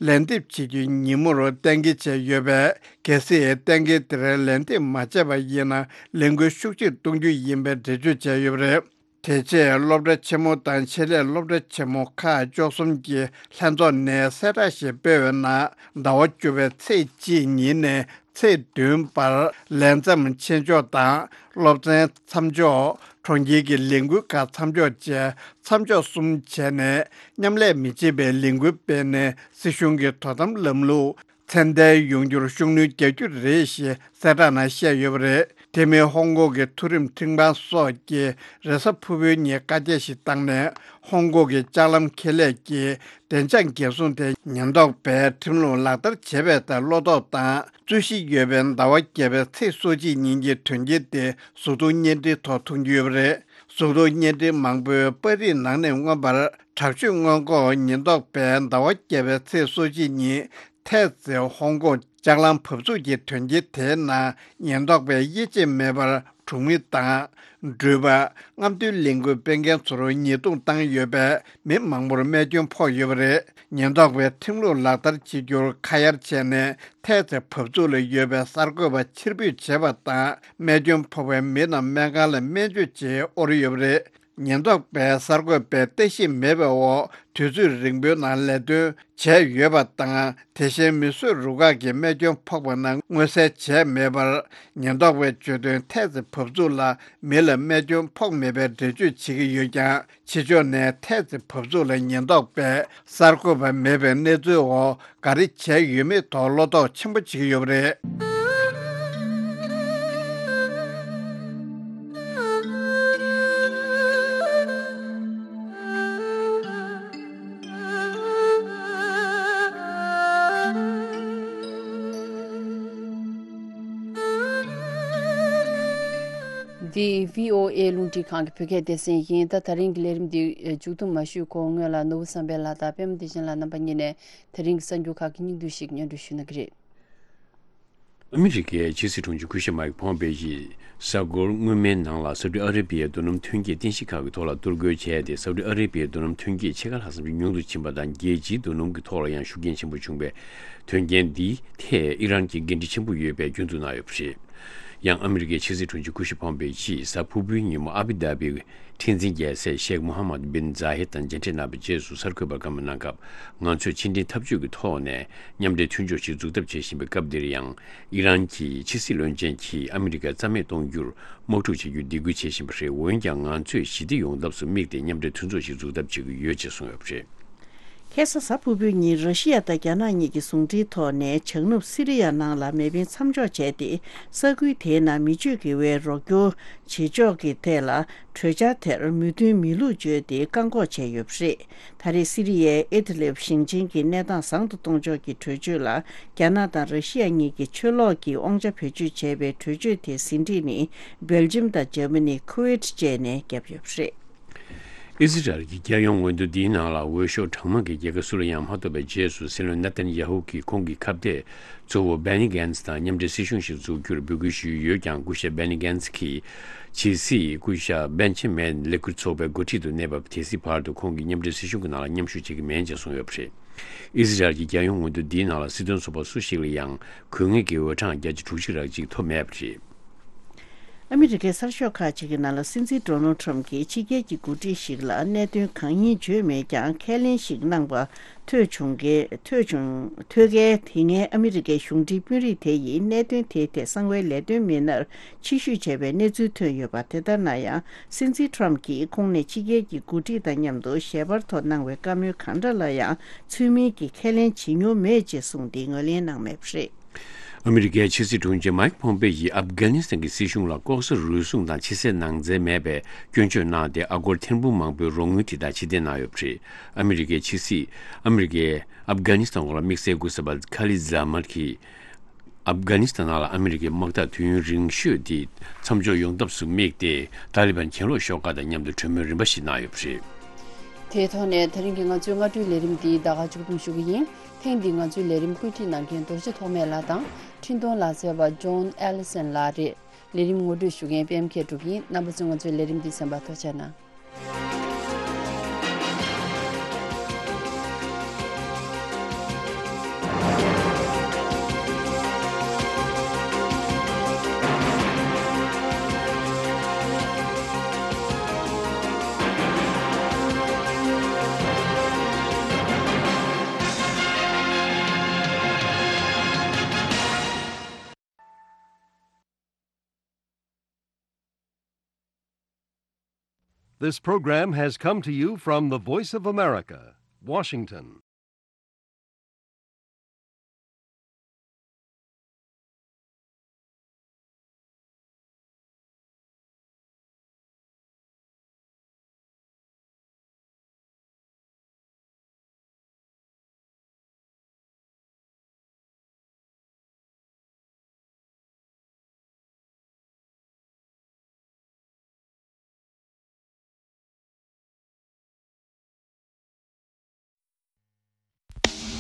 ལན་འདེབས་བྱེད་རྒྱུའི་ཉིན་མོར་གཏན་འཁེལ་བྱས་ཡོད་པས། གལ་སྲིད་གཏན་འཁེལ་དེར་ལན་འདེབས་མ་བྱས་པ་ཡིན་ན་ལས་འགུལ་ཤུགས་ཆེར་གཏོང་རྒྱུ་ཡིན་པའི་འགྲེལ་བརྗོད་བྱས་ཡོད་པ་རེད། དེ་རྗེས་སློབ་གྲྭ་ཆེན་མོ་དང་ཆེད་ལས་སློབ་གྲྭ་ཆེན་མོ་ཁག་བཅུ་གསུམ་གྱི་ལྷན་ཚོགས་ནས་གསལ་བསྒྲགས་ཤིག་སྤེལ་བའི་ནང་ཟླ་བ་བཅུ་པའི་ཚེས་གཅིག་ཉིན་ནས་ཚེས་བདུན་བར་ལས་མཚམས་ཆེ་ཕྱོགས་དང་སློབ་ཚན་མཚམས་འཇོག་གྲོང་ཁྱེར་གྱི་ལས་འགུལ་ཁག་མཚམས་འཇོག་བཅས་མཚམས་འཇོག་གསུམ་བྱས་ནས་མཉམ་ལས་མི་བྱེད་པའི་ལས་འགུལ་སྤེལ་ནས་སྲིད་གཞུང་གི་དོ་དམ་ལམ་ལུགས་ཚད་ལྡན་ཡོང་རྒྱུར་ཤུགས་སྣོན་རྒྱག་རྒྱུ་རེད་ཞེས་གསལ་བསྒྲགས་ནང་བཤད་ཡོད་པ་རེད། དེ་མིན་ཧོང་ཀོང་གི་མཐོ་རིམ་ཁྲིམས་ཁང་སོགས་ཀྱིས་རེས་གཟའ་ཕུར་བུའི་ཉིན་བཀའ་རྒྱ་ཞིག་བཏང་ནས་ཧོང་ཀོང་གི་ལྕགས་ལམ་ཁེ་ལས་ཀྱི་བདེ་འཇགས་འགན་སྲུང་དེ་ཉེན་རྟོག་པས་ཁྲིམས་ལུགས་ལག་བསྟར་བྱས་པའི་ཐད་བློ་དོགས་དང་རྩོད་གཞི་ཡོད་པའི་ཟླ་བ་བརྒྱད་པའི་ཚེས་སོ་གཅིག་ཉིན་གྱི་དོན་རྐྱེན་དེ་གཟུགས་མཐོང་བརྙན་འཕྲིན་ཐོག་མཐོང་རྒྱུ་ཡོད་པ་རེད། གཟུགས་མཐོང་བརྙན་འཕྲིན་མང་པོས་པར་རིས་ནང་ནས་མངོན་པར་དྲག་སྤྱོད་སྔོན་འགོག་ཉེན་རྟོག་པས་ཟླ་བ་བརྒྱད་པའི་ཚེས་སོ་གཅིག་ཉིན་ཐའེ་ཙེ་ཧོང་ཀོང་ལྕགས་ལམ་བབས་ཚུགས་ཀྱི་དོན་རྐྱེན་དེའི་ནང་ཉེན་རྟོག་པས་དབྱེ་འབྱེད་མེད་པར་གྲོང་མི་དང་འགྲུལ་པ། རྔམ་སྟོན་ལས་འགུལ་སྤེལ་མཁན་ཚོར་ཉེས་རྡུང་བཏང་ཡོད་པས་མི་མང་པོར་རྨས་སྐྱོན་ཕོག་ཡོད་པ་རེད། ཉེན་རྟོག་པས་ཁྲིམས་ལུགས་ལག་བསྟར་བྱེད་རྒྱུར་ཁ་གཡར་བྱས་ནས་ཐའེ་ཙེ་བབས་ཚུགས་ལ་ཡོད་པའི་གསར་འགོད་པ་ཕྱིར་འབུད་བྱས་པ་དང་རྨས་སྐྱོན་ཕོག་པའི་མི་རྣམས་སྨན་ཁང་ལ་སྨན་བཅོས་བྱེད་དབོར་ཡོད་པ་རེད། ཉེན་རྟོག་པས་གསར་འགོད་པའི་ལྟ་ཞིབ་མེད་པའི་འོག་དུས་ཚོད་རིང་པོའི་ནང་ལས་དོན་བྱས་ཡོད་པ་དང་། དེ་བཞིན་མིས་བཟོས་རུ་ཁག་གིས་རྨས་སྐྱོན་ཕོག་པ་རྣམས་མངོན་གསལ་བྱས་མེད་པར། ཉེན་རྟོག་པས་བརྗོད་དོན་ཐད་ཚེ་བབས་ཚུགས་ལ་མི་ལ་རྨས་སྐྱོན་ཕོག་མེད་པའི་འགྲེལ་བརྗོད་བྱེད་ཀྱི་ཡོད་ཀྱང་། ཕྱི་ཕྱོགས་ནས་ཐད་ཚེ་བབས་ཚུགས་ལ་ཉེན་རྟོག་པས་གསར་འགོད་པ་མེད་པའི་གནས་ཚུལ་འོག་ག་རེ་བྱས་ཡོད་མེད་ཐོག་བློ་དོགས་ཆེན་པོ་བྱེད་ཀྱི་ཡོད་པ་རེད། འདི་བྷི་ཨོ་ཨེ་རླུང་འཕྲིན་ཁང་གི་བོད་སྐད་སྡེ་ཚན་ཡིན། ད་ད་རིང་གི་ལས་རིམ་འདི་མཇུག་བསྡོམས་མ་ཞུས་གོང་སྔོན་ལ་ནོར་བུ་བསམ་འཕེལ་ལགས་དང་པད་མ་བདེ་ཆེན་ལགས་རྣམ་པ་གཉིས་ནས་ད་རིང་གི་གསར་འགྱུར་ཁག་གི་སྙིང་བསྡུས་ཤིག་སྙན་སྒྲོན་ཞུ་གནང་གི་རེད། ཨ་མི་རི་ཀའི་ཕྱི་སྲིད་དྲུང་ཆེ་སྐུ་ཞབས་མའིག་ཕོམ་པེ་ཡིས་གཟའ་འཁོར་སྔོན་མའི་ནང་ལ་སའུ་ཏི་ཨ་རེ་བྷི་ཡའི་རྡོ་སྣུམ་ཐོན་སྐྱེད་རྟེན་གཞི་ཁག་གི་ཐོག་ལ་གཏོར་རྒོལ་བྱས་ཏེ། སའུ་ཏི་ཨ་རེ་བྷི་ཡའི་རྡོ་སྣུམ་ཐོན་སྐྱེད་ཕྱེད་ཀ་ལྷག་ཙམ་ཞིག་ཉུང་དུ་ཕྱིན་པ་དང་། རྒྱལ་སྤྱིའི་རྡོ་སྣུམ་གྱི་ཐོག་ལ་ཡང་ཤུགས་རྐྱེན་ཆེན་པོ་བྱུང་བའི་དོན་རྐྱེན་འདིའི་ཐད་ཨི་རན་གྱིས་འགན་འཁྲི་ཆེན་པོ་ཡོད་པའི་སྐྱོན་འཛུགས་གནང་ཡོད་པ་རེད། ཡང་ཨ་མི་རི་ཀའི་ཕྱི་སྲིད་དྲུང་ཆེ་སྐུ་ཞབས་ཕོམ་པེ་ཡིས་གཟའ་ཕུར་བུའི་ཉིན་མོ་ཨ་བྷི་དྷ་བྷི་ཁྲི་འཛིན་རྒྱལ་སྲས་ཤེག་མོ་ཧ་མད་བིན་ཛ་ཧེད་དང་མཇལ་འཕྲད་གནང་བའི་རྗེས་སུ་གསར་འགོད་པར་བཀའ་མོལ་གནང་སྐབས། ང་ཚོས་ཕྱི་འབྲེལ་འཐབ་ཇུས་ཀྱི་ཐོག་ནས་མཉམ་འབྲེལ་མཐུན་ཕྱོགས་ཤིག་འཛུགས་ཐབས་བྱེད་བཞིན་པའི་སྐབས་འདིར་ཡང་། ཨི་རན་གྱི་ཕྱི་སྲིད་བློན་ཆེན་གྱིས་ཨ་མི་རི་ཀ་རྩ་མེད་གཏོང་རྒྱུར་དམག་འཁྲུག་བྱེད་རྒྱུར་སྡིགས་སྐུལ་བྱེད་བཞིན་པ་རེད། འོན་ཀྱང་། ང་ཚོས་ཞི་བདེ་ཡོང་ཐབས་སུ་དམིགས་ཏེ་མཉམ་འབྲེལ་མཐུན་ཚོགས་ཤིག་འཛུགས་ཐབས་བྱེད་ཀྱི་ཡོད་ཅེས་གསུངས་ཡོད་པ་རེད། ཁ་སང་གཟའ་ཕུར་བུའི་ཉིན་ར་ཤི་ཡ་དང་རྒྱ་ནག་གཉིས་ཀྱི་ཟུང་འབྲེལ་ཐོག་ནས་བྱང་ནུབ་སི་རི་ཡ་ནང་ལ་མེ་འཕེན་མཚམས་འཇོག་བྱས་ཏེ། ས་ཁུལ་དེའི་ནང་མི་སྤྱོད་དགེ་བའི་རོགས་སྐྱོར་བྱེད་ཕྱོགས་ཀྱི་ཐད་ལ་གྲོས་འཆར་དེར་མོས་མཐུན་མེད་ལུགས་བརྗོད་དེ་བཀག་འགོག་བྱས་ཡོད་པ་རེད། ད་རེས་སི་རི་ཡའི་ཨི་ཏི་ལིབ་ཞིང་ཆེན་གྱི་གནས་སྟངས་བཟང་དུ་གཏོང་ཕྱོགས་ཀྱི་གྲོས་ཆོད་ལ་རྒྱ་ནག་དང་ར་ཤི་ཡ་གཉིས་ཀྱིས་ཆུ་ལོག་གི་དབང་ཆ་བེད་སྤྱོད་བྱས་པའི་གྲོས་ཆོད་དེའི་ཟིན་བྲིས་ནི་སྦེལ་ཇམ་དང་འཇར་མ་ནི། ཁུ་ཝེད་བཅས་ནས་བརྒྱབ་ཡོད་པ་རེད། ཨི་ཟི་རལ་གྱི་རྒྱལ་ཡོངས་འོས་བསྡུ་འདིའི་ནང་ལ་འོས་ཤོག་གྲངས་མང་གི་རྒྱལ་ཁབ་སུ་ལ་ཡང་མ་གཏོགས་པའི་རྗེས་སུ། སྲིད་བློན་ནེ་ཐན་ཡ་ཧུ་གིས་ཁོང་གི་ཁ་གཏད་གཙོ་བོ་བྷེ་ནི་གྷན་ཛི་དང་མཉམ་འབྲེལ་སྲིད་གཞུང་ཞིག་འཛུགས་རྒྱུར་འབོད་སྐུལ་ཞུས་ཡོད་ཀྱང་། སྐུ་ཞབས་བྷེ་ནི་གྷན་ཛི་གིས་ཇེ་སི་སྐུ་ཞབས་བྷེན་ཆི་མེན་ལས་འཁུར་ཚོགས་པའི་འགོ་ཁྲིད་དུ་གནས་བབ་དེ་སྲིད་བར་དུ་ཁོང་གིས་མཉམ་འབྲེལ་སྲིད་གཞུང་གི་ནང་ལ་མཉམ་ཞུགས་བྱེད་ཀྱི་མིན་ཅེས་གསུངས་ཡོད་པ་རེད། ཨི་ཟི་རལ་གྱི་རྒྱལ་ཡོངས་འོས་བསྡུ་འདིའི་ནང་ལ་སྲིད་དོན་ཚོགས་པ་སུ་ཞིག་ལ་ཡང་དགོས་ངེས་ཀྱི་འོས་གྲངས་བརྒྱ་ཆ་དྲུག་ཅུ་རེ་གཅིག་ཐོབ་མེད་པ་རེད། ཨ་མི་རི་ཀའི་གསར་ཤོག་ཁག་ཅིག་གི་ནང་ལ་སྲིད་འཛིན་ཌོ་ནལ་ཁྲམ་གྱིས་ཕྱི་རྒྱལ་གྱི་འགོ་ཁྲིད་ཞིག་ལ་གནད་དོན་གང་ཡིན་བརྗོད་མེད་ཀྱང་། ཁས་ལེན་ཞིག་གནང་པ་ཐོས་བྱུང་གི་ཐོས་བྱུང་ཐོས་མཁན་དེ་སྔའི་ཨ་མི་རི་ཀའི་གཞུང་འབྲེལ་དཔོན་རིགས་དེ་ཡིས་གནད་དོན་དེའི་ཐད་གསང་བའི་ལས་དོན་མི་སྣར་ཕྱིར་བཤོལ་བྱས་པའི་གནས་ཚུལ་ཐོན་ཡོད་པ། དེ་ལྟར་ན་ཡང་སྲིད་འཛིན་ཁྲམ་གྱིས་ཁོང་ནས་ཕྱི་རྒྱལ་གྱི་འགོ་ཁྲིད་དང་མཉམ་དུ་ཞལ་པར་ཐོག་གནང་བའི་བཀའ་མོལ་གང་འདྲ་ལ་ཡང་ཚུལ་མིན་གྱི་ཁས་ལེན་བྱེད་མྱོང་མེད་ཅེས་གསུངས་ཏེ་ངོས་ལེན་གནང་མེད་པ་རེད། ཨ་མི་རི་ཀའི་ཕྱི་སྲིད་དྲུང་ཆེ་མའིག་ཕོམ་པེ་ཡིས་ཨབ་གྷ་ནི་སི་ཐན་གྱི་སྲིད་གཞུང་ལ་ལྐོག་ཟ་རུལ་སུངས་དང་ཕྱི་གསལ་ནང་གསལ་མེད་པའི་སྐྱོན་བརྗོད་གནང་སྟེ། ཨ་སྒོར་ཐེར་འབུམ་མང་པོའི་རོགས་དངུལ་དེ་དག་ཕྱིར་འཐེན་གནང་ཡོད་པ་རེད། ཨ་མི་རི་ཀའི་ཕྱི་སྲིད། ཨ་མི་རི་ཀས་ཨབ་གྷ་ནི་སི་ཐན་འོག་ལ་དམིགས་བསལ་སྐུ་ཚབ་པ་ཁ་ལི་ཛ་མད་ཀྱིས། ཨབ་གྷ་ནི་སི་ཐན་ནང་ལ་ཨ་མི་རི་ཀའི་དམག་འཐབ་དུས་ཡུན་རིང་ཤོས་དེ་མཚམས་འཇོག་ཡོང་ཐབས་སུ་དམིགས་ཏེ། ཏཱ་ལི་བན་གྱེན་ལོག་ཤོག་ཁག་དང་མཉམ་དུ་གྲོས་མོལ་རིམ་པ་ཞིག་གནང་ཡོད་པ་རེད། དེའི་ཐོག་ནས་ད་རིང་གི་ང་ཚོའི་སྔ་དྲོའི་ལས་རིམ་འདི་ད་ག་མཇུག་སྡོམ་ཞུ་གི་ཡིན། ཐེངས་འདིའི་ང་ཚོའི་ལས་རིམ་བཀོད་སྒྲིག་གནང་མཁན་རྡོ་རྗེ་ཐོགས་མེད་ལགས་དང་འཕྲིན་གཏོང་ལག་རྩལ་བ་ཇོན་ཨེ་ལི་སན་ལགས་རེད། ལས་རིམ་ངོ་སྤྲོད་ཞུ་མཁན་པད་མ་མཁས་གྲུབ་ཡིན། རྣམ་པ་ཚོས་ང་ཚོའི་ལས་རིམ་འདི་གསན་པར་ཐུགས་རྗེ་གནང་། This program has come to you from the Voice of America, Washington.